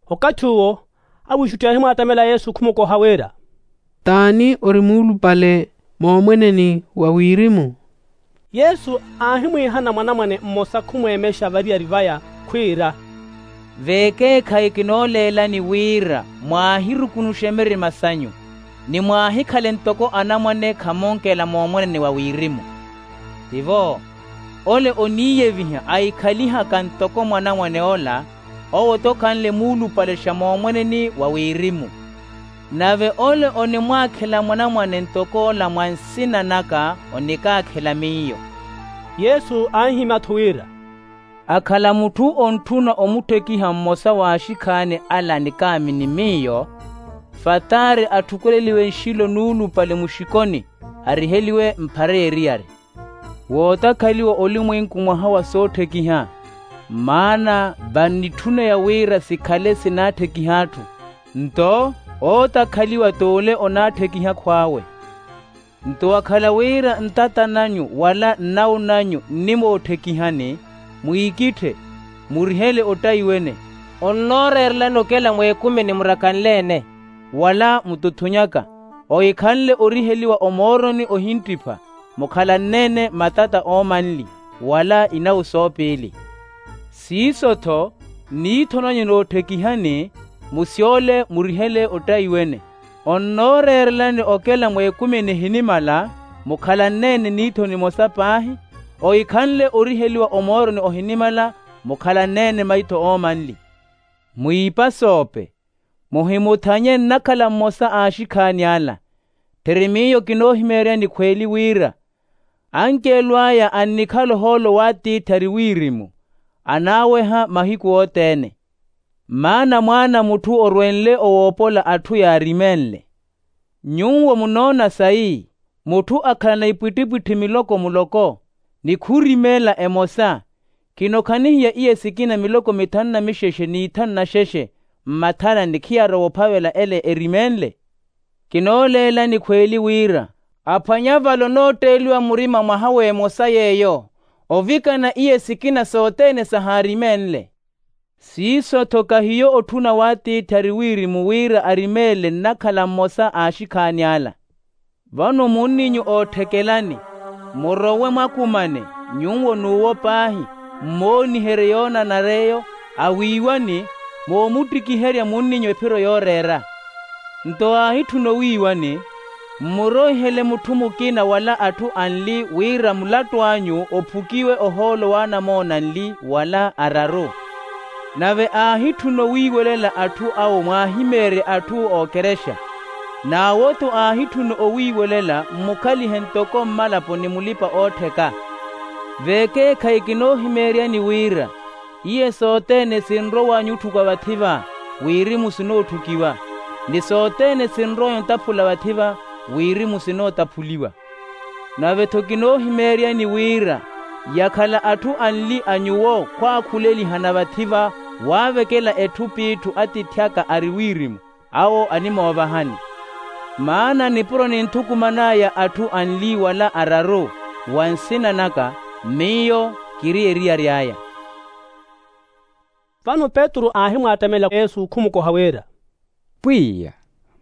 Okathi uwo awiixutti aahimwaattamela yesu khumukoha wira, t'ani ori muulupale moomweneni wa wirimu? Yesu aahimwiihana mwanamwane mmosa khumweemexa variyari vaya, khwiira, veekeekhayi kinooleelani wira mwaahirukunuxe mirima sanyu. ni mwaahikhale ntoko anamwane khamonkela moomwenene wa wirimu. Tivo ole oniiyeviha aikhalihaka ntoko mwanamwane ola, owo-tho khanle muulupalexa moomweneni wa wirimu. Nave ole onimwaakhela mwanamwane ntoko ola mwa nsina naka onikaakhela miyo. Yesu anhimya-tho wira, akhala mutthu ontthuna omutthekiha mmosa w'axikhaani ala nikaamini miyo, fataari atthukuleliwe nxilo nuulupale muxikoni, ariheliwe mphara eriyari. Wootakhaliwa olimwenku mwaha wa sootthekiha, maana vannitthuna ya wira sikhale sinaatthikiha atthu. Nto ootakhaliwa t'ule onaatthikiha akhw'awe. Nto wakhala wira ntata nanyu wala nnawu nanyu nnimootthekihani, mwiikitthe, murihele ottaiwene, onnooreerelani okela mweekumini murakanle-ene, wala mututhunyaka, ohikhanle oriheliwa omooroni ohinttipha, mukhalanne-ene matata oomanli, wala inawu soopiili. Siiso-tho niitho nanyu nootthekihani, musyole murihele ottaiwene, onnooreerelani okela mweekumini ehinimala, mukhalanne-ene niitho nimosa paahi, ohikhanle oriheliwa omooroni ohinimala, mukhalanne-ene maitho oomanli. Mwiipa soope, muhimuthanye nnakhala mmosa a axikhaani ala. Tthiri miyo kinoohimeeryani khweeli wira, anceelo aya annikhala ohoolo w'atiithi ari wirimu, anaaweha mahiku othene. Maana mwaana a mutthu orwenle owoopola atthu yaarimeenle. Nyuwo munoona sayi, mutthu akhalana ipwittipwitthi miloko muloko, ni khurimeela emosa, kinokhanihiya iye sikina miloko mithanu na mixexe n'ithanu na xexe, mmathalani khiyarowa ophavela ele erimeenle? Kinooleelani khweeli wira, aphwanya vale onootteeliwa murima mwaha w'emosa yeeyo, ovikana iye sikina sothene sahaarimeenle. Siiso-tho kahiyo otthuna w'atiithi ari wirimu wira arimeele nnakhala mmosa a axikhaani ala. Vano munninyu ootthekelani, murowe mwakumane, nyuwo n'uwo paahi, mmooniherye yoonanara eyo, awiiwani, moomuttikiherya munninyu ephiro yooreera. Nto aahitthuna owiiwani, mmuroihele mutthu mukina wala atthu anli wira mulattu anyu ophukiwe ohoolo w'anamoona anli wala araru. Nave aahitthuna owiiwelela atthu awo mwaahimeerye atthu ookerexa. N'awo-tho aahitthuna owiiwelela mmukhalihe ntoko mmalapo ni mulipa-oottheka. Veekeekhayi kinoohimeeryani wira, iye sothene sinrowanyu otthukiwa vathi-va, wirimu sinootthukiwa, ni sothene sinrowanyu otaphula vathi-va, wirimu sinootaphuliwa. Nave-tho kinoohimeeryani wira, yakhala atthu anli a nyuwo khwaakhulelihana vathi-va, waavekela etthu p'itthu atiithi aka ari wirimu, awo animoovahani. Maana nipuro ninthukuman'aya atthu anli wala araru, wa nsina naka, miyo kiri eriyari aya. Vano petru aahimwattamela yesu khumukoha wira, pwiya,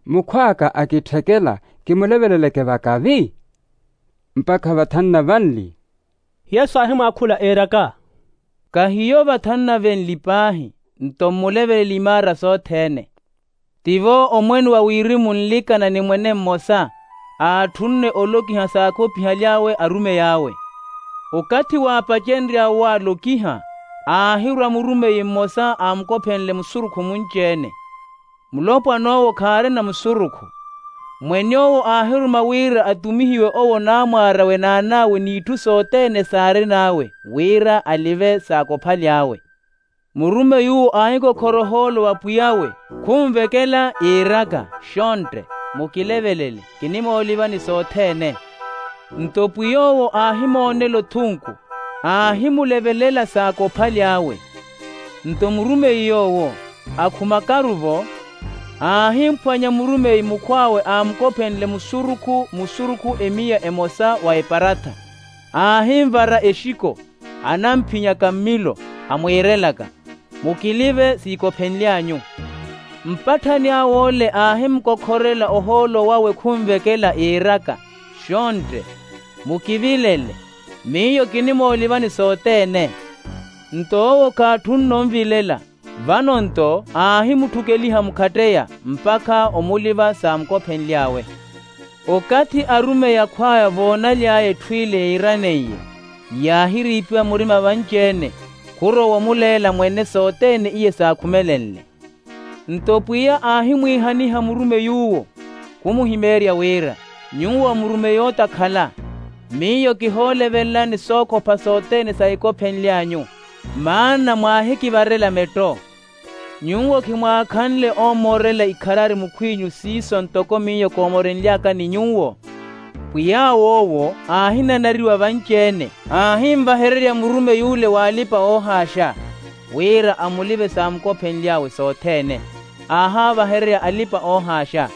mukhw'aka akitthekela, kimuleveleleke vakavi mpakha vathanu na vanli? Yesu aahimwaakhula iiraka, kahiyo vathanu na venli paahi, nto mmulevelele imaara sothene. Tivo omwene wa wirimu nlikana ni mwene mmosa, aatthunne olokiha saakhopihaly'awe arumey'awe. Okathi waapacenry'awe waalokiha, aahirwa murumeyi mmosa aamukophenle musurukhu munci-ene. Mulopwan'owo khaarina musurukhu. Mwen'owo aahiruma wira atumihiwe owo naamwaar'awe n'an'awe n'itthu sothene saarin'awe, wira alive saakophaly'awe. Murumey'uwo aahikokhora ohoolo wa pwiy'awe, khunvekela iiraka, xontte, mukilevelele, kinimoolivani sothene. Nto pwiy'owo aahimoonela othunku, aahimulevelela saakophaly'awe. Nto murumeyi yoowo, akhumakaru-vo, aahimphwanya murumeyi mukhw'awe aamukophenle musurukhu musurukhu emiya emosa wa eparatha. Aahinvara exiko, anamphinyaka mmilo, amwiirelaka, mukilive siikophenly'anyu. Mpatthani aw'ole aahimukokhorela ohoolo wawe khunvekela iiraka, xontte, mukivilele, miyo kinimoolivani sothene. Nto owo khaatthunne onvilela, Vano-nto aahimutthukkeliha mukhatteya mpakha omuliva saamukophenly'awe. Okathi arumeyi akhw'aya voonaly'aya etthu ile yiiraneiye, yaahiriipiwa murima vanci-ene, khurowa omuleela mwene sothene iye saakhumelenle. Nto pwiya aahimwiihaniha murumeyi uwo, khumuhimeerya wira, nyuwo murumeyi otakhala, miyo kihoolevelelani sookhopha sothene sahikophenly'anyu, maana mwaahikivarela metto. Nyuwo khimwaakhanle oomoorela ikharari mukhw'inyu siiso ntoko miyo koomorenly'aka ni nyuwo? Pwiy'awe owo aahinanariwa vanci-ene, aahinvahererya murumeyi ule w'alipa-oohaaxa, wira amulive saamukophenly'awe sothene. Aahaavahererya alipa-oohaaxa.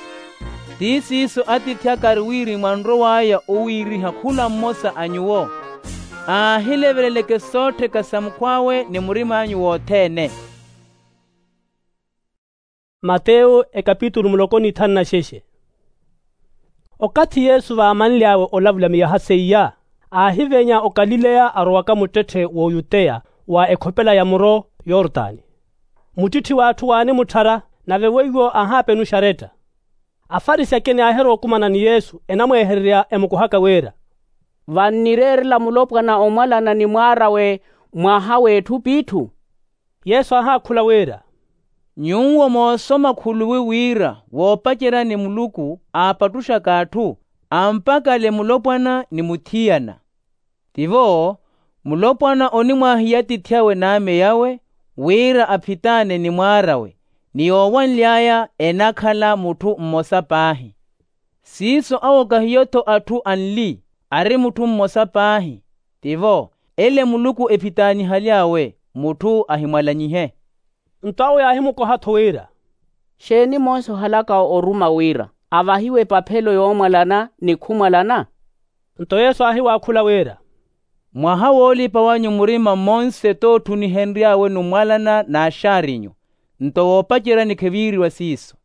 Ti siiso atiithi aka ari wirimu anrow'aya owiiriha khula mmosa a nyuwo, aahileveleleke soottheka sa mukhw'awe ni murim'anyu wothene. Mateyo ekapitulu muloko n'ithanu na xexe. Okathi yesu vaamanly'awe olavula miyaha seiya, aahivenya okalileya arowaka muttetthe w'oyuteya, wa ekhopela ya muro yortani. Muttitthi w'atthu waanimutthara, nave weiwo aahaapenuxa aretta. Afarisi akina yaahirowa okumana ni yesu enamweehererya emukohaka wira, vannireerela mulopwana omwalana ni mwaar'awe mwaha w'etthu p'itthu? Yesu aahaakhula wira, nyuwo moosoma khuluwi wira woopaceryani muluku aapattuxaka atthu, ampakale mulopwana ni muthiyana. Tivo, mulopwana onimwaahiya atiithi awe n'ame awe, wira aphitaane ni mwaar'awe, ni yoowanly'aya enakhala mutthu mmosa paahi. Siiso awo kahiyo-tho atthu anli, ari mutthu mmosa paahi. Tivo, ele muluku ephitaanihaly'awe, mutthu ahimwalanyihe. Nto awo yaahimukoha-tho wira, xeeni monse ohalaka oruma wira avahiwe epaphelo yoomwalana ni khumwalana? Nto yesu aahiwaakhula wira, mwaha woolipa wanyu murima mmonse t'otthunihenry'awe numwalana n'axaarinyu. Nto woopaceryani kheviiriwa siiso.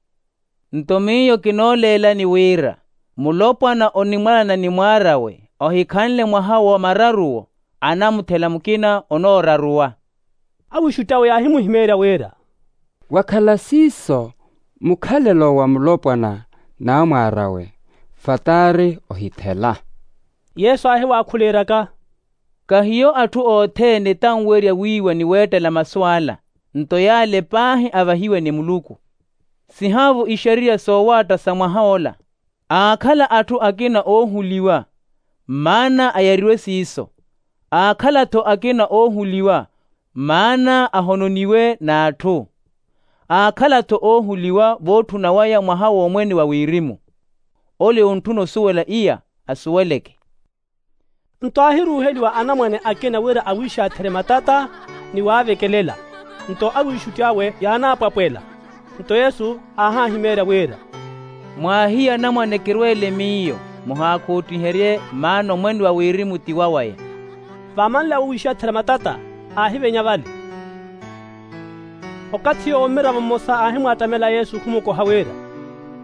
Nto miyo kinooleelani wira, mulopwana onimwalana ni mwaar'awe ohikhanle mwaha wa mararuwo, anamuthela mukina onooraruwa. Awiixutti awe yaahimuhimeerya wira, wakhala siiso mukhalelo wa mulopwana n'amwaar'awe, fataari ohithela. Yesu aahiwaakhula eeraka, kahiyo atthu othene tanwerya wiiwa ni weettela masu ala, nto yaale paahi avahiwe ni muluku. Sihaavu ixariya soowaatta sa mwaha ola. Aakhala atthu akina oohuliwa, maana ayariwe siiso. Aakhala-tho akina oohuliwa, maana ahononiwe n'atthu. Aakhala-tho oohuliwa vootthuna waya mwaha w'omwene wa wirimu. Ole ontthuna osuwela iya asuweleke. Nto aahiruuheliwa anamwane akina wira awiixatherye matata ni waavekelela. Nto awiixutti awe yaanaapwapwela. Nto yesu aahaahimeerya wira, mwaahiye anamwane kirweele miyo, muhaakhoottiherye maana omwene wa wirimu ti wawaya. Vaamanly'awe owiixatherya matata, aahivenya vale. Okathi yoowo mmiravo mmosa aahimwaattamela yesu khumukoha wira,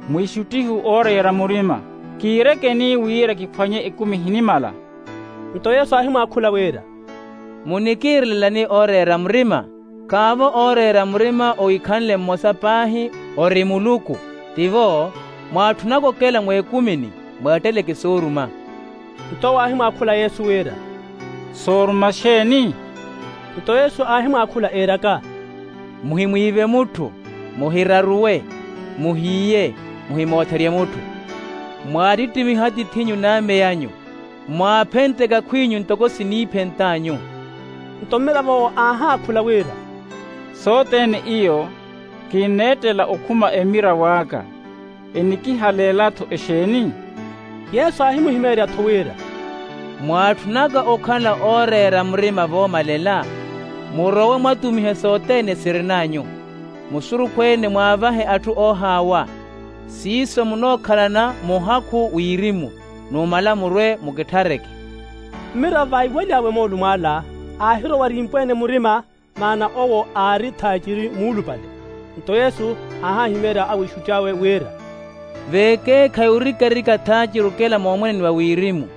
mwiixuttihu ooreera murima, kiirekeni wira kiphwanye ekumi ehinimala. Nto yesu aahimwaakhula wira, munikiirelelani ooreera murima? Khaavo ooreera murima owikhanle mmosa paahi, ori muluku. Tivo, mwaatthunaku okela mweekumini, mweetteleke sooruma. Nto owo aahimwaakhula yesu wira, sooruma xeeni? Nto yesu aahimwaakhula eeraka, muhimwiive mutthu, muhiraruwe, muhiiye, muhimootherye mutthu, mwaattittimihe atiith'inyu n'ame anyu, mwaaphentteke akhw'inyu ntoko siniiphentt'anyu. Nto mmirav'owo aahaakhula wira, sothene iyo kinneettela okhuma emmirav'aka, enikihaleela-tho exeeni? Yesu aahimuhimeerya-tho wira, mwaatthunaka okhala ooreera murima voomalela, murowe mwatumihe sothene sirin'anyu, musurukhu-ene mwaavahe atthu oohaawa. Siiso munookhalana muhakhu wirimu, numala murwe mukitthareke. Mmiravo vaiwaly'awe moolumo ala, aahirowa arimpweene murima, maana owo aari thaaciri muulupale. Nto yesu aahaahimeerya awiixutti awe wira, veekeekhayi orikarika thaaciri okela moomweneni wa wirimu.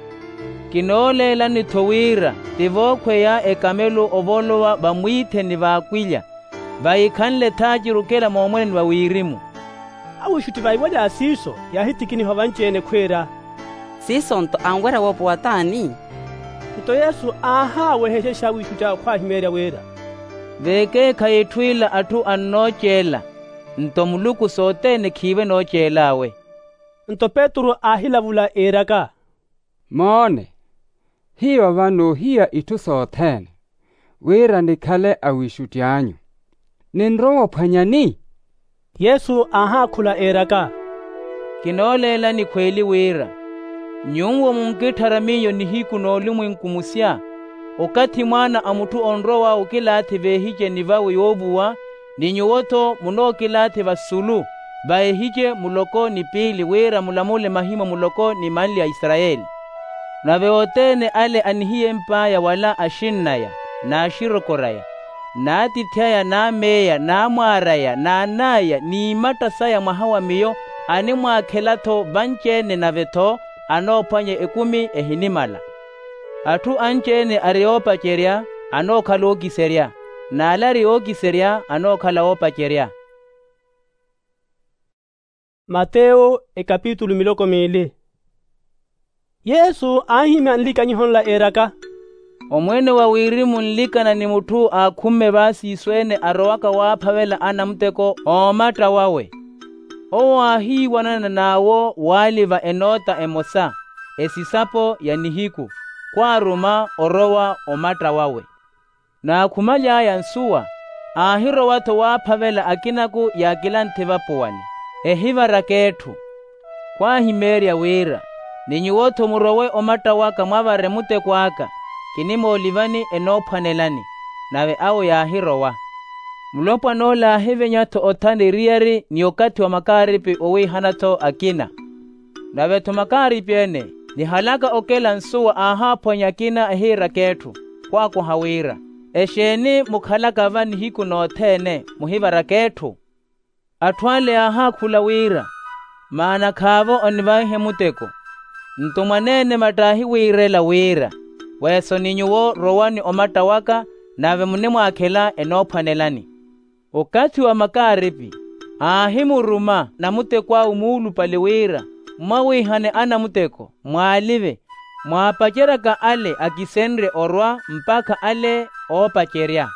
Kinooleelani-tho wira ti vookhweya ekamelo ovolowa vamwiitheni v'akwilya. Vahiikhanle thaaciri okela moomwene ni va wirimu. Awiixutti vaiwalya a siiso yaahittikiniha vanci-ene khwiira, siiso-nto anwerya woopowa t'ani? Nto yesu aahaawehexexa awiixutti awe khwaahimeerya wira, veekeekhayi etthu ila atthu annooceela, nto muluku sothene khiiwe nooceel'awe. Nto petru aahilavula iiraka, moone, hiyo va noohiya itthu sothene, wira nikhale awiixutti anyu. Ninrowa ophwanyani? Yesu aahaakhula iiraka, kinooleelani khweeli wira, nyuwo munkitthara miyo nihiku n'olumwenku musya, okathi mwaana a mutthu onrowa okilaathi veehiceni vawe yoovuwa, ni nyuwo-tho munookilaathi vasulu, va ehice muloko ni piili wira mulamule mahimwa muloko ni manli a isarayeli. Nave othene ale anihiyemp'aya wala axinn'aya, n'axirokor'aya, n'atiithi aya n'ameeya n'amwaar'aya n'an'aya n'imatta saya mwaha wa miyo, animwaakhela-tho vanci-ene nave-tho anoophwanya ekumi ehinimala. Atthu anci-ene ari oopacerya anookhala ookiserya, n'ale ari ookiserya anookhala oopacerya. Mateyo ekapitulu miloko miili. Yesu aahimya nlikanyiho nla eeraka, omwene wa wirimu nlikana ni mutthu aakhumme vaasiiso-ene arowaka waaphavela anamuteko oomatta wawe. Owo aahiiwanana n'awo waaliva enoota emosa, esisapo ya nihiku, khwaaruma orowa omatta wawe. Naakhumaly'aya nsuwa, aahirowa-tho waaphavela akinaku yaakilanthe vapuwani, ehivaraka etthu. Khwaahimeerya wira, ni nyuwo-tho murowe omatta waka mwavare muteko aka, kinimoolivani enoophwanelani. Nave awo yaahirowa. Mulopwan'ole aahivenya-tho othana eriyari ni okathi wa makaaripi owiihana-tho akina. Nave-tho makaaripi-ene, nihalaka okela nsuwa aahaaphwanya akina ehiiraka etthu, khwaakoha wira, exeeni mukhalaka va nihiku nothene muhivaraka etthu? Atthu ale yaahaakhula wira, maana khaavo onivaihe muteko. Nto mwaneene matta aahiwiirela wira, weeso ni nyuwo rowani omatta waka, nave munimwaakhela enoophwanelani. Okathi wa makaaripi aahimuruma namutekw'awe muulupale wira, mmwawiihane anamuteko mwaalive, mwaapaceryaka ale akisenrye orwa mpakha ale oopacerya.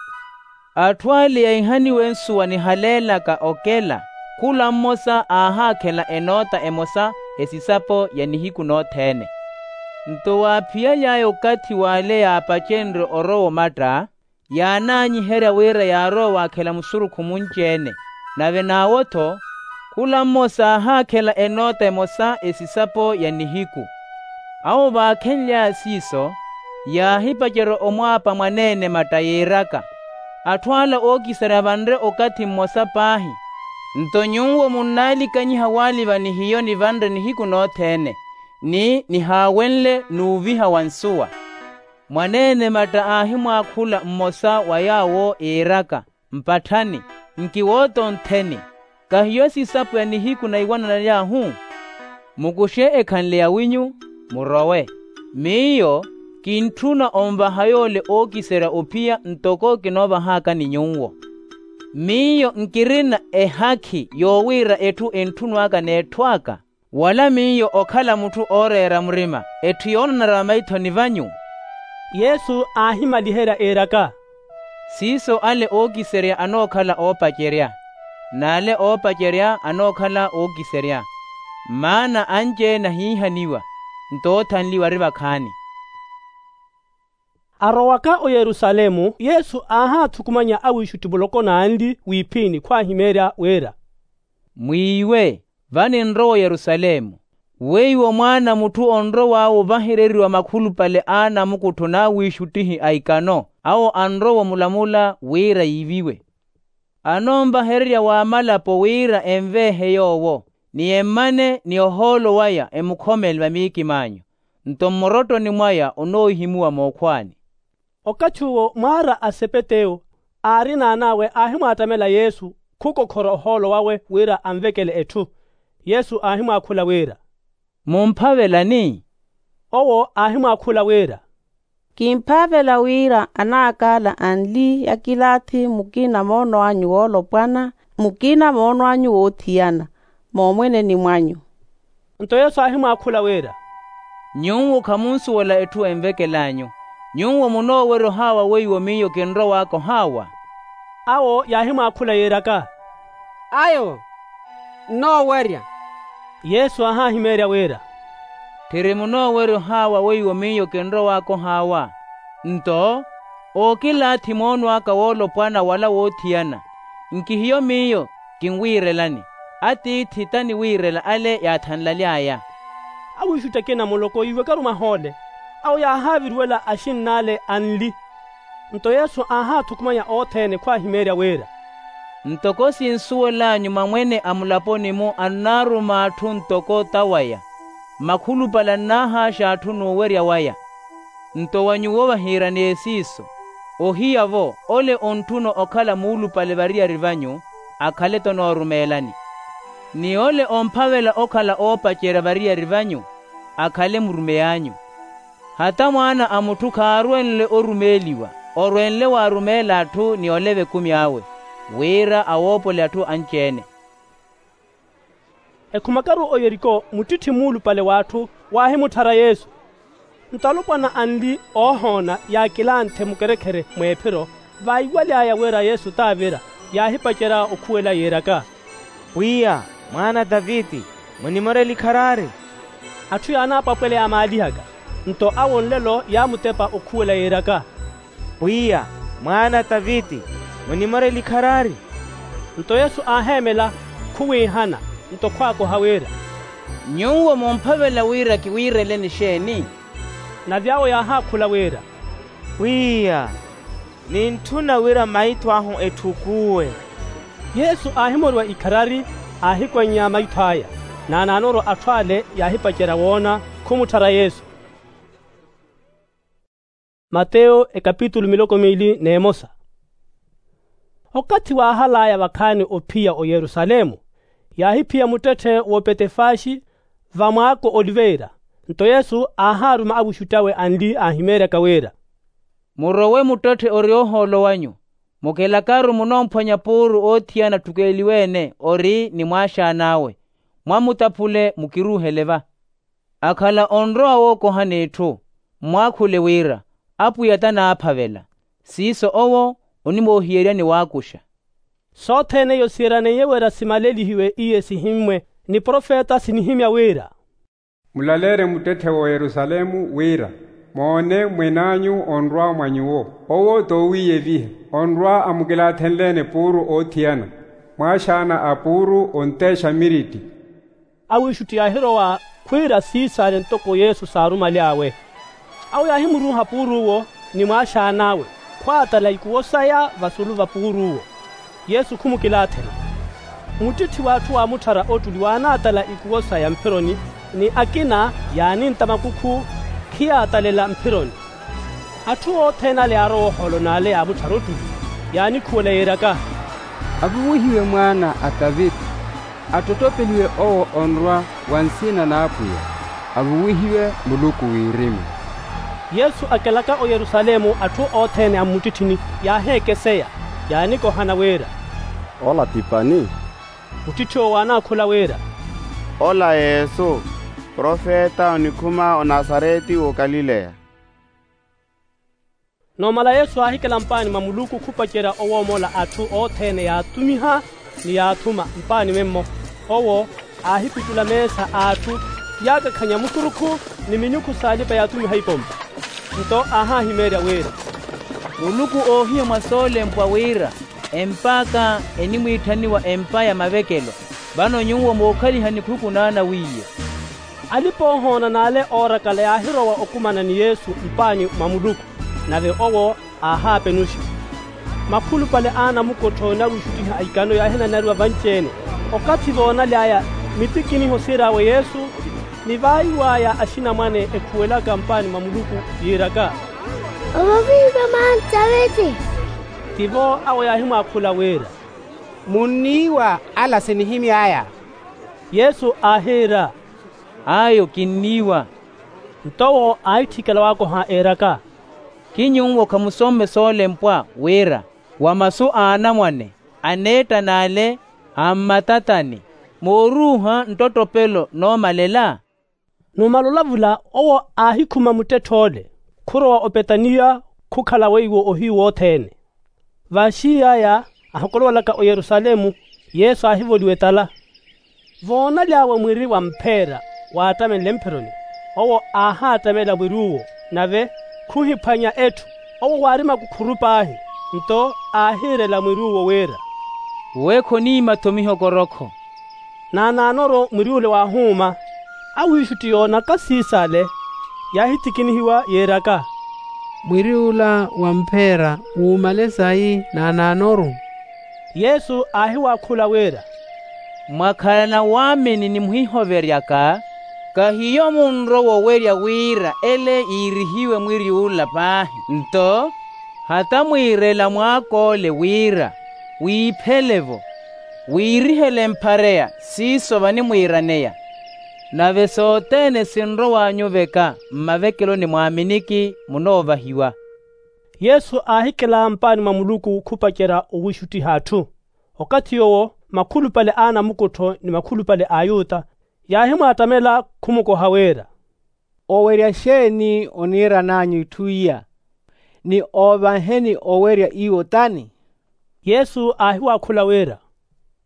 Atthu ale yaihaniwe nsuwa nihaleelaka okela, khula mmosa aahaakhela enoota emosa, esisapo ya nihiku nothene. Nto waaphiyaly'aya okathi w'ale yaapacenrye orowa omatta, yaanaanyiherya wira yaarowa waakhela musurukhu munci-ene. Nave n'awo-tho khula mmosa aahaakhela enoota emosa esisapo ya nihiku. Awo vaakhenly'aya siiso, yaahipacerya omwaapa mwaneene matta yiiraka, atthu ala ookiserya vanre okathi mmosa paahi. Nto nyuwo munnaalikanyiha waaliva ni hiyo nivanre nihiku nothene, ni nihaawenle n'uviha wa nsuwa. Mwaneene matta aahimwaakhula mmosa wa yaawo iiraka, mpatthani, nkiwoota ontheni, kahiyo esisapo ya nihiku naiwananaly'ahu? Mukuxe ekhanle yawinyu, murowe. Miyo kintthuna onvaha yoole ookiserya ophiya ntoko kinoovahaka ni nyuwo. Miyo nkirina ehakhi yoowiira etthu entthunw'aka n'etthu aka, wala miyo okhala mutthu ooreera murima etthu yoonanara vamaithoni vanyu? Yesu aahimaliherya iiraka, siiso ale ookiserya anookhala oopacerya, n'ale oopacerya anookhala ookiserya. Maana anci-ene ahiihaniwa, nto oothanliwa ari vakhaani. Arowaka oyerusalemu yesu aahaathukumanya awiixutti muloko n'anli w'iphini khwaahimeerya wira, mwiiwe, vano enrowa oyerusalemu, weiwo mwaana a mutthu onrow'awe ovahereriwa makhulupale a anamukuttho n'awiixuttihi a ikano, awo anrowa omulamula wira yiiviwe. Anoonvahererya w'amalapo wira enveehe yoowo, ni emmane ni ohoolo waya emukhomele vamiikim'anyu, nto mmorottoni mwaya onoohihimuwa mookhwaani. Okathi uwo mwaara a sepeteyo aari n'an'awe aahimwaattamela yesu khukokhora ohoolo wawe wira anvekele etthu. Yesu aahimwaakhula wira, mumphavelani? Owo aahimwaakhula wira, Kimphavela wira anaakaala anli ya kilaathi mukina moono anyu woolopwana, mukina moono anyu woothiyana moomweneni mwanyu. Nto yesu aahimwaakhula wira, nyuwo khamunsuwela etthu envekel'anyu. Nyuwo munoowerya ohaawa weiwo miyo kinrowaaka ohaawa? Awo yaahimwaakhula yiiraka, ayo nnoowerya. Yesu aahaahimeerya wira, tthiri munoowerya ohaawa weiwo miyo kinrowaaka ohaawa? Nto ookilaathi moono aka woolopwana wala woothiyana, nkihiyo miyo kinwiirelani, atiithi t'aniwiirela ale yaathanlaly'aya. Awiixutti akina muloko yiiwekaru mahoole, awo yaahaaviriwela axinn'ale anli. Nto yesu aahaathukumanya othene khwaahimeerya wira, ntoko sinsuwel'anyu mamwene a mulaponi-mu annaaruma atthu ntoko t'awaya, makhulupale annaahaaxa atthu n'uwerya waya. Nto wa nyuwo vahiiraneye siiso, ohiya-vo ole ontthuna okhala muulupale variyari vanyu, akhale t'onoorumeelani, ni ole omphavela okhala oopacerya variyari vanyu, akhale murumey'anyu. Hata mwaana a mutthu khaarwenle orumeeliwa, orwenle waarumeela atthu ni oleva ekumi awe, wira awoopole atthu anci-ene. Ekhumakaru oyeriko muttitthi muulupale w'atthu waahimutthara yesu. Nto alopwana anli oohoona yaakilanthe mukerekhere mw'ephiro, vaiwaly'aya wira yesu t'avira, yaahipacerya okhuwela yiiraka, pwiya, mwaana a taviti, munimorele ikharari. Atthu yaanaapwapwela yaamaalihaka. Nto awo nlelo yaamutepa okhuwela yiiraka, pwiya, mwaana a taviti, munimorele ikharari. Nto yesu aaheemela, khuwiihana, nto khwaakoha wira, nyuwo mumphavela wira kiwiireleni exeeni? Nave awo yaahaakhula wira, pwiya, nintthuna wira maitho ahu etthukuwe. Yesu aahimoriwa ikharari, aahikwannya maitho aya, naanaanoorwa atthu ale yaahipacerya woona, khumutthara yesu. Mateyo ekapitulu miloko miili n'emosa. Okathi waahal'aya vakhaani ophiya oyerusalemu, yaahiphiya muttetthe w'opetefaaxi, va mwaako oliveira. Nto yesu aahaaruma avuxutti awe anli aahimeeryaka wira, murowe muttetthe ori ohoolo wanyu, mukilakaru munoomphwanya puuru oothiyana atthukeeliwe-ene ori ni mwaaxaan'awe, mwamutaphule mukiruuhele va. Akhala onrowa wookoha n'itthu, mmwaakhule wira, apwiya t'anaaphavela, siiso owo onimoohiyeryani waakuxa. Sothene iyo siiraneiye wira simalelihiwe iye sihimmwe, ni profeta sinihimya wira, mulaleerye muttetthe w'oyerusalemu wira, moone mwen'anyu onrwa mwa nyuwo, owo t'owiiyeviha, onrwa amukilaathenle-ene puuru oothiyana, mwaaxaana a puuru onteexa miritti. Awiixutti yaahirowa khwiira siisaale ntoko yesu saarumaly'awe. Awo yaahimuruuha puuru'wo ni mwaaxaan'awe, khwaatala ikuwo saya vasulu va puuru'wo. Yesu khumukilaathela. Muttitti w'atthu waamutthara ottuli waanaatala ikuwo saya mphironi, ni akina yaanintta makukhu khiyaatalela mphironi. Atthu othene ale yaarowa ohoolo n'ale yaamutthara ottuli, yaanikhuwela yiiraka, avuwihiwe mwaana a taviti, attottopeliwe owo onrwa wa nsina n'apwiya, avuwihiwe muluku wirimu. Yesu akelaka oyerusalemu atthu othene a mmuttitthini yaaheekeseya, yaanikohana wira, ola ti pani? Muttitthiwo waanaakhula wira, ola yesu, profeta onikhuma onasareti w'okalileya. Noomala yesu aahikela mpaani mwa muluku khupacerya owoomola atthu othene yaatumiha, ni yaathuma mpaani memmo. Owo aahipitula meesa a atthu, yaakakhanya mukurukhu, ni minyukhu s'alipa-yaatumiha ipompa. Nto aahaahimeerya wira, muluku oohiya mwa soolempwa wira, emp'aka enimwiitthaniwa empa ya mavekelo, vano nyuwo mookhaliha nikhuku n'anawiiye. Alipa-ohoona n'ale oorakala yaahirowa okumana ni yesu mpaani mwa muluku, nave owo aahaapenuxa. Makhulupale a anamukottho ni awiixuttihi a ikano yaahinanariwa vanci-ene. Okathi voonaly'aya mitikiniho siir'awe yesu, ni vaayiw'aya axinamwane ekhuwelaka mpaani mwa muluku yiiraka, ovovihiwe mwaana a taviti. Tivo awo yaahimwaakhula wira, munniiwa ala sinihimy'aya? Yesu aahiira, ayo kinniiwa. Nto owo aahitthikela waakoha eeraka, Kinyuwo khamusomme soolempwa wira wa masu a anamwane aneettan'ale a mmatatani mooruuha nttottopelo noomalela? Numala olavula owo aahikhuma muttetth'ole khurowa opetaniya khukhala weiwo ohiyu wothene. Vaaxiiy'aya ahokolovalaka oyerusalemu, yesu aahivoliwa etala. Voonaly'awe mwiri wa mpheera waattamenle mphironi, owo aahaattamela mwiri uwo, nave khuhiphwanya etthu. Owo waari makukhuru paahi, nto aahiirela mwiri uwo wira, uwe khoniima-tho mihokorokho. Naanaanoru mwiri ule waahuuma. Awiixutti yoonaka siis'ale yaahithikinihiwa yiiraka, mwiri ula wa mpheera wuumale sayi naanaanoru? Yesu aahiwaakhula wira, mwakhalana waamini ni muhihoveryaka, kahiyo munrowa owerya wira ele yiirihiwe mwiri ula paahi nto hata mwiirela mwaak'ole wira wiiphele-vo, wiirihele mphareya siiso vanimwiiraneya. Nave sothene sinrow'anyu veka mmavekeloni mwaaminiki munoovahiwa. Yesu aahikela mpaani mwa muluku khupacerya owiixuttiha atthu. Okathi yoowo makhulupale a anamukuttho ni makhulupale a ayuta yaahimwaattamela khumukoha wira, owerya xeeni oniiran'anyu itthu iya? Ni oovahe ni owerya iwo tani? Yesu aahiwaakhula wira,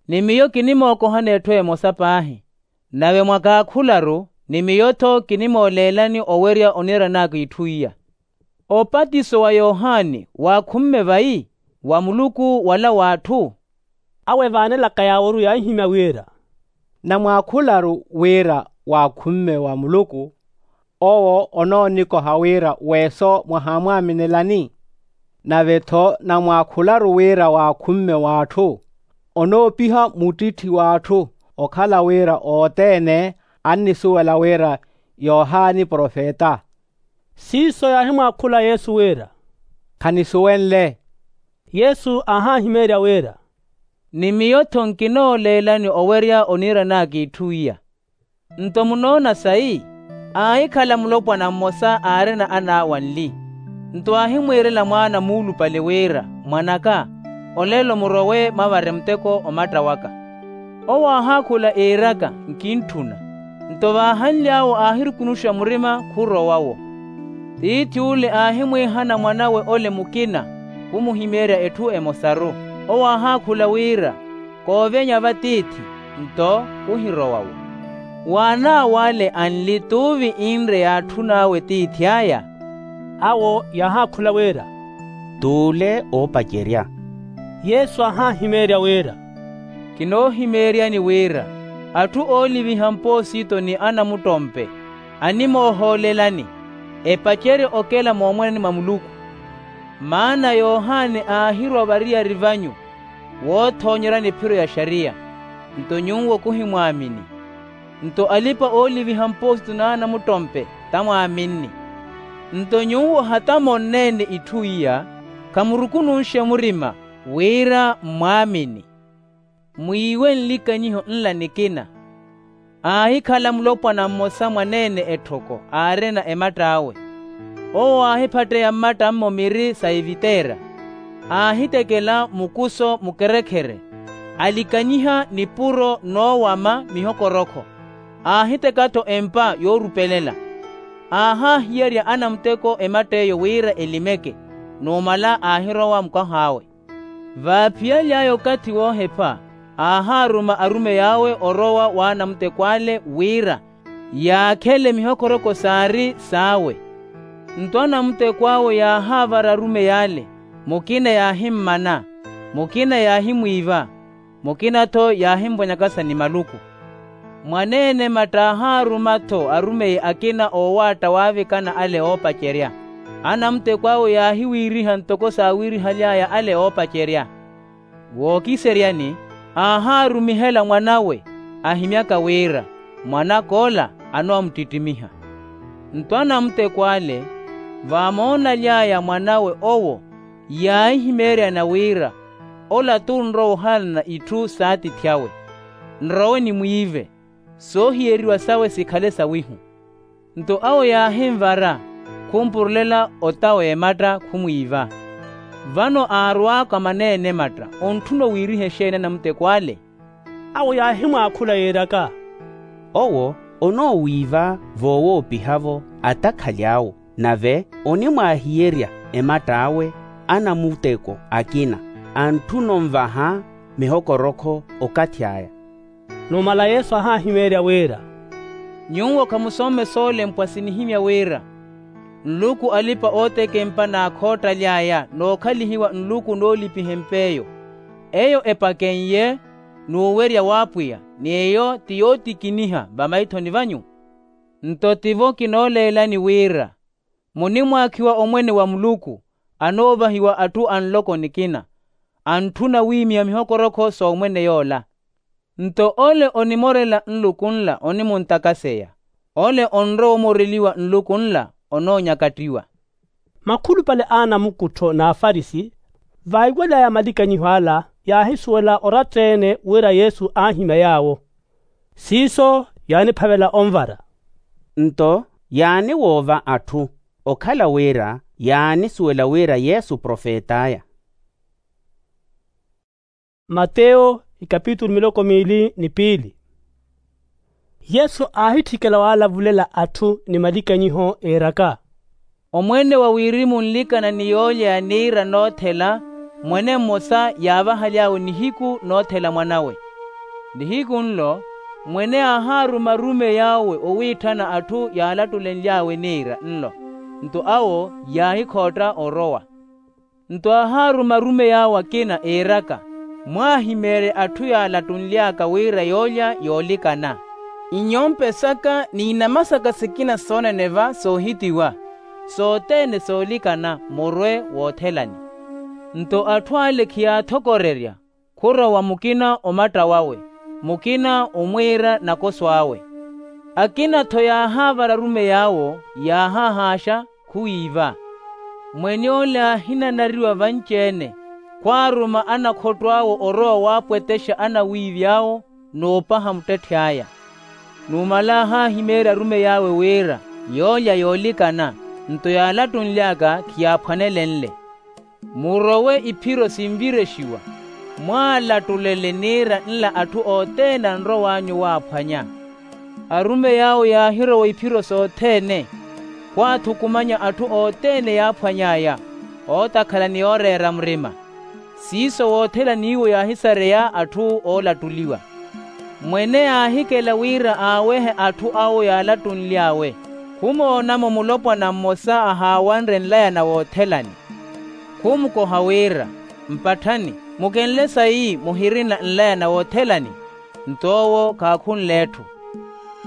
ni miyo kinimookohani etthu emosa paahi. Nave mwakaakhularu ni miyo-tho kinimooleelani owerya oniiran'aka itthu iya. Opatiso wa yohani waakhumme vayi? Wa muluku wala w'atthu? Awo evaanelaka yaaworu yaahimya wira, namwaakhularu wira waakhumme wa muluku, owo onoonikoha wira weeso mwahaamwaaminelani. Nave-tho namwaakhularu wira waakhumme w'atthu, onoopiha muttitthi w'atthu okhala wira othene annisuwela wira yohani profeta. Siiso yaahimwaakhula yesu wira, khanisuwenle. Yesu aahahimeerya wira, ni miyo-tho nkinooleelani owerya oniiran'aka itthu iya. Nto munoona sayi? Aahikhala mulopwana mmosa aarina an'awe anli, nto aahimwiirela mwaana muulupale wira, mwan'aka, olelo murowe mwavare muteko omatta waka. Owo aahaakhula iiraka, nkintthuna. Nto vaahanly'awe aahirukunuxa murima khurowa-wo. Tiithi ule aahimwiihana mwanawe ole mukina khumuhimeerya etthu emosaru. Owo aahaakhula wira, koovenya va tiithi, nto khuhirowa-wo. W'an'awe ale anli t'uvi inre yaatthun'awe tiithi aya? Awo yaahaakhula wira, t'ule oopacerya. Yesu aahahimeerya wira, kinoohimeeryani wira atthu ooliviha mpoosito ni anamuttompe animoohoolelani epacerye okela moomwanani mwa muluku. Maana yohani aahirwa variyari vanyu woothoonyerani ephiro ya xariya, nto nyuwo khuhimwaamini. Nto alipa-ooliviha mpoosito n'anamuttompe tamwaaminni. Nto nyuwo hata monneene itthu iya, khamurukununxe murima wira mmwaamini. Mwiiwe nlikanyiho nla nikina. Aahikhala mulopwana mmosa mwaneene etthoko aarina ematt'awe. Owo aahiphatteya mmatt'ammo miri sa eviteera, aahitekela mukuso mukerekhere, alikanyiha nipuro noowama mihokorokho. Aahiteka-tho empa yoorupelela. Aahaahiyerya anamuteko ematt'eyo wira elimeke, numala aahirowa mukah'awe. Vaaphiyaly'aya okathi woohepha, aahaaruma arumey'awe orowa w'anamutekw'ale wira yaakhele mihokoroko saari saawe. Nto anamutekw'awe yaahaavara arumey'ale, mukina yaahimmana, mukina yaahimwiiva, mukina-tho yaahimpwanyakasa ni maluku. Mwaneene matta aahaaruma-tho arumeyi akina oowaatta waavikana ale oopacerya. Anamutekw'awe yaahiwiiriha ntoko saawirihaly'aya ale oopacerya. Wookiseryani, aahaarumihela mwanawe, ahimyaka wira mwan'ak'ola anoomuttitimiha. Nto anamutekw'ale vaamoonaly'aya mwanawe owo, yaahihimeeryana wira ola t'unrowa ohalana itthu s'atiithi awe. Nrowe nimwiive, soohiyeriwa sawe sikhale sawihu. Nto awo yaahinvara, khumpurulela ota w'ematta khumwiiva. Vano aarwaaka maneene ematta, ontthuna owiiriha exeeni anamuteko ale? Awo yaahimwaakhula yiiraka, owo onoowiiva voowoopihavo atakhali awo, nave onimwaahiyerya ematt'awe anamuteko akina, antthuna onvaha mihokorokho okathi aya. Numala yesu aahahimeerya wira, nyuwo khamusoome soolempwa sinihimya wira, nluku alipa-ootekempa n'akhoottaly'aya nookhalihiwa nluku noolipiha emp'eyo. Eyo epakennye n'uwerya w'apwiya, ni eyo ti yootikiniha vamaithoni vanyu. Nto tivo kinooleelani wira, munimwaakhiwa omwene wa muluku, anoovahiwa atthu a nloko nikina, antthuna wiimiha mihokorokho s'omwene yoola. Nto ole onimorela nluku nla onimunttakaseya, ole onrowa omoreliwa nluku nla onoonyakattiwa. Makhulupale a anamukuttho n'afarisi, vaiwaly'aya malikanyiho ala, yaahisuwela oratta-ene wira yesu aahimya yaawo. Siiso yaaniphavela onvara. Nto yaaniwoova atthu, okhala wira yaanisuwela wira yesu profet'aya. Mateyo ikapitulu miloko miili ni piili. Yesu aahitthikela waalavulela atthu ni malikanyiho eeraka, omwene wa wirimu onlikana ni yoolya ya niira noothela, mwene mmosa yaavahaly'awe nihiku noothela mwan'awe. Nihiku nlo mwene aahaaruma arumeyi awe owiitthana atthu yaalattulenly'awe niira nlo, nto awo yaahikhootta orowa. Nto aahaaruma arumeyi awe akina iiraka, mwaahimeerye atthu yaalattunly'aka wira yoolya yoolikana. Inyompe saka n'inama saka sikina soonene va soohitiwa, sothene soolikana murwe woothelani. Nto atthu ale khiyaathokorerya, khurowa mukina omatta wawe, mukina omwiira nakoso awe. Akina-tho yaahaavara arumeyi awo, yaahahaaxa, khuwiiva. Mwen'ole aahinanariwa vanci-ene, khwaaruma anakhotto awo orowa waapwetexa anawiivi awo, n'upaha muttetthi aya. Numala aahahimeerya arumeyi awe wira yoolya yoolikana, nto yaalattunly'aka khiyaaphwanelenle. Murowe iphiro sinvirexiwa, mwaalattulele niira nla atthu othene anrow'anyu waaphwanya. Arumeyi awo yaahirowa iphiro sothene, khwaathukumanya atthu othene yaaphwany'aya, ootakhala ni yooreera murima. Siiso woothelani iwo yaahisareya atthu oolattuliwa. Mwene aahikela wira aawehe atthu awo yaalattunly'awe. Khumoona-mo mulopwana mmosa ahaawanre nlayana woothelani. Khumukoha wira, mpatthani, mukenle sayi muhirina nlayana woothelani? Nto owo khaakhunle etthu.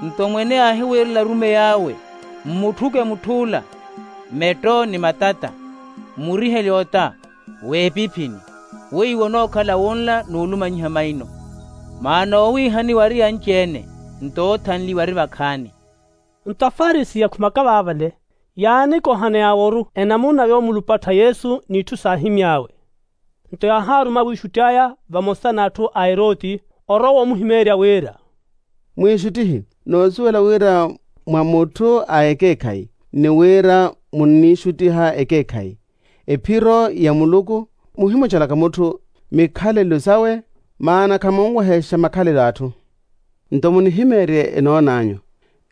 Nto mwene aahiwiirela arumeyi awe, mmutthuke mutth'ula, metto ni matata, mmurihele ota, weepiphini, weiwo onookhala wunla n'ulumanyiha maino. Maana owiihaniwa ari anci-ene, nto oothanliwa ari vakhaani. Nto afarisi yakhumaka vaavale, yaanikohaneya aworu enamuna yoomulupattha yesu n'itthu saahimy'awe. Nto yaahaaruma awiixutti aya vamosa n'atthu a eroti, orowa omuhimeerya wira, mwiixuttihi, noosuwela wira mwa mutthu a ekeekhayi, ni wira munniixuttiha ekeekhayi, ephiro ya muluku, muhimucelaka mutthu mikhalelo sawe, maana khamunwehexa makhalelo a atthu. Nto munihimeerye enoon'anyu,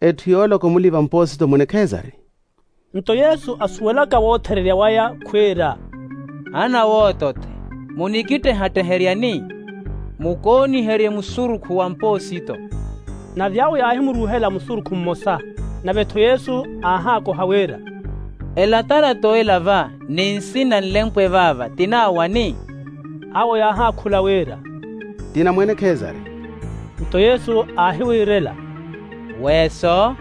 etthu yoolaka omuliva mpoosito mwene khesari. Nto yesu asuwelaka woothererya waya khwiira, ana woototthe, munikittehatteheryani? Mukooniherye musurukhu wa mpoosito. Nave awo yaahimuruuhela musurukhu mmosa. Nave-tho yesu aahaakoha wira, elatarato ela va ni nsina nlempwe vaava ti n'awani? Awo yaahaakhula wira, ti na mwene khesari. Nto yesu aahiwiirela, weeso,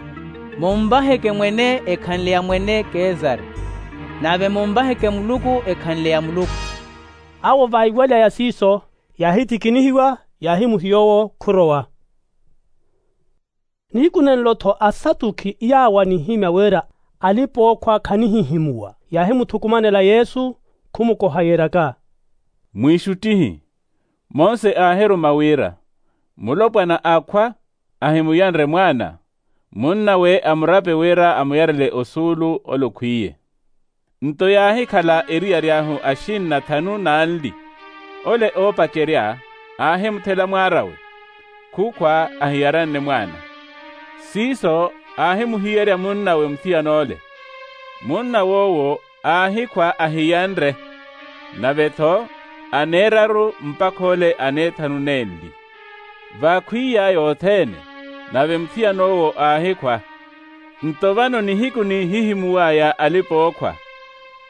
munvaheke mwene ekhanle ya mwene kesari, nave munvaheke muluku ekhanle ya muluku. Awo vaiwaly'aya siiso, yaahitikinihiwa, yaahimuhiya owo khurowa. Nihiku nenlo-tho asatukhi yaawanihimya wira alipa-ookhwa khanihihimuwa, yaahimuthukumanela yesu, khumukoha yiiraka, mwiixuttihi, mose aahiruma wira, mulopwana aakhwa ahimuyanre mwaana, Munnawe amurape wira amuyarele osuulu ole okhwiiye. Nto yaahikhala eriyari ahu axinna thanu n'anli. Ole oopacerya aahimuthela mwaar'awe, khukhwa ahiyaranne mwaana. Siiso aahimuhiyerya munnawe muthiyan'ole. Munna w'owo aahikhwa ahiyanre, nave-tho aneeraru mpakha ole aneethanu nenli. Vaakhwiy'aya othene, nave muthiyan'owo aahikhwa. Nto vano nihiku nihihimuw'aya alipa-ookhwa,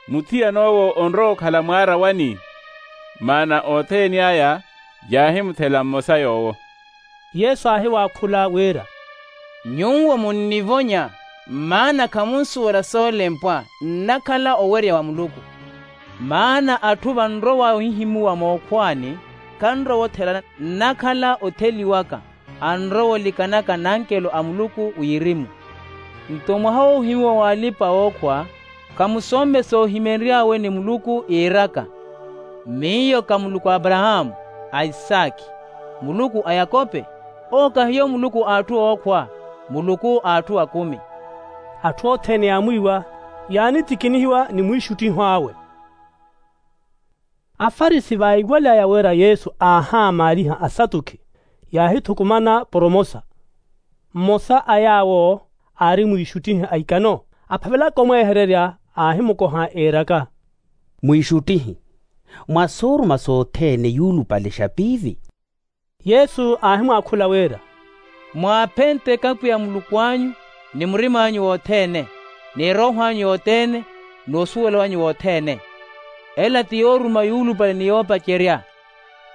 muthiyan'owo onrowa okhala mwaara wani? Maana othene aya yaahimuthela mmosa yoowo. Yesu aahiwaakhula wira, nyuwo munnivonya, maana khamunsuwela soolempwa nnakhala owerya wa muluku. Maana atthu vanrowa ohihimuwa mookhwaani, khanrowa othela nnakhala otheliwaka, anrowa olikanaka nankelo a muluku wirimu. Nto mwaha woohimuwa w'alipa-ookhwa, khamusomme soohimery'awe ni muluku yiiraka, miyo ka muluku a aparahaamu, a isaakhi, muluku a yakope? Owo kahiyo muluku a atthu ookhwa, muluku a atthu akumi. Atthu othene yaamwiiwa, yaanitikinihiwa ni mwiixuttiho awe. Afarisi vaiwal'aya wira yesu aahaamaaliha asatukhi, yaahithukumana poromosa. Mmosa a yaawo aari mwiixuttihi a ikano, aphavelaka omweehererya, aahimukoha iiraka, mwiixuttihi, mwa sooruma sothene yuulupale xapiivi? Yesu aahimwaakhula wira, mwaaphenteke apwiya muluku anyu, ni murim'anyu wothene, ni erooho anyu yothene, n'usuwela wanyu wothene. Ela ti yooruma yuulupale ni yoopacerya.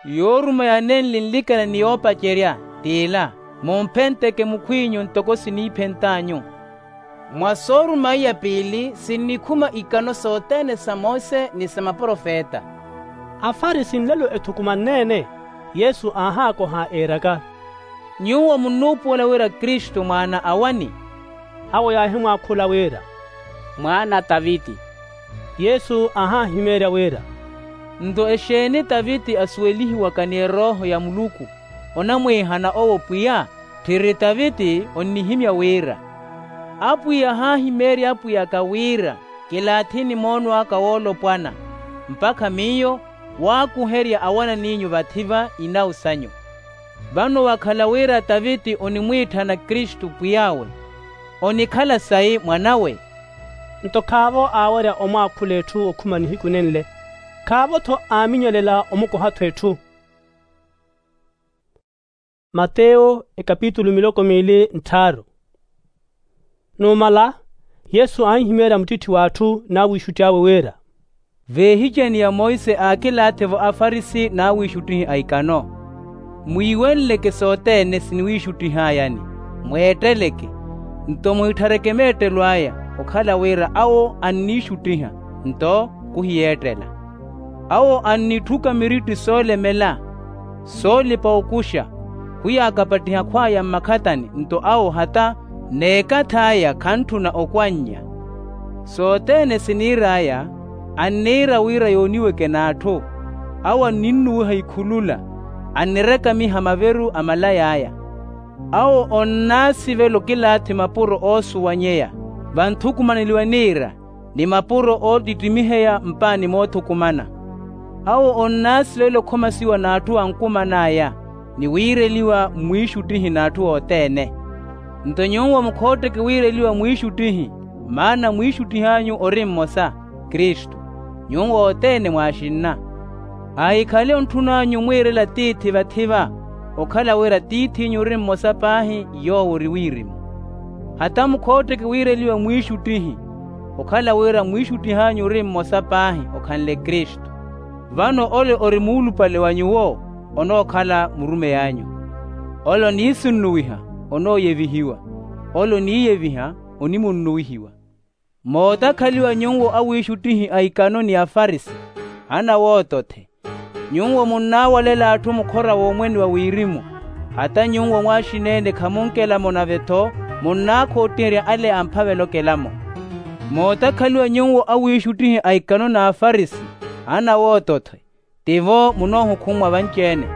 Yooruma yanenli nlikana ni yoopacerya t'ila, mumphenteke mukhw'inyu ntoko siniiphent'anyu. Mwa sooruma iya piili sinnikhuma ikano sothene sa mose ni sa maprofeta. Afarisi nlelo ethukumanne-ene, yesu aahaakoha iiraka, nyuwo munnuupuwela wira kristu mwaana a wani? Awo yaahimwaakhula wira, mwaana a taviti. Yesu aahaahimeerya wira, nto exeeni taviti asuwelihiwaka ni erooho ya muluku, onamwiihana owo pwiya? Tthiri taviti onnihimya wira, apwiya ahaahimeerya apwiyaka wira, kilaathini moono aka woolopwana, mpakha miyo waakuherya awanan'inyu vathi-va inawu sanyu. Vano wakhala wira taviti onimwiitthana kristu pwiy'awe, onikhala sayi mwanawe? Nto khaavo aawerya omwaakhula etthu okhuma nihiku nenle, khaavo-tho aaminyelela omukoha-tho etthu. Mateyo ekapitulu miloko miili ntthaaru. Numala, yesu aahihimeerya muttitthi w'atthu n'awiixutti awe wira, veehicani ya monse aakilaathi-vo afarisi n'awiixuttihi a ikano, mwiiwenleke sothene siniwiixuttih'ayani, mweetteleke, nto mwiitthareke meettelo aya, okhala wira awo anniixuttiha, nto khuhiyeettela. Awo annitthuka miritti soolemela, soolipa okuxa, khuyaakapattiha khw'aya mmakhatani, nto awo hata n'ekath'aya khantthuna okwannya. Sothene siniir'aya, anniira wira yooniweke n'atthu. Awo anninnuwiha ikhulula, annirekamiha maveru a malay'aya. Awo onnaasivela okilaathi mapuro oosuwanyeya, vanthukumaneliwa niira, ni mapuro oottittimiheya mpaani moothukumana. Awo onnaasivela okhomasiwa n'atthu ankuman'aya, ni wiireliwa mwiixuttihi n'atthu othene. Nto nyuwo mukhootteke wiireliwa mwiixuttihi, maana mwiixuttih'anyu ori mmosa, kristu. Nyuwo othene mwaaxinna. Ahikhale ontthun'anyu mwiirela tiithi vathi-va, okhala wira tiith'inyu ori mmosa paahi, yoowo ori wirimu. Hata mukhootteke wiireliwa mwiixuttihi, okhala wira mwiixuttih'anyu ori mmosa paahi, okhanle kristu. Vano ole ori muulupale wa nyuwo, onookhala murumey'anyu. Ole oniisunnuwiha, onooyevihiwa. Ole oniiyeviha, onimunnuwihiwa. Mootakhaliwa nyuwo awiixuttihi a ikano ni afarisi, anawootothe! Nyuwo munnawalela atthu mukhora w'omwene wa wirimu, hata nyuwo mwaaxina-ene khamunkelamo nave-tho munnaakhoottiherya ale amphavela okelamo. Mootakhaliwa nyuwo awiixuttihi a ikano n'afarisi, anawootothe! Tivo munoohukhumwa vanci-ene.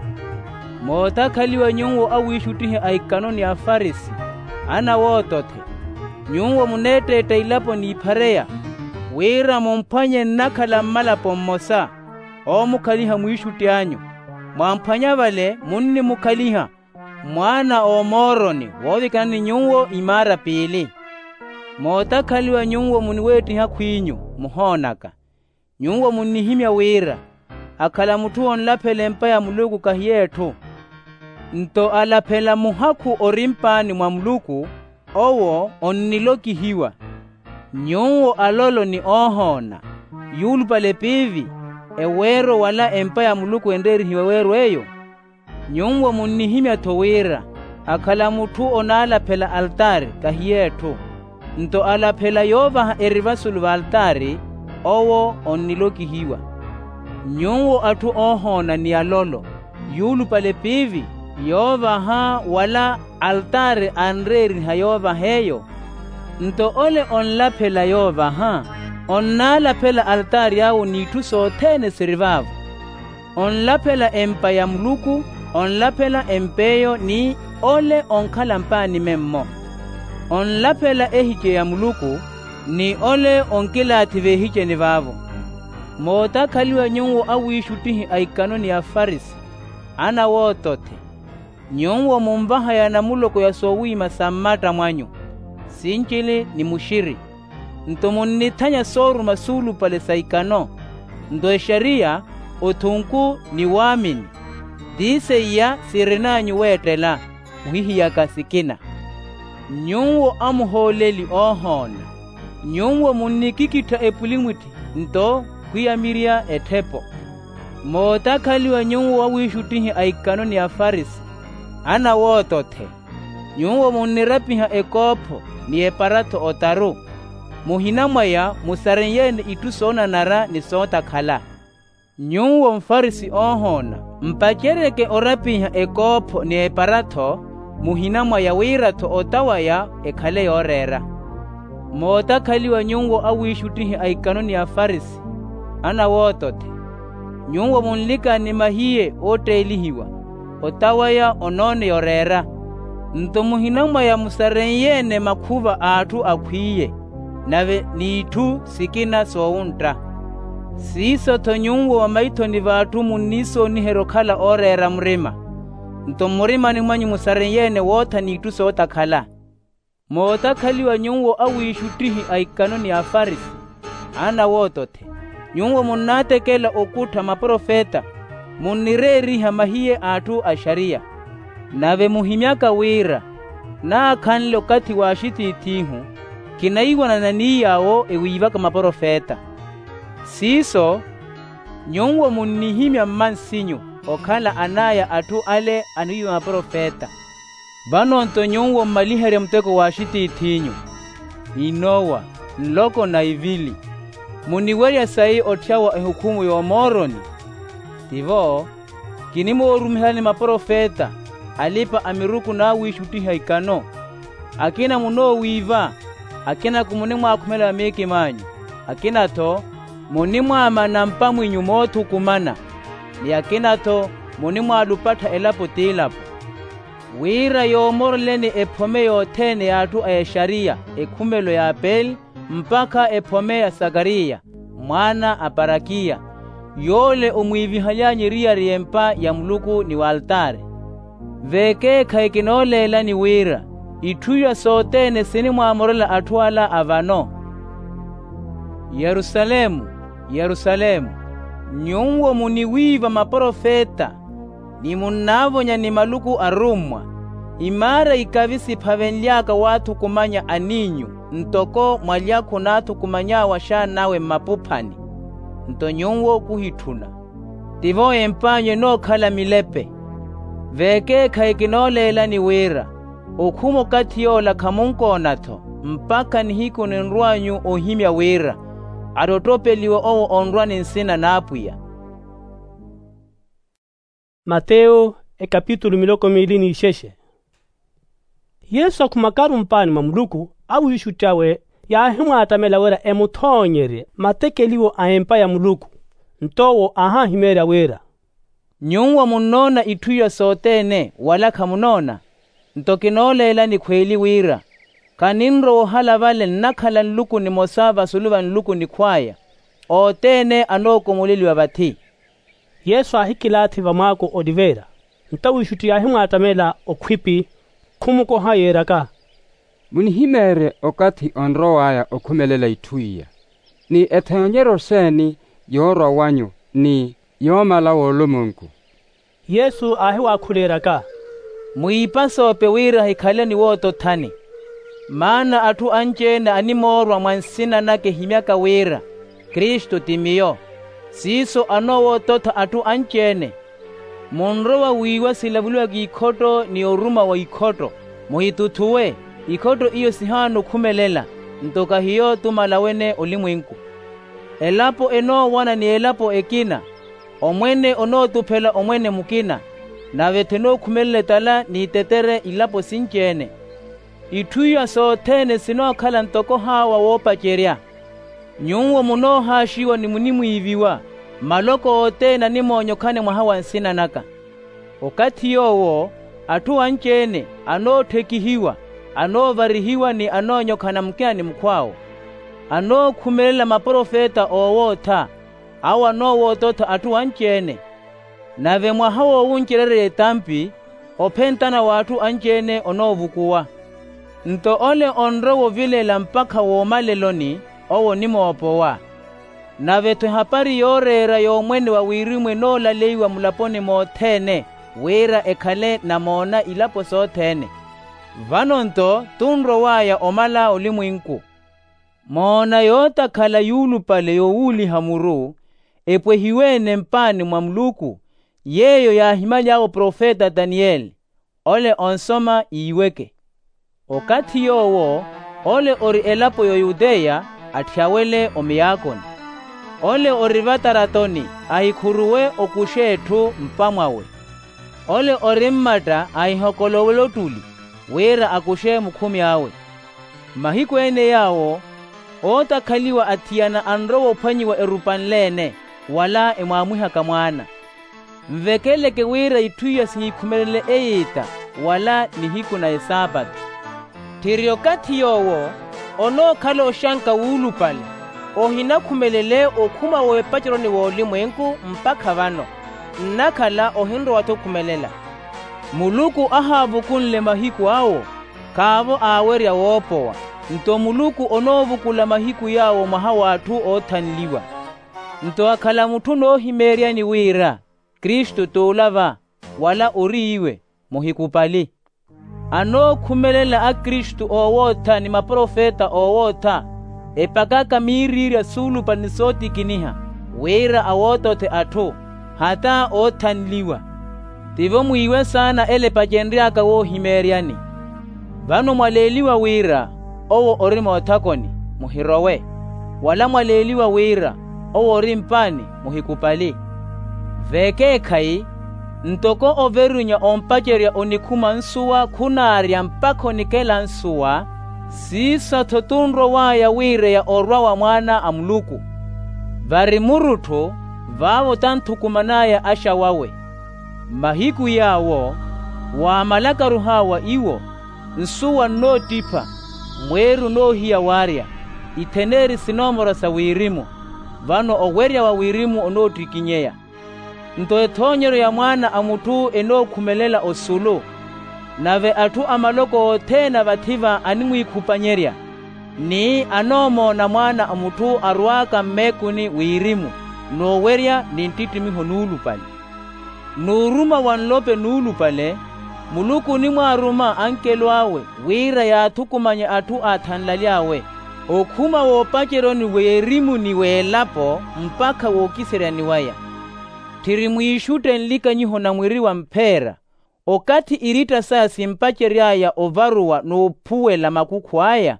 Mootakhaliwa nyuwo awiixuttihi a ikano ni afarisi, Ana wootothe, nyuwo muneetteetta ilapo n'iphareya, wira mumphwanye nnakhala mmalapo mmosa, oomukhaliha mwiixutti anyu. Mwamphwanya vale munnimukhaliha mwaana a omooroni woovikana ni nyuwo imaara piili. Mootakhaliwa nyuwo muniweettiha akhw'inyu muhoonaka. Nyuwo munnihimya wira, akhala mutthu onlaphela empa ya muluku kahiya etthu. Nto alaphela muhakhu ori mpaani mwa muluku, owo onnilokihiwa. Nyuwo alolo ni oohoona, yuulupale piivi, eweero wala empa ya muluku enreerihiwa eweero eyo. Nyuwo munnihimya-tho wira, akhala mutthu onaalaphela altaari kahiya etthu. Nto alaphela yoovaha erivasulu v'altaari, owo onnilokihiwa. Nyuwo atthu oohoona ni alolo, yuulupale piivi, yoovaha wala altaari anreeriha yoovaha eyo. Nto ole onlaphela yoovaha, onnaalaphela altaari awo n'itthu sothene siri vaavo. Onlaphela empa ya muluku, onlaphela emp'eyo ni ole onkhala mpaani memmo. Onlaphela ehice ya muluku, ni ole onkilaathi v'ehiceni vaavo. Mootakhaliwa nyuwo awiixuttihi a ikano ni afarisi, ana wootothe, nyuwo munvahaya namuloko ya soowiima sa mmatta mwanyu, sincili ni muxiri. Nto munnithanya sooruma suulupale sa ikano. Nto exariya, othunku, ni waamini, ti seiya sirin'anyu weettela, muhihiyaka sikina. Nyuwo amuhooleli oohoona, nyuwo munnikikittha epulimwitthi, nto khwiyamirya etthepo. Mootakhaliwa nyuwo awiixuttihi a ikano ni afarisi, ana wootothe, nyuwo munnirapiha ekoopho ni eparattho otaru, muhina mwaya musarenyeene itthu soonanara ni sootakhala. Nyuwo mfarisi oohoona, mpaceryeke orapiha ekoopho ni eparattho, muhina mwaya wira-tho ota waya ekhale yooreera. Mootakhaliwa nyuwo awiixuttihi a ikano ni afarisi, ana wootothe, nyuwo munlikani mahiye ootteelihiwa, ota waya onoone yoreera. Nto muhina mwaya musarenyeene makhuva a atthu akhwiye, nave n'itthu sikina soowuntta. Siiso-tho nyuwo vamaithoni v'atthu munniisooniherya okhala ooreera murima, nto mmurimani mwanyu musarenyeene wootha n'itthu sootakhala. Mootakhaliwa nyuwo awiixuttihi a ikano ni afarisi, ana wootothe, nyuwo munnaatekela okuttha maprofeta, munnireeriha mahiye a atthu a exariya. Nave muhimyaka wira, naakhanle okathi w'axitiith'ihu, kinaiwanana ni yaawo ewiivaka maprofeta. Siiso, nyuwo munnihimya mmansinyu okhala an'aya atthu ale aniwiiva maprofeta. Vano-nto nyuwo mmaliherya muteko w'axitiith'inyu, inowa, nloko na ivili, muniwerya sayi otthyawa ehukhumu y'omooroni. Tivo, kinimoorumihelani maprofeta, alipa-amiruku n'awiixuttihi a ikano, akina munoowiiva, akina-ko munimwaakhumela vamiikim'anyu, akina-tho munimwaamana mpamwinyu moothukumana, ni akina-tho munimwaalupattha elapo t'ilapo. Wira yoomoreleni ephome yothene y'atthu a exariya ekhumelo ya apeli, mpakha ephome ya sakariya, mwaana a parakiya, yoole omwiivihaly'anyu eriyari y'empa ya muluku ni w'altaari. Vekeekhayi kinooleelani wira, itthu iwa sothene sinimwaamorela atthu ala a vano. Yerusalemu, Yerusalemu, nyuwo muniwiiva maprofeta, ni munnaavonya ni maluku arummwa, imaara ikavi siphavenly'aka waathukumanya aniinyu, ntoko mwalyakhu onaathukumany'awe axaan'awe mmapuphani, nto nyuwo kuhitthuna. Tivo emp'anyu enookhala milepe. Vekeekhayi kinooleelani wira, okhuma okathi yoola khamunkoona-tho, mpakha nihiku ninrw'anyu ohimya wira, attotopeliwa owo onrwa ni nsina n'apwiya. Mateyo, ekapitulu miloko miili n'ixexe. Yesu akhumakaru mpaani mwa muluku, awiixutti awe yaahimwaattamela wira emuthoonyerye matekeliwo a empa ya muluku. Nto owo aahahimeerya wira, nyuwo munnoona itthu iya sothene wala khamunoona? Nto kinooleelani khweeli wira, khaninrowa ohala vale nnakhala nluku nimosa vasulu va nluku nikhw'aya. Othene anookomoleliwa vathi. Yesu aahikilaathi vamwaako oliveera. Nto awiixutti yaahimwaattamela okhwipi, khumukoha yeeraka, munihimeerye okathi onrow'aya okhumelela itthu iya, ni ethoonyeryo seeni yoorwa wanyu ni yoomala w'olumwenku? Yesu aahiwaakhuleeryaka, mwiipasoope wira hikhale ni wootothani. Maana atthu anci-ene animoorwa mwa nsina naka ehimyaka wira kristu ti miyo, siiso anoowoototha atthu anci-ene. Munrowa wiiwa silavuluwaka ikhotto ni oruma wa ikhotto, muhituthuwe. Ikhotto iyo sihaana okhumelela, nto kahiyo tumala wene olimwenku. Elapo enoowana ni elapo ekina, omwene onootuphela omwene mukina, nave-tho enookhumelela etala n'itetere ilapo sinci-ene. Itthu iya sothene sinookhala ntoko haawa woopacerya. Nyuwo munoohaaxiwa ni munimwiiviwa, maloko othene animoonyokhane mwaha wa nsina naka. Okathi yoowo atthu anci-ene anootthekihiwa, anoovarihiwa ni anoonyokhana mukina ni mukhw'awe. Anookhumelela maprofeta oowootha, awo anoowoototha atthu anci-ene. Nave mwaha woowuncererya etampi, ophentana w'atthu anci-ene onoovukuwa. Nto ole onrowa ovilela mpakha woomaleloni, owo onimoopowa. Nave-tho ehapari yooreera y'omwene wa wirimu enoolalaiwa mulaponi mothene, wira ekhale namoona ilapo sothene. Vano-nto tunrow'aya omala olimwenku. Moona yootakhala yuulupale yowuuliha muru, epwehiwe-ene mpaani mwa muluku, yeeyo yaahimaly'awe profeta taniyeli, ole onsoma iiweke. Okathi yoowo ole ori elapo y'oyuteya, atthiyawele omiyaakoni. Ole ori vataratoni, ahikhuruwe okuxe etthu mpamwawe. Ole ori mmatta, ahihokolowele ottuli, wira akuxe mukhumi awe. Mmahiku ene yaawo, ootakhaliwa athiyana anrowa ophwanyiwa erupa nle-ene, wala emwaamwihaka mwaana. Nvekeleke wira itthu iya sihikhumelele eyiita, wala nihiku na esaapatu. Tthiri okathi yoowo onookhala oxanka wuulupale, ohinakhumelele okhuma w'epaceroni w'olimwenku mpakha vano, nnakhala ohinrowa-tho okhumelela. Muluku ahaavukunle mahiku awo, khaavo aawerya woopowa. Nto muluku onoovukula mahiku yaawo mwaha w'atthu oothanliwa. Nto akhala mutthu onoohimeeryani wira kristu t'ula va, wala ori iwe, muhikupali. Anookhumelela akristu oowootha ni maprofeta oowootha, epakaka miiriirya suulupale ni sootikiniha, wira awootothe atthu, hata oothanliwa. Tivo mwiiwe saana ele epacenry'aka woohimeeryani. Vano mwaleeliwa wira owo ori moothakoni, muhirowe. Wala mwaleeliwa wira owo ori mpaani, muhikupali. V'ekeekhayi, ntoko overunya ompacerya onikhuma nsuwa khunaarya mpakha onikela nsuwa, siiso-tho tunrow'aya wiireya orwa wa mwaana a muluku. Vari murutthu, vaavo tanthukuman'aya axa wawe. Mmahiku yaawo, waamalakaru haawa iwo, nsuwa nnoottipha, mweeri onoohiya waarya, itheneeri sinoomorwa sa wirimu. Vano owerya wa wirimu onoottikinyeya. Nto ethoonyeryo ya mwaana a mutthu enookhumelela osulu. Nave atthu a maloko othene a vathi-va animwiikhupanyerya, ni anoomoona mwaana a mutthu arwaaka mmeekuni wirimu, n'uwerya ni nttittimiho nuulupale. N'uruma wa nlope nuulupale, muluku onimwaaruma ankelo awe wira yaathukumanye atthu aathanlaly'awe, okhuma w'opaceryoni w'erimu ni w'elapo mpakha wookiseryani waya. Tthiri mwiixutte nlikanyiho na mwiri wa mpheera, okathi iritta saya simpacery'aya ovaruwa n'uphuwela makukhu aya,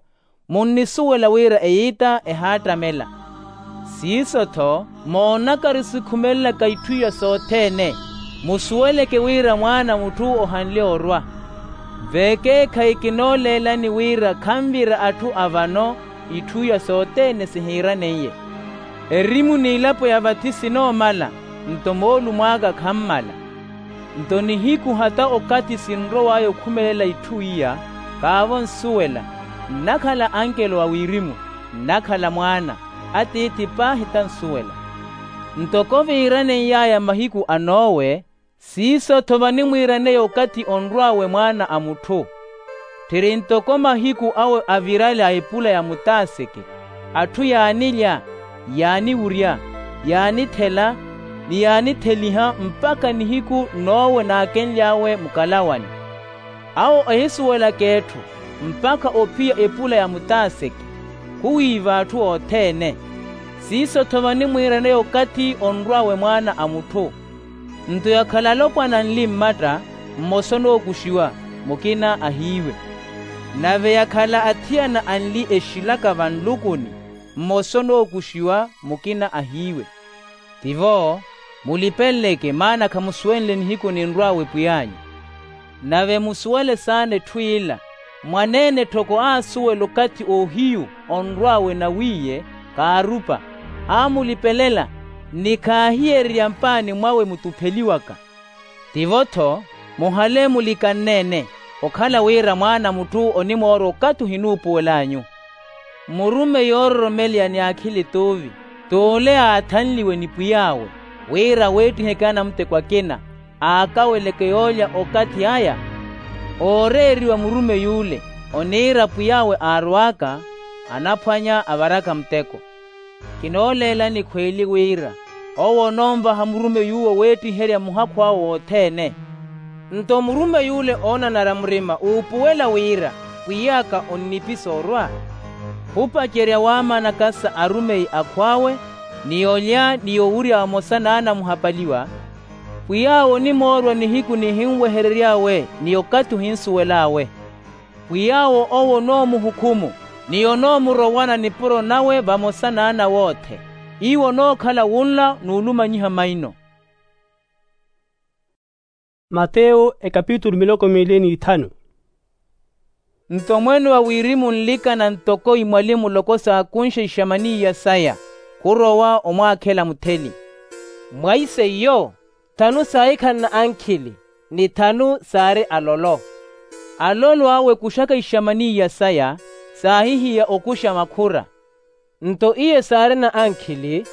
munnisuwela wira eyiita ehaattamela. Siiso-tho moonakari sikhumelelaka itthu iya sothene, musuweleke wira mwaana a mutthu ohanle orwa. V'ekeekhayi kinooleelani wira khanvira atthu a vano itthu iya sothene sihiiraneiye. Erimu n'ilapo ya vathi sinoomala, nto moolumo aka khammala. Nto nihiku hata okathi sinrow'aya okhumelela itthu iya, kaavo nsuwela, nnakhala ankelo a wirimu, nnakhala mwaana, atiithi paahi tansuwela. Ntoko viiraneiy'aya mahiku a nowe, siiso-tho vanimwiiraneya okathi onrw'awe mwaana a mutthu. Tthiri ntoko mahiku awe avirale a epula ya mutaaseke, atthu yaanilya, yaaniwurya, yaanithela, ni yaanitheliha mpakha nihiku nowe naakenly'awe mukalawani. Awo ehisuwelaka etthu mpakha ophiya epula ya mutaaseke, khuwiiva atthu othene. Siiso-tho vanimwiiraneya okathi onrw'awe mwaana a mutthu. Nto yakhala alopwana anli mmatta, mmosa onookuxiwa, mukina ahiiwe. Nave yakhala athiyana anli exilaka vanlukuni, mmosa onookuxiwa, mukina ahiiwe. Tivo, mulipenleke maana khamusuwenle nihiku ninrw'awe pwiy'anyu. Nave musuwele saana etthu ila, mwaneene tthoko aasuwela okathi ohiyu onrw'awe nawiiye, kaarupa, aamulipelela, ni khaahiyererya mpaani mwawe mutupheliwaka. Tivo-tho, muhale mulikanneene, okhala wira mwaana a mutthu onimoorwa okathi ohinuupuwel'anyu. Murumeyi oororomeleya ni akhili t'uvi, t'ule aathanliwe ni pwiy'awe, wira aweettiheke anamuteko akina, aakaweleke yoolya okathi aya. Ooreeriwa murumeyi ule, oniira pwiy'awe aarow'aka, anaphwanya avaraka muteko. Kinooleelani khweeli wira, owo onoonvaha murumeyi uwo weettiherya muhakhu awe wothene. Nto murumeyi ule oonanara murima uupuwela wira, pwiy'aka onnipisa orwa. Khupacerya waamanaka sa arumeyi akhw'awe, ni olya ni owurya vamosa n'anamuhapaliwa, pwiy'awe onimoorwa nihiku nihinweherery'awe ni okathi ohinsuwel'awe. Pwiy'awe owo onoomuhukhumu, ni onoomurowana nipuro nawe vamosa n'ana wothe, iwo onookhala wunla n'ulumanyiha maino. Mateyo ekapitulu miloko miili n'ithanu. Nto mwene wa wirimu nlikana ntoko imwali muloko saakunxa ixamaniya saya, khurowa omwaakhela mutheli. Mwaiseiyo, thanu saahikhala na ankhili, ni thanu saari alolo. Alolo awo ekuxaka ixamaniya saya, saahihiya okuxa makhura. Nto iye saari na ankhili,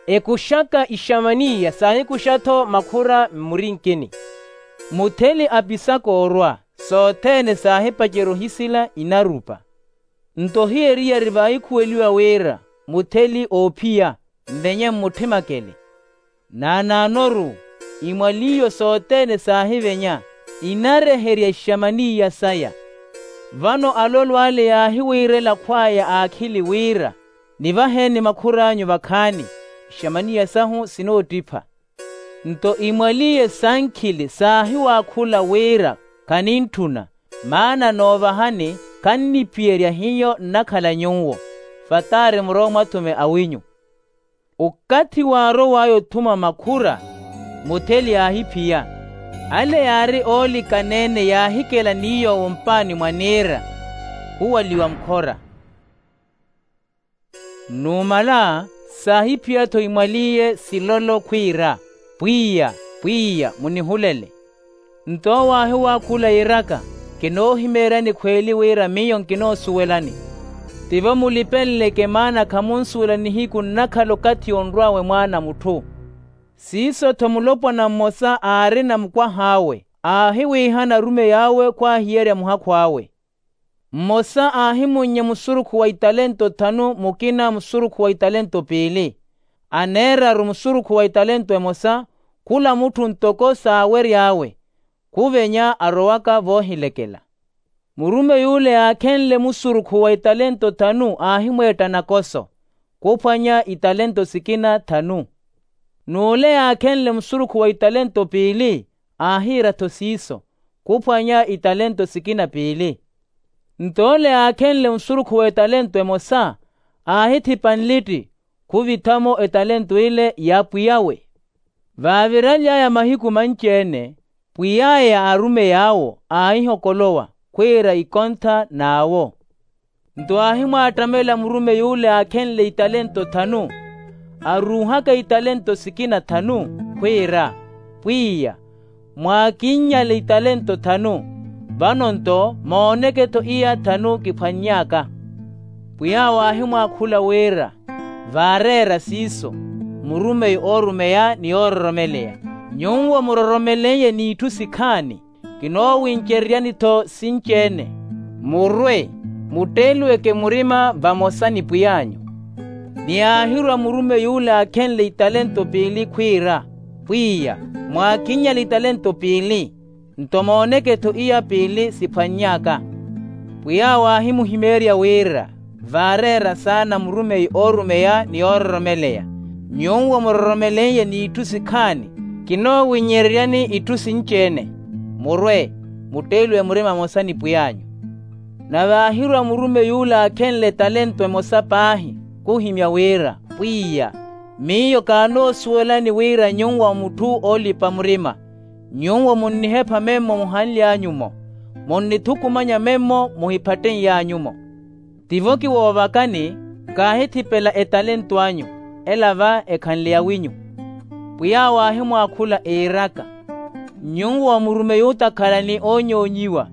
ekuxaka ixamaniya saahikuxa-tho makhura mmurinkini. Mutheli apisaka orwa, sothene saahipacerya ohisila inarupa. Nto ohiyeriyari vaahikhuweliwa wira mutheli oophiya, mvenye mmutthima akele. Naanaanoru, imwaliyo sothene saahivenya, inareherya ixamaniya saya. Vano alolo ale yaahiwiirela akhw'aya aakhili wira, nivaheni makhur'anyu vakhaani, ixamaniya sahu sinoottipha. Nto imwaliye sankhili saahiwaakhula wira, khanintthuna, maana noovahani kanniphiyerya hiyo nnakhala nyuwo, fataari murowa mwa athume awinyu. Okathi waarow'aya othuma makhura, mutheli aahiphiya. Ale yaari oolikaneene yaahikela ni yoowo mpaani mwa niira, khuwaliwa mukhora. Numala, saahiphiya-tho imwaliye silolo khwiira, pwiya, pwiya munihulele. Nto owo aahiwaakhula yiiraka, kinoohimeeryani khweeli wira miyo nkinoosuwelani. Tivo mulipenleke maana khamunsuwela nihiku nnakhala okathi onrw'awe mwaana a mutthu. Siiso-tho mulopwana mmosa aarina mukwah'awe, aahiwiihana arumeyi awe khwaahiyerya muhakhu awe. Mmosa aahimunnya musurukhu wa italento thanu, mukina musurukhu wa italento piili. Aneeraru musurukhu wa italento emosa, khula mutthu ntoko saawery'awe, khuvenya arowaka voohilekela. Murumeyi ule yaakhenle musurukhu wa italento thanu aahimweetta nakoso, khuphwanya italento sikina thanu. N'ule yaakhenle musurukhu wa italento piili, aahiira-tho siiso, khuphwanya italento sikina piili. Nto ole yaakhenle musurukhu w'etalento emosa, aahithipa nlitti, khuvitha-mo etalento ile ya pwiy'awe. Vaaviraly'aya mahiku manci-ene, pwiy'aya a arumeyi awo aahihokolowa khwiira ikontha n'awo. Nto aahimwaattamela murumeyi ole aakhenle italento thanu, aruuhaka italento sikina thanu, khwiira, pwiya, mwaakinnyale italento thanu, vano-nto mooneke-tho iya thanu kiphwanny'aka. Pwiy'awe aahimwaakhula wira, vaareera siiso, murumeyi oorumeya ni yoororomeleya, nyuwo muroromeleiye n'itthu sikhaani, kinoowincereryani-tho sinci-ene, murwe, mutteeliweke murima vamosa ni pwiy'anyu. Ni aahirwa murumeyi yule aakhenle italento piili khwiira, pwiya, mwaakinnyale italento piili, nto mooneke-tho iya piili siphwanny'aka. Pwiy'awe aahimuhimeerya wira, vaareera saana murumeyi oorumeya ni yoororomeleya, nyuwo muroromeleiye n'itthu sikhaani, kinoowinnyereryani itthu sinci-ene, murwe, mutteeliwe murima vamosa ni pwiy'anyu. Nave aahirwa murumeyi yule aakhenle talento emosa paahi, khuhimya wira, pwiya, miyo kaanoosuwelani wira nyuwo mutthu oolipa murima, nyuwo munnihepha memmo muhanly'anyu-mo, munnithukumanya memmo muhiphatten'y'anyu-mo. Tivo kiwoovakani, kaahithipela etalento anyu, ela va ekhanle yawinyu. Pwiy'awe aahimwaakhula iiraka, nyuwo murumeyi ootakhala ni oonyoonyiwa,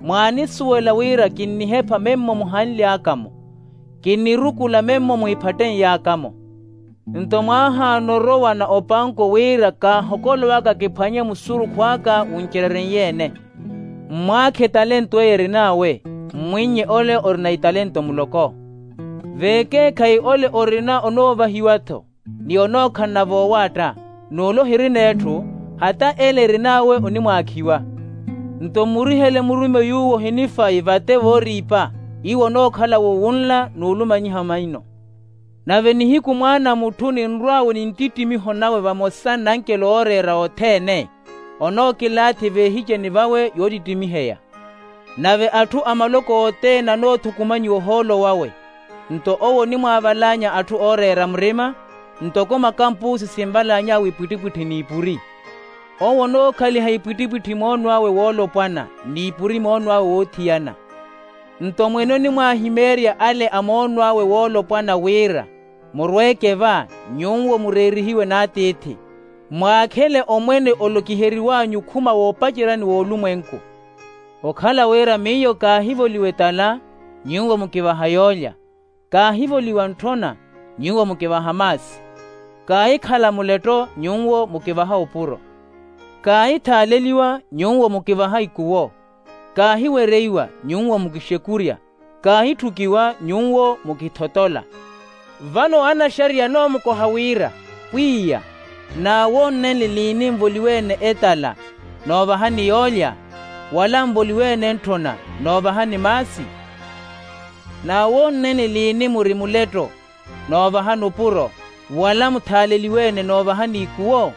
mwaanisuwela wira kinnihepha memmo muhanly'aka-mo, kinnirukula memmo muhiphatten'yaka-mo. Nto mwaahaana orowa na opanko wira kaahokolowaka kiphwanye musurukhu aka wuncerereiye-ene. Mmwaakhe etalento eyo erin'awe, mmwinnye ole orina italento muloko. Veekeekhayi ole orina onoovahiwa-tho, ni onookhalana voowaatta, n'ule ohirina etthu, hata ele erin'awe onimwaakhiwa. Nto mmurihele murumeyi uwo ohinifayi vate vooriipa, iwo onookhala wo wunla n'ulumanyiha maino. Nave nihiku mwaana a mutthu ninrw'awe ni nttittimiho nawe vamosa n'ankelo ooreera othene, onookilaathi veehiceni vawe yoottittimiheya. Nave atthu a maloko othene anoothukumanyiwa ohoolo wawe. Nto owo onimwaavalaanya atthu ooreera murima, ntoko makampuusi sinvalaany'awe ipwittipwitthi n'ipuri. Owo onookhaliha ipwittipwitthi moonw'awe woolopwana, n'ipuri moonw'awe woothiyana. Nto mwene onimwaahimeerya ale a moonw'awe woolopwana wira, murweeke va, nyuwo mureerihiwe n'atiithi, mwaakhele omwene olokiheriw'anyu okhuma woopaceryani w'olumwenku. Okhala wira miyo kaahivoliwa etala, nyuwo mukivaha yoolya, kaahivoliwa ntthona, nyuwo mukivaha maasi, kaahikhala muletto, nyuwo mukivaha opuro, kaahithaaleliwa, nyuwo mukivaha ikuwo, kaahiwereiwa, nyuwo mukixekurya, kaahitthukiwa, nyuwo mukithotola. Vano anaxariya anoomukoha wira, pwiya, n'awoonnenle liini nvoliwe-ene etala, noovahani yoolya, wala nvoliwe-ene ntthona, noovahani maasi? N'awoonnenle liini muri muletto, noovahani opuro, wala muthaaleliwe-ene noovahani ikuwo?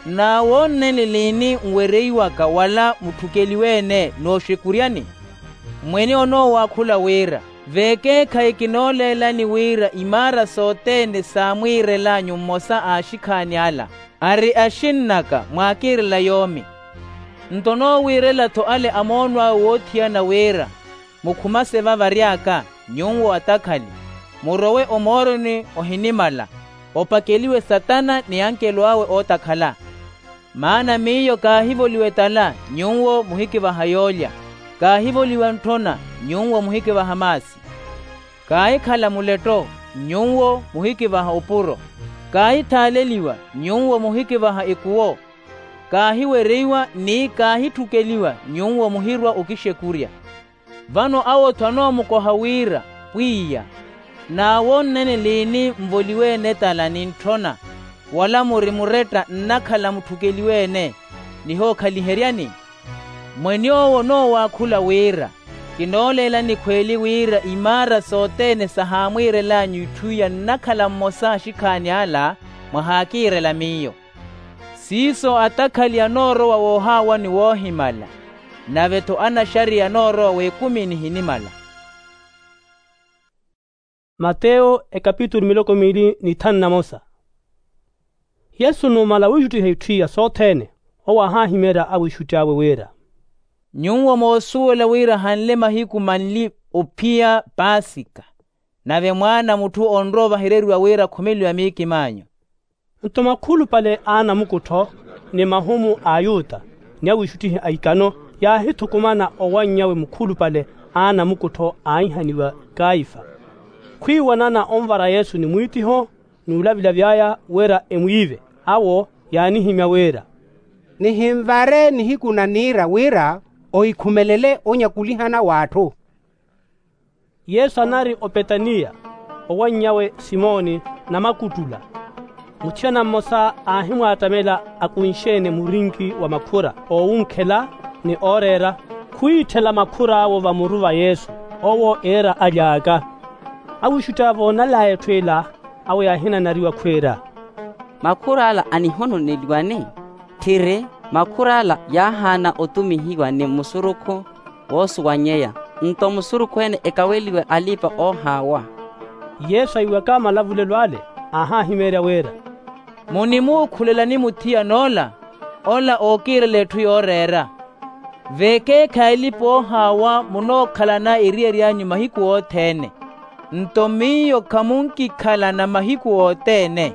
N'awoonnenle liini nwereiwaka wala mutthukeliwe-ene nooxekuryani? Mwene onoowakhula wira, veekeekhayi kinooleelani wira imaara sothene saamwiirel'anyu mmosa a axikhaani ala, ari axinn'aka mwaakiirela yoomi. Nto onoowiirela-tho ale a moonw'awe woothiyana wira, mukhumase va vary'aka, nyuwo atakhali, murowe omooroni ohinimala, opakeliwe satana ni ankelo awe ootakhala. Maana miyo kaahivoliwa etala, nyuwo muhikivaha yoolya, kaahivoliwa ntthona, nyuwo muhikivaha maasi, kaahikhala muletto, nyuwo muhikivaha opuro, kaahithaaleliwa, nyuwo muhikivaha ikuwo, kaahiwereiwa ni kaahitthukeliwa, nyuwo muhirwa okixekurya. Vano awo-tho anoomukoha wira, pwiya, n'awoonneni liini nvoliwe-ene etala ni ntthona, wala muri muretta nnakhala mutthukeliwe-ene, nihookhaliheryani? Mwen'owo onoowakhula wira, kinooleela nikhweeli wira imaara sothene sahaamwiirel'anyu itthu iya nnakhala mmosa axikhaani ala mwahaakiirela miyo. Siiso atakhali anoorowa woohaawani woohimala, nave-tho anaxariya anoorowa w'ekumi nihinimala. Mateyo ekapitulu miloko miili ni thanu na mosa. Yesu numala wiixuttiha itthu iya sothene, owo ahaahimyerya awiixutti awe wira, nyuwo moosuwela wira hanle mahiku manli ophiya paasika, nave mwaana a mutthu onrowa ovahereriwa wira akhumeliwa miikim'anyu. Nto makhulupale a anamukuttho ni mahumu a ayuta ni awiixuttihi a ikano yaahithukumana owanny'awe mukhulupale a anamukuttho aaihaniwa kaifa. Khwiiwanana onvara yesu ni mwiittiho n'ulavila vy'aya wira emwiive. Awo yaanihimya wira, nihinvare nihiku na niira wira ohikhumelele onyakulihana w'atthu. Yesu anari opetaniya, owanny'awe simoni namakuttula. Muthiyana mmosa aahimwaattamela akunxe-ene murinki wa makhura oowunkhela ni ooreera, khwiitthela makhur'awo vamuru va yesu. Owo eera aly'aka. Awiixutti aya voonal'aya etthu ela, awo yaahinanariwa khwiira, makhur'ala anihononeliwani? Tthiri, makhur'ala yaahaana otumihiwa ni musurukhu woosuwanyeya, nto musurukhu-ene ekaweliwe alipa-oohaawa. Yesu aiwaka malavulelo ale, aahahimeerya wira, munimuukhulelani muthiyan'ola? Ola ookiirela etthu yooreera. Veekeekhayi alipa-oohaawa munookhalana eriyari anyu mahiku othene, nto miyo khamunkikhalana mahiku othene.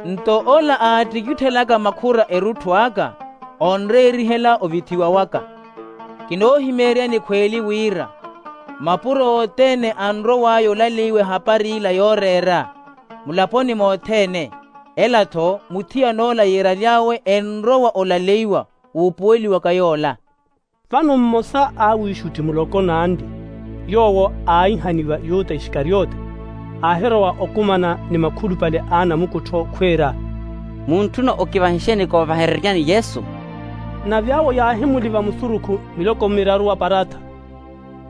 Nto ola aattikitthelaka makhura erutthu aka, onreerihela ovithiwa waka. Kinoohimeeryani khweeli wira, mapuro othene anrow'aya olaleiwa ehapari ila yooreera mulaponi mothene. Ela-tho muthiyan'ola yiiraly'awe enrowa olaleiwa wuupuweliwaka yoola. Vano mmosa a awiixutti muloko n'andi, yoowo aaihaniwa yuta isikariote, aahirowa okumana ni makhulupale a anamukuttho khwiira, muntthuna okivahixeni koovahereryani yesu? Nave awo yaahimuliva musurukhu miloko miraru wa parattha.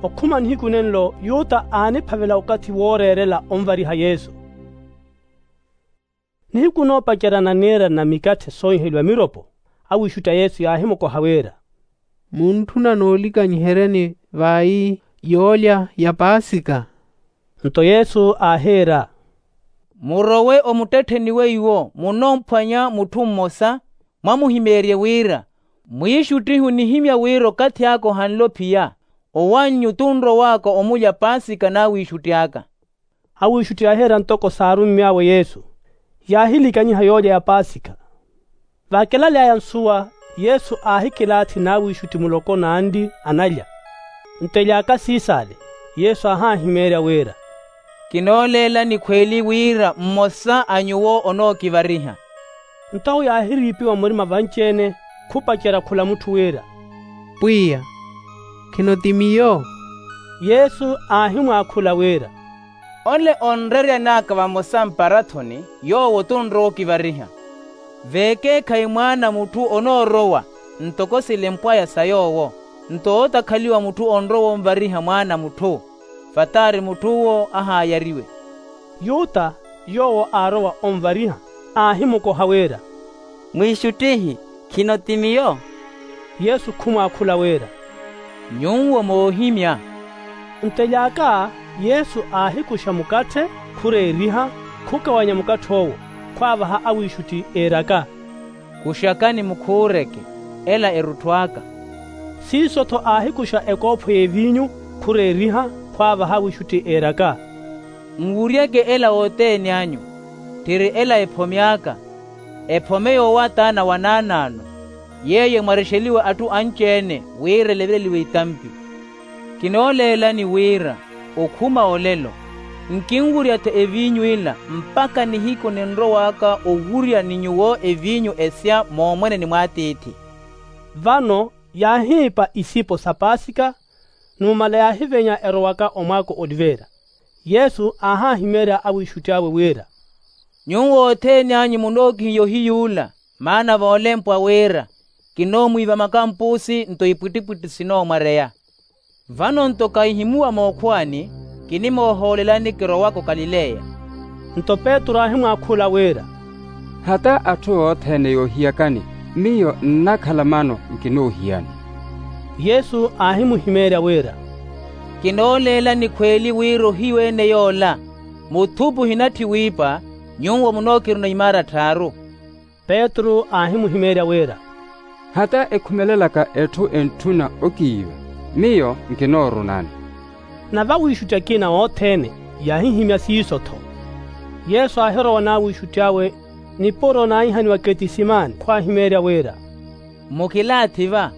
Okhuma nihiku nenlo yuta aaniphavela okathi wooreerela onvariha yesu. Nihiku noopacerya na niira na mikatthe soohiheliwa miropo, awiixutti a yesu yaahimukoha wira, muntthuna noolikanyiheryani vayi yoolya ya paasika? Nto yesu aahiira, murowe omuttettheni weiwo munoomphwanya mutthu mmosa, mwamuhimeerye wira, mwiixuttihi onihimya wira okathi aka ohanle ophiya, owannyu tunrow'aka omulya paasika n'awiixutti aka. Awiixutti yaahiira ntoko saarummy'awe yesu, yaahilikanyiha yoolya ya paasika. Vaakelal'aya nsuwa, yesu aahikilaathi n'awiixutti muloko n'andi analya. Nto ely'aka siis'ale, yesu aahahimeerya wira, kinooleelani khweeli wira mmosa a nyuwo onookivariha. Nto awo yaahiriipiwa murima vanci-ene, khupacerya khula mutthu wira, pwiya, khino ti miyo? Yesu aahimwaakhula wira, ole onreeryan'aka vamosa mparathoni yoowo tunrowa okivariha. Veekeekhayi mwaana a mutthu onoorowa ntoko silempw'aya sa yoowo, nto ootakhaliwa mutthu onrowa onvariha mwaana a mutthu, vataari mutth'uwo ahaayariwe. Yuta, yoowo aarowa onvariha, aahimukoha wira, mwiixuttihi, khino ti miyo? Yesu khumwaakhula wira, nyuwo moohimya. Nto ely'aka yesu aahikuxa mukatthe, khureeriha, khukawanya mukatthe owo, khwaavaha awiixutti eeraka, kuxakani mukhuureke, ela erutthu aka. Siiso-tho aahikuxa ekoopho y'eviinyu, khureeriha, khwaavaha awiixutti eeraka, nwuryeke ela wothene anyu, tthiri ela ephome aka, ephome yoowataana wa naanaano, yeeyo emwarexeliwa atthu anci-ene wira eleveleliwe itampi. Kinooleelani wira okhuma olelo, nkinwurya-tho eviinyu ila mpakha nihiku ninrow'aka owurya ni nyuwo eviinyu esya moomweneni mw'atiithi. Vano yaahiipa isipo sa paasika, numala yaahivenya erowaka omwaako oliveera. Yesu aahahimeerya awiixutti awe wira, nyuwo othene anyu munookihiya ohiyuula, maana voolempwa wira, kinoomwiiva makampusi nto ipwittipwitthi sinoomwareya. Vano nto kahihimuwa mookhuwani, kinimoohoolelani kirowaka okalileya. Nto petru aahimwaakhula wira, hata atthu othene yoohiyakani, miyo nnakhala mano nkinoohiyani. Yesu aahimuhimeerya wira, kinooleelani khweeli wira ohiyu ene yoola, muthupu ohinatthi wiipa, nyuwo munookiruna imaara tthaaru. Petru aahimuhimeerya wira, hata ekhumelelaka etthu entthuna okiiva, miyo nkinoorunani. Nave awiixutti akina othene yaahihimya siiso-tho. Yesu aahirowa n'awiixutti awe nipuro naahihaniwa ketisimani khwaahimeerya wira, Mukilaathi va,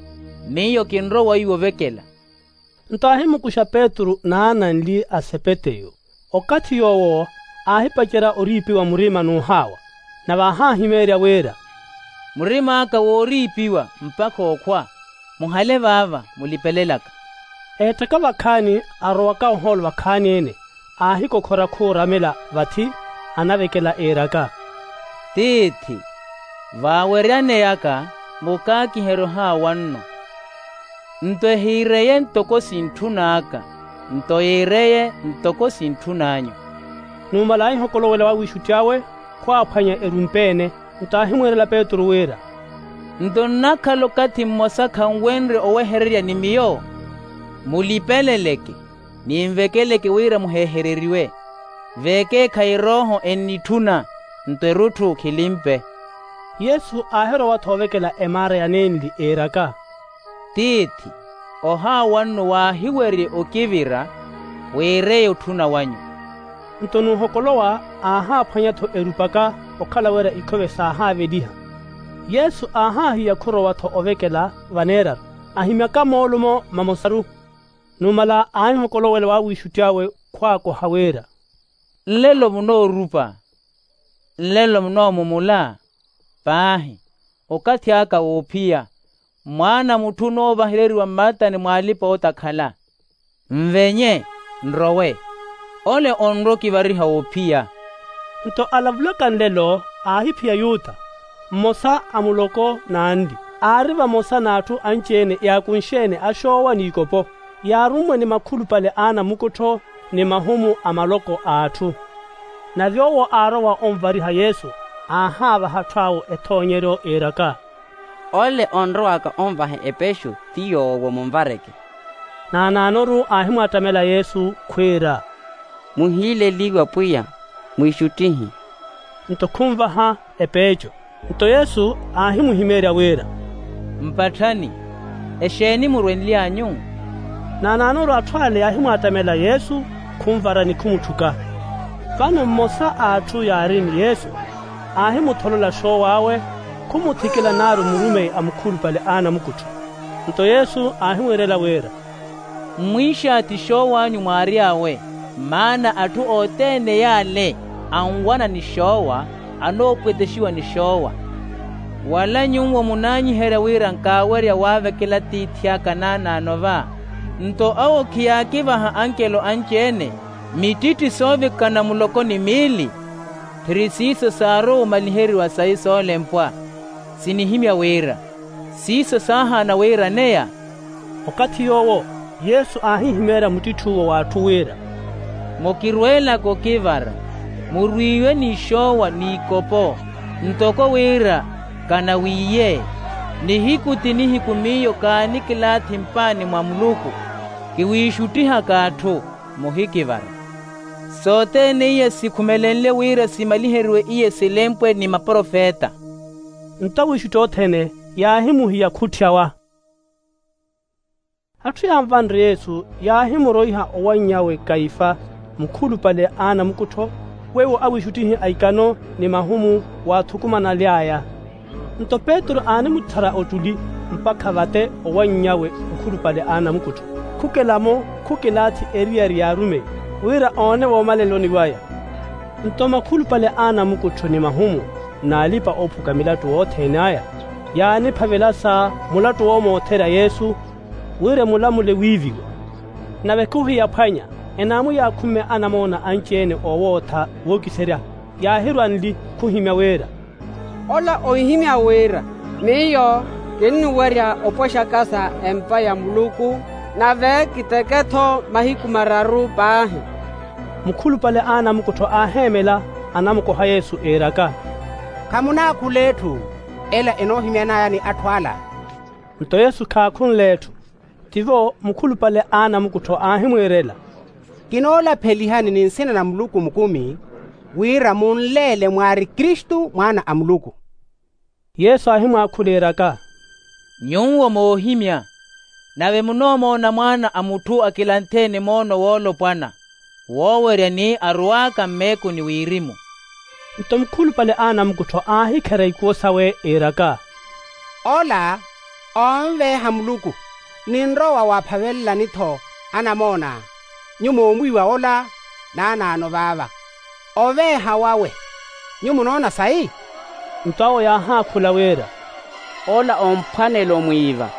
miyo kinrowa iwo ovekela. Nto aahimukuxa petru n'ananli a sepeteyo. Okathi yoowo aahipacerya oriipiwa murima n'uhaawa, nave aahahimeerya wira, murim'aka wooriipiwa mpakha okhwa. Muhale vaava mulipelelaka. Eettaka vakhaani arowaka ohoolo vakhaani-ene, aahikokhora khuuramela vathi, anavekela iiraka, tiithi, vaaweryaneyaka mukaakiherye ohaawa nno. Nto ehiireye ntoko sintthun'aka, nto yiireye ntoko sintthun'anyu. Numala aahihokolowela wawixutti awe, khwaaphwanya erumpe-ene. Nto aahimwiirela petru wira, nto nnakhala okathi mmosa khanwenrye owehererya ni miyo? Mulipeleleke, ninvekeleke wira muheehereriwe. Vekeekhayi erooho ennitthuna, nto erutthu khilimpe. Yesu aahirowa-tho ovekela emaara ya nenli iiraka, tiithi, ohaawa nno waahiwerye okivira, wiireye otthuna wanyu. Nto nuhokolowa aahaaphwanya-tho erupaka, okhala wira ikhove saahaaveliha. Yesu aahaahiya khurowa-tho ovekela vaneeraru, ahimyaka moolumo mamosaru. Numala aahihokolowela wawixutti awe, khwaakoha wira, nlelo munoorupa? Nlelo munoomumula? Paahi, okathi aka woophiya, mwaana a mutthu onoovahereriwa mmatani mw'alipa-ootakhala. Nvenye, nrowe, ole onrwa okivariha woophiya. Nto alavulaka nlelo aahiphiya yuta, mmosa a muloko n'anli, aari vamosa n'atthu anci-ene yaakunxe-ene axoowa n'ikopo, yaarummwe ni makhulupale a anamukuttho ni mahumu a maloko a atthu. Nave owo aarowa onvariha yesu, aahaavaha atthu awo ethoonyeryo iiraka, ole onrowaka onvahe epexu ti yoowo munvareke. Naanaanoru aahimwaattamela yesu khwiira, muhiileliwe apwiya, mwiixuttihi. Nto khunvaha epeeco. Nto yesu aahimuhimeerya wira, mpatthani, exeeni murwenly'anyu? Naanaanoru atthu ale yaahimwaattamela yesu, khunvara ni khumutthuka. Vano mmosa a atthu yaari ni yesu, aahimutholola xoowo awe, khumuthikela naaru murumeyi a mukhulupale a anamukuttho. Nto yesu aahimwiirela wira, mmwiixaathi xoow'anyu mwaary'awe, maana atthu othene yaale anwana ni xoowa, anoopwetexiwa ni xoowa. Wala nyuwo munaanyiherya wira nkaawerya waavekela tiithi aka naanaano va, nto awo khiyaakivaha ankelo anci-ene, mittitthi soovikana muloko ni miili? Phiri siiso saarowa omaliheriwa sayi soolempwa. Sinihimya wira siiso saahaana wiiraneya. Okathi yoowo yesu aahihimeerya muttitthu'uwo w'atthu wira, mukirweelaka okivara, murwiiwe n'ixoowa n'ikopo, ntoko wira kanawiiye. Nihiku ti nihiku miyo kaanikilaathi mpaani mwa muluku, kiwiixuttihaka atthu, muhikivara. Sothene iya sikhumelenle wira simaliheriwe iya silempwe ni maprofeta. Nto awiixutti othene yaahimuhiya khutthyawa. Atthu yaanvanre yesu yaahimuroiha owanny'awe kaifa, mukhulupale a anamukuttho, weiwo awiixuttihi a ikano ni mahumu waathukumanaly'aya. Nto petru aanimutthara ottuli, mpakha vate owanny'awe mukhulupale a anamukuttho, khukela-mo khukilaathi eriyari y'arumeyi, wira oone voomaleloni waya. Nto makhulupale a anamukuttho ni mahumu n'alipa-oophuka milattu othene aya, yaaniphavela sa mulattu woomoothera yesu, wira emulamule wiiviwa. Nave khuhiyaphwanya, enaamuyaakhumya anamoona anci-ene oowootha wookiserya, yaahirwa nli, khuhimya wira, ola ohihimya wira miyo kinnuwerya opwexaka sa empa ya muluku, nave kiteke-tho mahiku mararu paahi. Mukhulupale a anamukuttho aaheemela, anamukoha yesu iiraka, khamunaakhula etthu ela enoohimyan'aya ni atthu ala. Nto yesu khaakhunle etthu. Tivo mukhulupale a anamukuttho aahimwiirela, kinoolaphelihani ni nsina na muluku mukumi, wira munleele mwaari kristu mwaana a muluku. Yesu aahimwaakhula iiraka, nyuwo moohimya, nave munoomoona mwaana a mutthu akilantheene moono woolopwana, woowerya ni arow'aka mmeekuni wirimu. Nto mukhulupale a anamukuttho aahikherya ikuwo sawe iiraka, ola Onveeha muluku, ninrowa waaphavelelani-tho anamoona. Nyuwo moomwiiwa ola naanaano vaava. Oveeha wawe, nyuwo munoona sayi? Nto awo yaahaakhula wira, ola omphwanela omwiiva.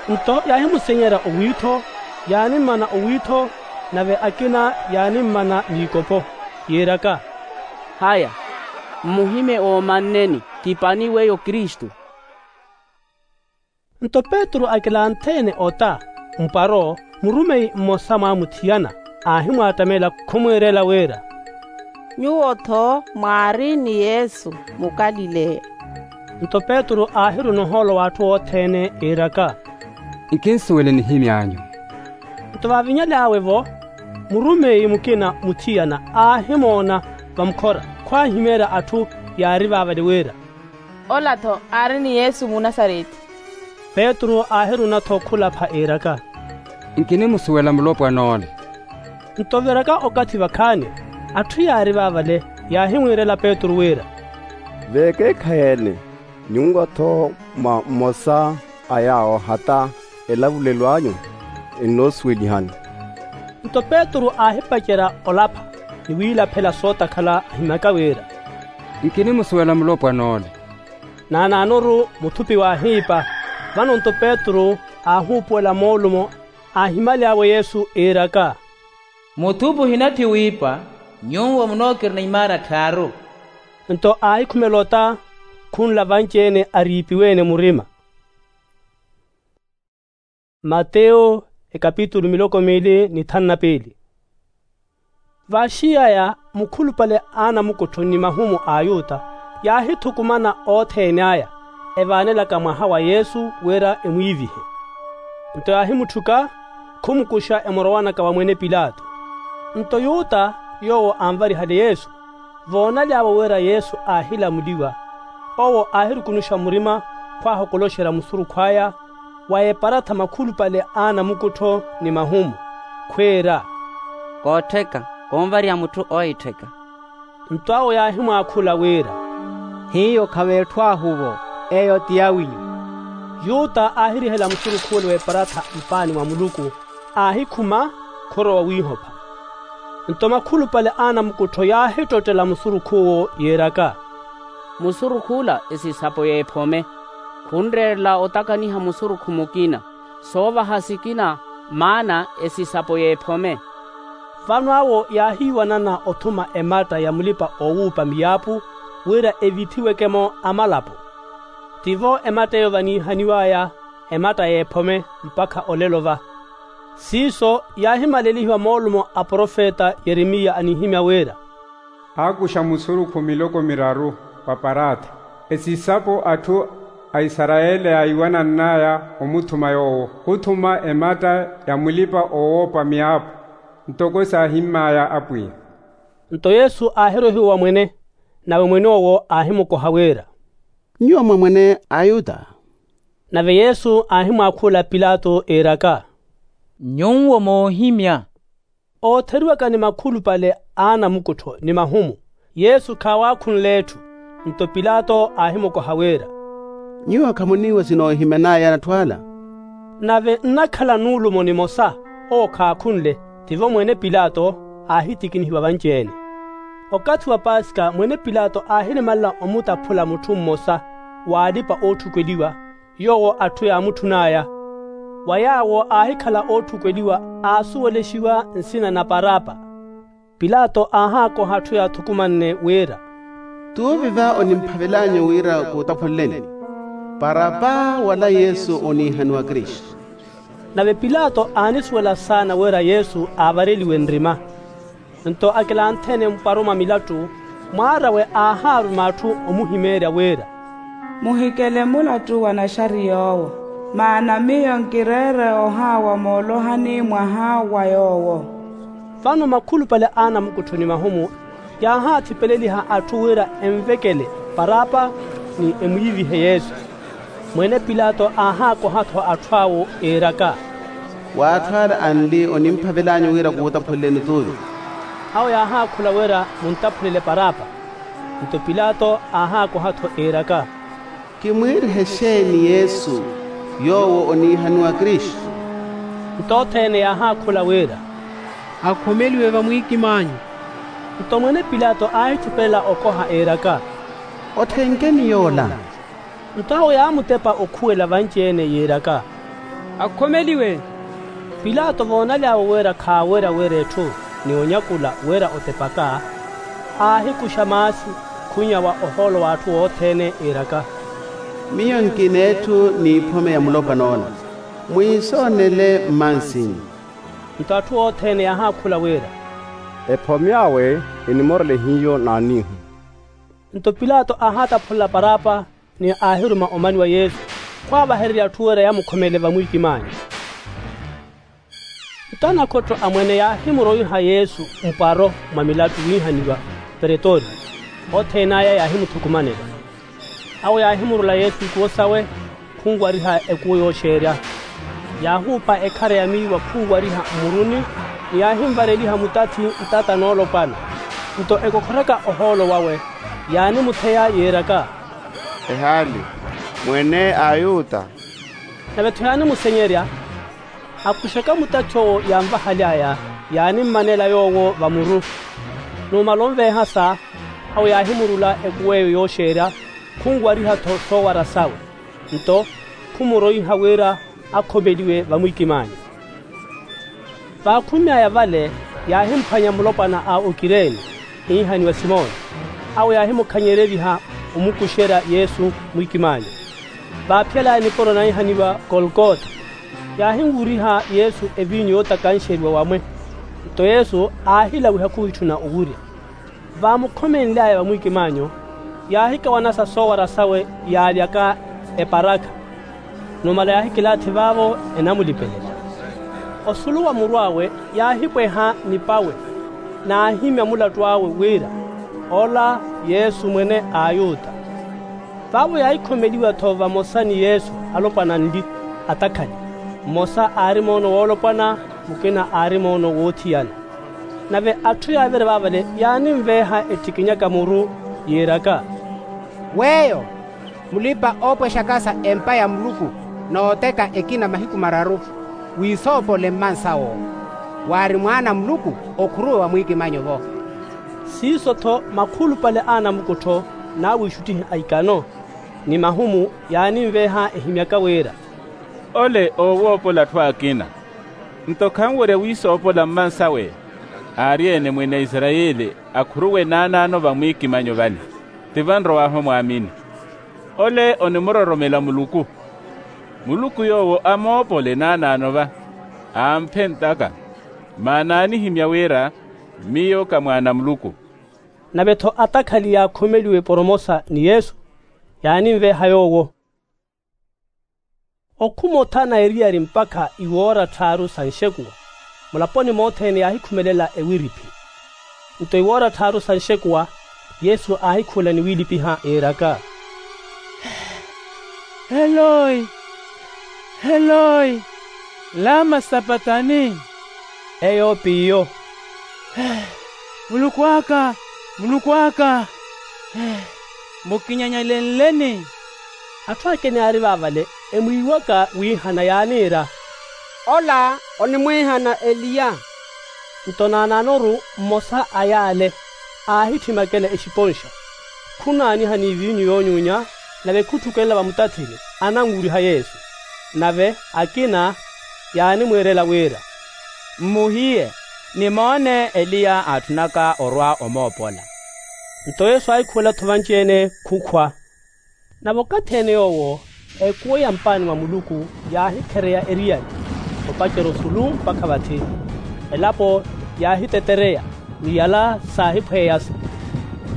Nto yaahimusenyerya owiitho, yaanimmana owiitho, nave akina yaanimmana miikopo, yiiraka, haya, mmuhimye oomanneni, ti pani weyo kristu. Nto petru akilantheene ota, mpwaro murumeyi mmosa mwaamuthiyana, aahimwaattamela khumwiirela wira, nyuwo-tho mwaari ni yesu mukalileya. Nto petru aahiruna ohoolo w'atthu othene iiraka, nkinsuwele nihimy'anyu. Nto vaavinyaly'awe-vo, murumeyi mukina muthiyana aahimoona vamukhora, khwaahimeerya atthu yaari vaavale wira, ola-tho aari ni yesu munasareti. Petru aahiruna-tho khulapha iiraka, nkinimusuwela mulopwan'ole. Nto viraka okathi vakhaani, atthu yaari vaavale yaahimwiirela petru wira, veekeekhayi-ene, nyuwo-tho mwa mmosa a yaawo hata elavulelo anyu ennoosuwelihani. Nto petru aahipacerya olapha ni wiilaphela sootakhala ahimyaka wira, nkinimusuwela mulopwan'ole. Naanaanoru muthupi waahiipa. Vano-nto petru aahuupuwela moolumo, aahimaly'awe yesu iiraka, muthupi ohinatthi wiipa, nyuwo munookirina imaana tthaaru. Nto aahikhumela ota, khunla vanci-ene ariipiwe-ene murima. Mateyo, ekapitulu miloko miili ni thanu na piili. Vaaxiy'aya mukhulupale a anamukuttho ni mahumu a ayuta yaahithukumana othene aya, evaanelaka mwaha wa yesu wira emwiivihe. Nto yaahimutthuka, khumukuxa emorowanaka wa mwene pilato. Nto yuta, yoowo anvarihale yesu, voonaly'awe wira yesu aahilamuliwa, owo aahirukunuxa murima khwaahokoloxerya musurukhu aya wa eparatha makhulupale a anamukuttho ni mahumu, khwiira, koottheka, konvarya mutthu oohittheka. Nto awo yaahimwaakhula wira, hiyo khaveetthw'ahu-vo, eyo ti yawinyu. Yuta aahirihela musurukh'ule w'eparatha mpaani mwa muluku, aahikhuma, khorowa wiihopha. Nto makhulupale a anamukuttho yaahittottela musurukh'uwo yiiraka, musurukh'ula esisapo y'ephome, khunreerela otakaniha musurukhu mukina, soovaha sikina, maana esisapo y'ephome. Vano awo yaahiiwanana othuma ematta ya mulipa-oowuupa miyaapu, wira evithiweke-mo amalapo. Tivo ematta eyo vaniihaniw'aya ematta y'ephome mpakha olelo va. Siiso yaahimalelihiwa moolumo a profeta yeremiya anihimya wira, aakuxa musurukhu miloko miraru wa paraatha, esisapo atthu a isarayeli yaahiwanann'aya omuthuma yoowo khuthuma ematta ya mulipa-oowoopa miyaapu, ntoko saahimm'aya apwiya. Nto yesu aahirohiwa wa mwene, nave mwene owo aahimukoha wira, nyuwo mwa mwene a ayuta? Nave yesu aahimwaakhula pilato iiraka, nyuwo moohimya. Ootheriwaka ni makhulupale a anamukuttho ni mahumu, yesu khaawaakhunle etthu. Nto pilato aahimukoha wira, nyuwo khamuniiwa sinoohiman'aya n'atthu ala? Nave nnakhala nuulumo nimosa, owo khaakhunle, tivo mwene pilato aahitikinihiwa vanci-ene. Okathi wa paskha mwene pilato aahilimalela omutaphula mutthu mmosa w'alipa-ootthukeliwa, yoowo atthu yaamutthun'aya. Wa yaawo aahikhala ootthukeliwa aasuwelexiwa nsina na parapa. Pilato aahaakoha atthu yaathukumanne wira, t'uvi va onimphavel'anyu wira kuutaphuleleni, parapa wala yesu oniihaniwa kristu? Nave pilato aanisuwela saana wira yesu aavareliwe nrima. Nto akilanthene mpwaro mwa milattu, mwaar'awe aahaaruma atthu omuhimeerya wira, muhikele mulattu wa naxari yoowo, maana miyo nkireere ohaawa moolohani mwaha wa yoowo. Vano makhulupale a anamukuttho ni mahumu yaahaathipeleliha atthu wira envekele parapa ni emwiivihe yesu. Mwene pilato aahaakoha-tho atthu awo iiraka, w'atthu ala anli onimphavel'anyu wira kuutaphuleleni t'uvi? Awo yaahaakhula wira muntaphulele parapa. Nto pilato aahaakoha-tho iiraka, kimwiirihe xeeni yesu? Yoowo oniihaniwa kristu. Nto othene yaahaakhula wira, akhomeliwe vamwiikimaanyu. Nto mwene pilato aahithupelela okoha eeraka, othenkeni yoola. Nto awo yaamutepa okhuwela vanci-ene yiiraka, akhomeliwe. Pilato voonaly'awe wira khaawerya wira etthu ni onyakula wira otepaka, aahikuxa maasi khunyawa ohoolo w'atthu othene yiiraka, miyo nkina etthu n'iphome ya mulopwana ola. Mwiisoonele mmansinyu. Nto atthu othene yaahaakhula wira, ephome awe enimorele hiyo naanihu. Nto pilato aahaataphulela parapa ni aahiruma omaniwa yesu khwaawahererya atthu wira yaamukhomele vamwiikimaanyu. Nto anakhottho amwene yaahimuroiha yesu mpwaro mwa milattu wiihaniwa pretorio. Othene aya yaahimuthukumanela. Awo yaahimurula yesu ikuwo sawe khunwariha ekuwo yooxeerya. Yaahuupa ekhara ya miiwa khunwariha mmuruni ni yaahimvareliha mutathi ntata noolopwana. Nto ekokhoraka ohoolo wawe yaanimutheya yiiraka, ehaali mwene a ayuta. Nave-tho yaanimusenyerya. Akuxaka mutathi owo yaanvahaly'aya yaanimmanela yoowo vamuru. Numala onveehasa awo yaahimurula ekuw'eyo yooxeerya khunwariha-tho soowara sawe. Nto khumuroiha wira akhomeliwe vamwiikimaanyu. Vaakhunny'aya vale yaahimuphwanya mulopwana a okireene iihaniwa simoni. Awo yaahimukhanyereriha omukuxerya yesu mwiikimaanyu. Vaaphiyalaya nipuro naihaniwa kolkota. Yaahinwuriha yesu eviinyu yootakanxeriwa wamwe. Nto yesu aahilawiha khuwitthuna owurya. Vaamukhomenly'aya vamwiikimaanyu yaahikawanasa soowara sawe yaalyaka eparakha. Numala yaahikilaathi vaavo enamulipelela. Osulu wa muru awe yaahipweha nipawe naahimya mulattu awe wira ola yesu mwene a ayuta. Vaavo yaahikhomeliwa-tho vamosa ni yesu alopwana anli atakhali. Mmosa aari moono woolopwana mukina aari moono woothiyana. Nave atthu yaavirya vaavale yaanimveeha ettikinyaka muru yiiraka, weeyo mulipa-oopwexakasa empa ya muluku n'oteka ekina mahiku mararu. Wiisoopole mmansa woowo waari mwaana a muluku okhuruwe wa mwiikimanyo-vo. Siiso-tho makhulupale a anamukuttho n'awiixuttihi a ikano ni mahumu yaanimveeha ehimyaka wira, ole oowoopola atthu akina. Nto khanwerya wiisoopola mmansawe aari-ene mwene a isarayeli akhuruwe naanaano vamwiikimanyo vale. Ti vanrow'ahu mwaamini. Ole onimuroromela muluku. Muluku yoowo amoopole naanaano va amphe ntaka. Maana aanihimya wira miyo ka mwaana a muluku. Nave-tho atakhali yaakhomeliwe poromosa ni yesu yaanimveeha yoowo. Okhuma othana eriyari mpakha iwoora tthaaru sa nxekuwa mulaponi mothene yaahikhumelela ewiriphi. Nto iwoora tthaaru sa nxekuwa yesu aahikhuwela niwiilipiha yiiraka, eloi, eloi, lama sapatani? Eyo p'iyo, muluku aka, muluku aka, mukinyanyalenleni? Atthu akina yaari vaavale emwiiwaka wiihana yaaniira, ola onimwiihana eliya. Nto naanaanoru mmosa a yaale aahitthwimakela exiponxa khunaaniha n'iviinyu yoonyuunya nave khutthukelela vamutathini ananwuriha yesu. Nave akina yaanimwiirela wira, mmuhiye nimoone eliya aatthunaka orwa omoopola. Nto yesu aahikhuwela-tho vanci-ene khukhwa. Nave okathi-ene yoowo ekuwo ya mpaani mwa muluku yaahikhereya eriyari opacerya osulu mpakha vathi. Elapo yaahitetereya ni yala saahiphweeyasa.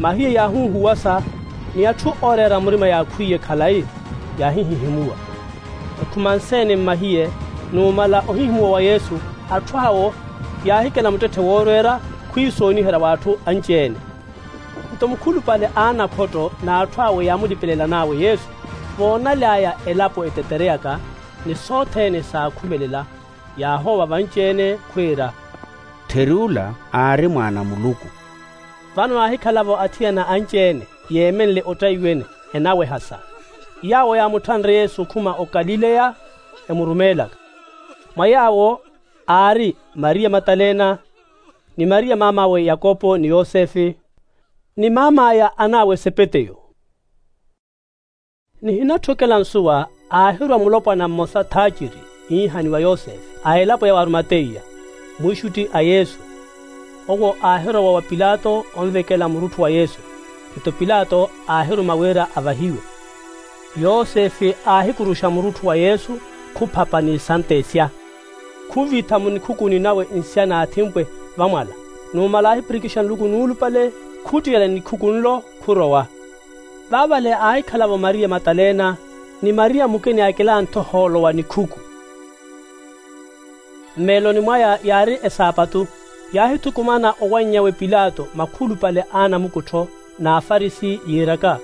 Mahiye yaahunhuwasa ni atthu ooreera murima yaakhwiye khalayi yaahihihimuwa. Okhuma nseene mmahiye numala ohihimuwa wa yesu atthu awo yaahikela muttetthe woorweera khwiisooniherya w'atthu anci-ene. Nto mukhulupale a anakhotto n'atthu awe yaamulipelelan'awe yesu voonaly'aya elapo etetereyaka ni sothene saakhumelela yaahoowa vanci-ene khwiira, ttheri ula aari mwaana a muluku. Vano naahikhala-vo athiyana anci-ene yeemenle ottaiwene enawehasa. Yaawo yaamutthanre yesu okhuma okalileya emurumeelaka. Mwa yaawo aari mariya matalena, ni mariya maam'awe yakopo ni yosefe, ni maam'aya an'awe sepeteyo. Nihinatthokela nsuwa, aahirwa mulopwana mmosa thaaciri iihaniwa yosefe a elapo ya warimateiya, mwiixutti a yesu. Owo aahirowa wa pilato onvekela murutthu wa yesu. Nto pilato aahiruma wira avahiwe. Yosefe aahikuruxa murutthu wa yesu, khuphapa n'isantesya, khuvitha munikhukuni nawe nsiya n'athimpwe vamwala. Numala aahipirikixa nluku nuulupale, khuttiyelela nikhuku nlo, khurowa. Vaavale aahikhala-vo mariya matalena, ni mariya mukina yaakilanthe ohoolo wa nikhuku. Mmeeloni mwaya yaari esaapatu. Yaahithukumana owanny'awe pilato makhulupale a anamukuttho n'afarisi yiiraka,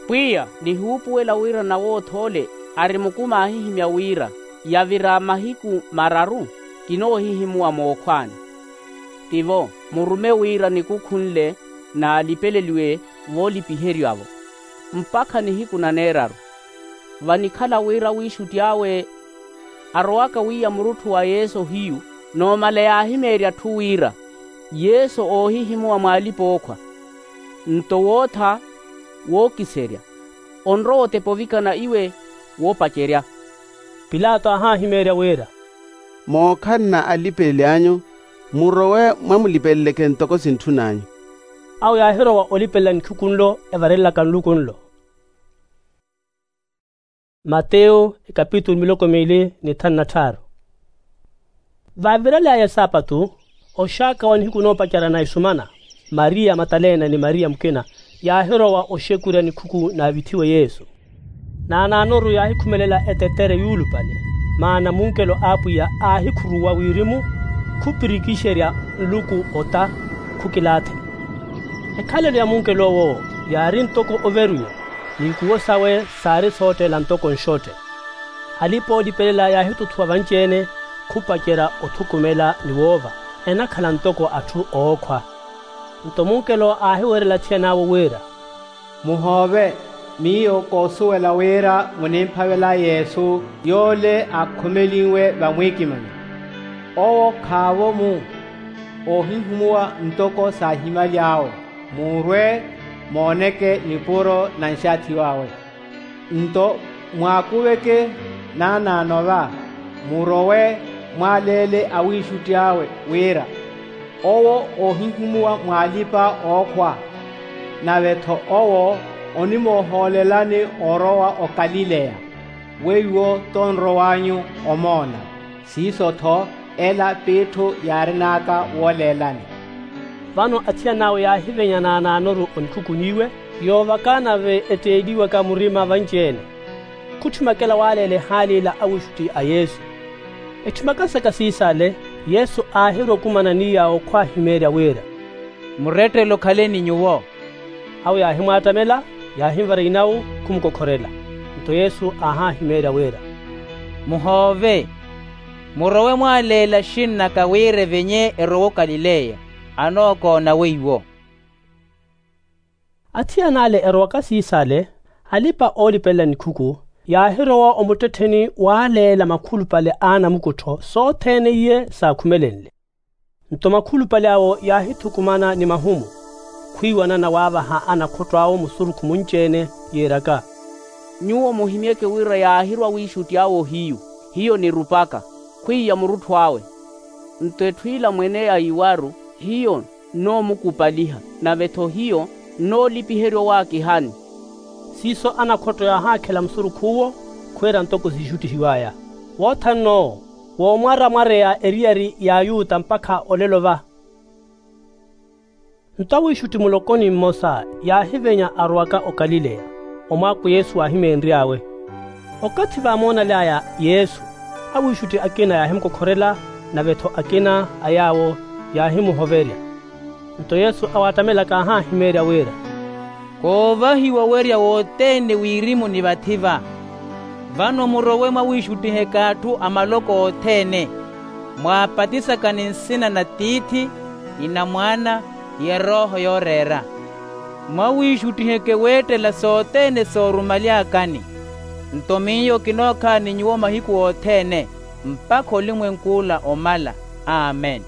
pwiya, nihuupuwela wira nawooth'ole ari mukumi aahihimya wira yavira mahiku mararu kinoohihimuwa mookhwaani. Tivo, murume wira nikukhu nle naalipeleliwe voolipiherya-vo mpakha nihiku na neeraru. Vanikhala wira wiixutti awe arowaka wiiya murutthu wa yesu ohiyu, noomala yaahimeerya atthu wira yesu oohihimuwa mw'alipa-ookhwa. Nto wootha wookiserya, onrowa otepa ovikana iwe woopacerya. Pilato aahahimeerya wira, mookhalana alipeleli anyu, murowe mwamulipeleleke ntoko sintthun'anyu. Awo yaahirowa olipelela nikhuku nlo evarelelaka nluku nlo. Mateyo ekapitulu miloko miili ni thanu na tthaaru. Vaavirel'aya esaapatu, oxaaka wa nihiku noopacerya na isumana, mariya matalena ni mariya mukina yaahirowa oxekurya nikhuku naavithiwe yesu. Naanaanoru yaahikhumelela etetere yuulupale, maana munkelo a apwiya aahikhuruwa wirimu, khupirikixerya nluku ota, khukilaathela. Ekhalelo ya munkel'owo yaari ntoko overuyo, n'ikuwo sawe saari sootteela ntoko nxotte. Alipa-oolipelela yaahituthuwa vanci-ene, khupacerya othukumela ni woova, enakhala ntoko atthu ookhwa. Nto munkelo aahiwerela athiyan'awe wira, muhoove, miyo koosuwela wira munimphavela yesu yoole aakhumelinwe vamwiikimanyo. Owo khaavo-mu oohihumuwa ntoko saahimaly'awe. Muurwe mooneke nipuro na nxaathiw'awe. Nto mwaakuveke naanaano va, murowe mwaaleele awiixutti awe wira owo oohihumuwa mw'alipa-ookhwa. Nave-tho owo onimoohoolelani orowa okalileya, weiwo tonrow'anyu omoona. Siiso-tho ela p'itthu yaarin'aka wooleelani. Vano athiyan'awe yaahivenya naanaanoru onikhukuniwe, yoovaka nave etteeliwaka murima vanci-ene. Khutthimaka ela waaleela ehaali ila awiixutti a yesu. Etthimaka saka siis'ale, yesu aahirwa okumana n'iy'awo khwaahimeerya wira, murettele okhaleni nyuwo. Awo yaahimwaattamela, yaahinvara inawu, khumukokhorela. Nto yesu aahahimeerya wira, muhoove, murowe mwaaleela axin'naka wira evenye erowe okalileya, anookoona weiwo. Athiyan'ale erowaka siis'ale, alipa-oolipelela nikhuku yaahirowa omuttettheni waaleela makhulupale a anamukuttho sothene iye saakhumelenle. Nto makhulupale awo yaahithukumana ni mahumu, khwiiwanana waavaha anakhotto awo musurukhu munci-ene, yiiraka, nyuwo muhimyeke wira yaahirwa awiixutti awe ohiyu, hiyo nirupaka, khwiiya murutthu awe. Nto etthu ila mwene aiwaru, hiyo nnoomukupaliha, nave-tho hiyo nnoolipiherya owaakihani. Siiso anakhotto yaahaakhela musurukh'uwo, khwiira ntoko siixuttihiw'aya. Woothan'n'owo woomwaramwareya eriyari y'ayuta mpakha olelo va. Nto awiixutti muloko ni mmosa yaahivenya arowaka okalileya, omwaako yesu waahimeenry'awe. Okathi vaamoonaly'aya yesu, awiixutti akina yaahimukokhorela, nave-tho akina a yaawo yaahimuhoverya. Nto yesu awaattamelaka aahahimeerya wira, koovahiwa owerya wothene wirimu ni vathi va. Vano murowe mwawiixuttiheke atthu a maloko othene, mwaapatisaka ni nsina na tiithi, ni na mwaana, ni erooho yooreera. Mwawiixuttiheke weettela sothene soorumaly'akani. Nto miyo kinookhaani nyuwo mahiku othene, mpakha olimwenk'ula omala. Amen.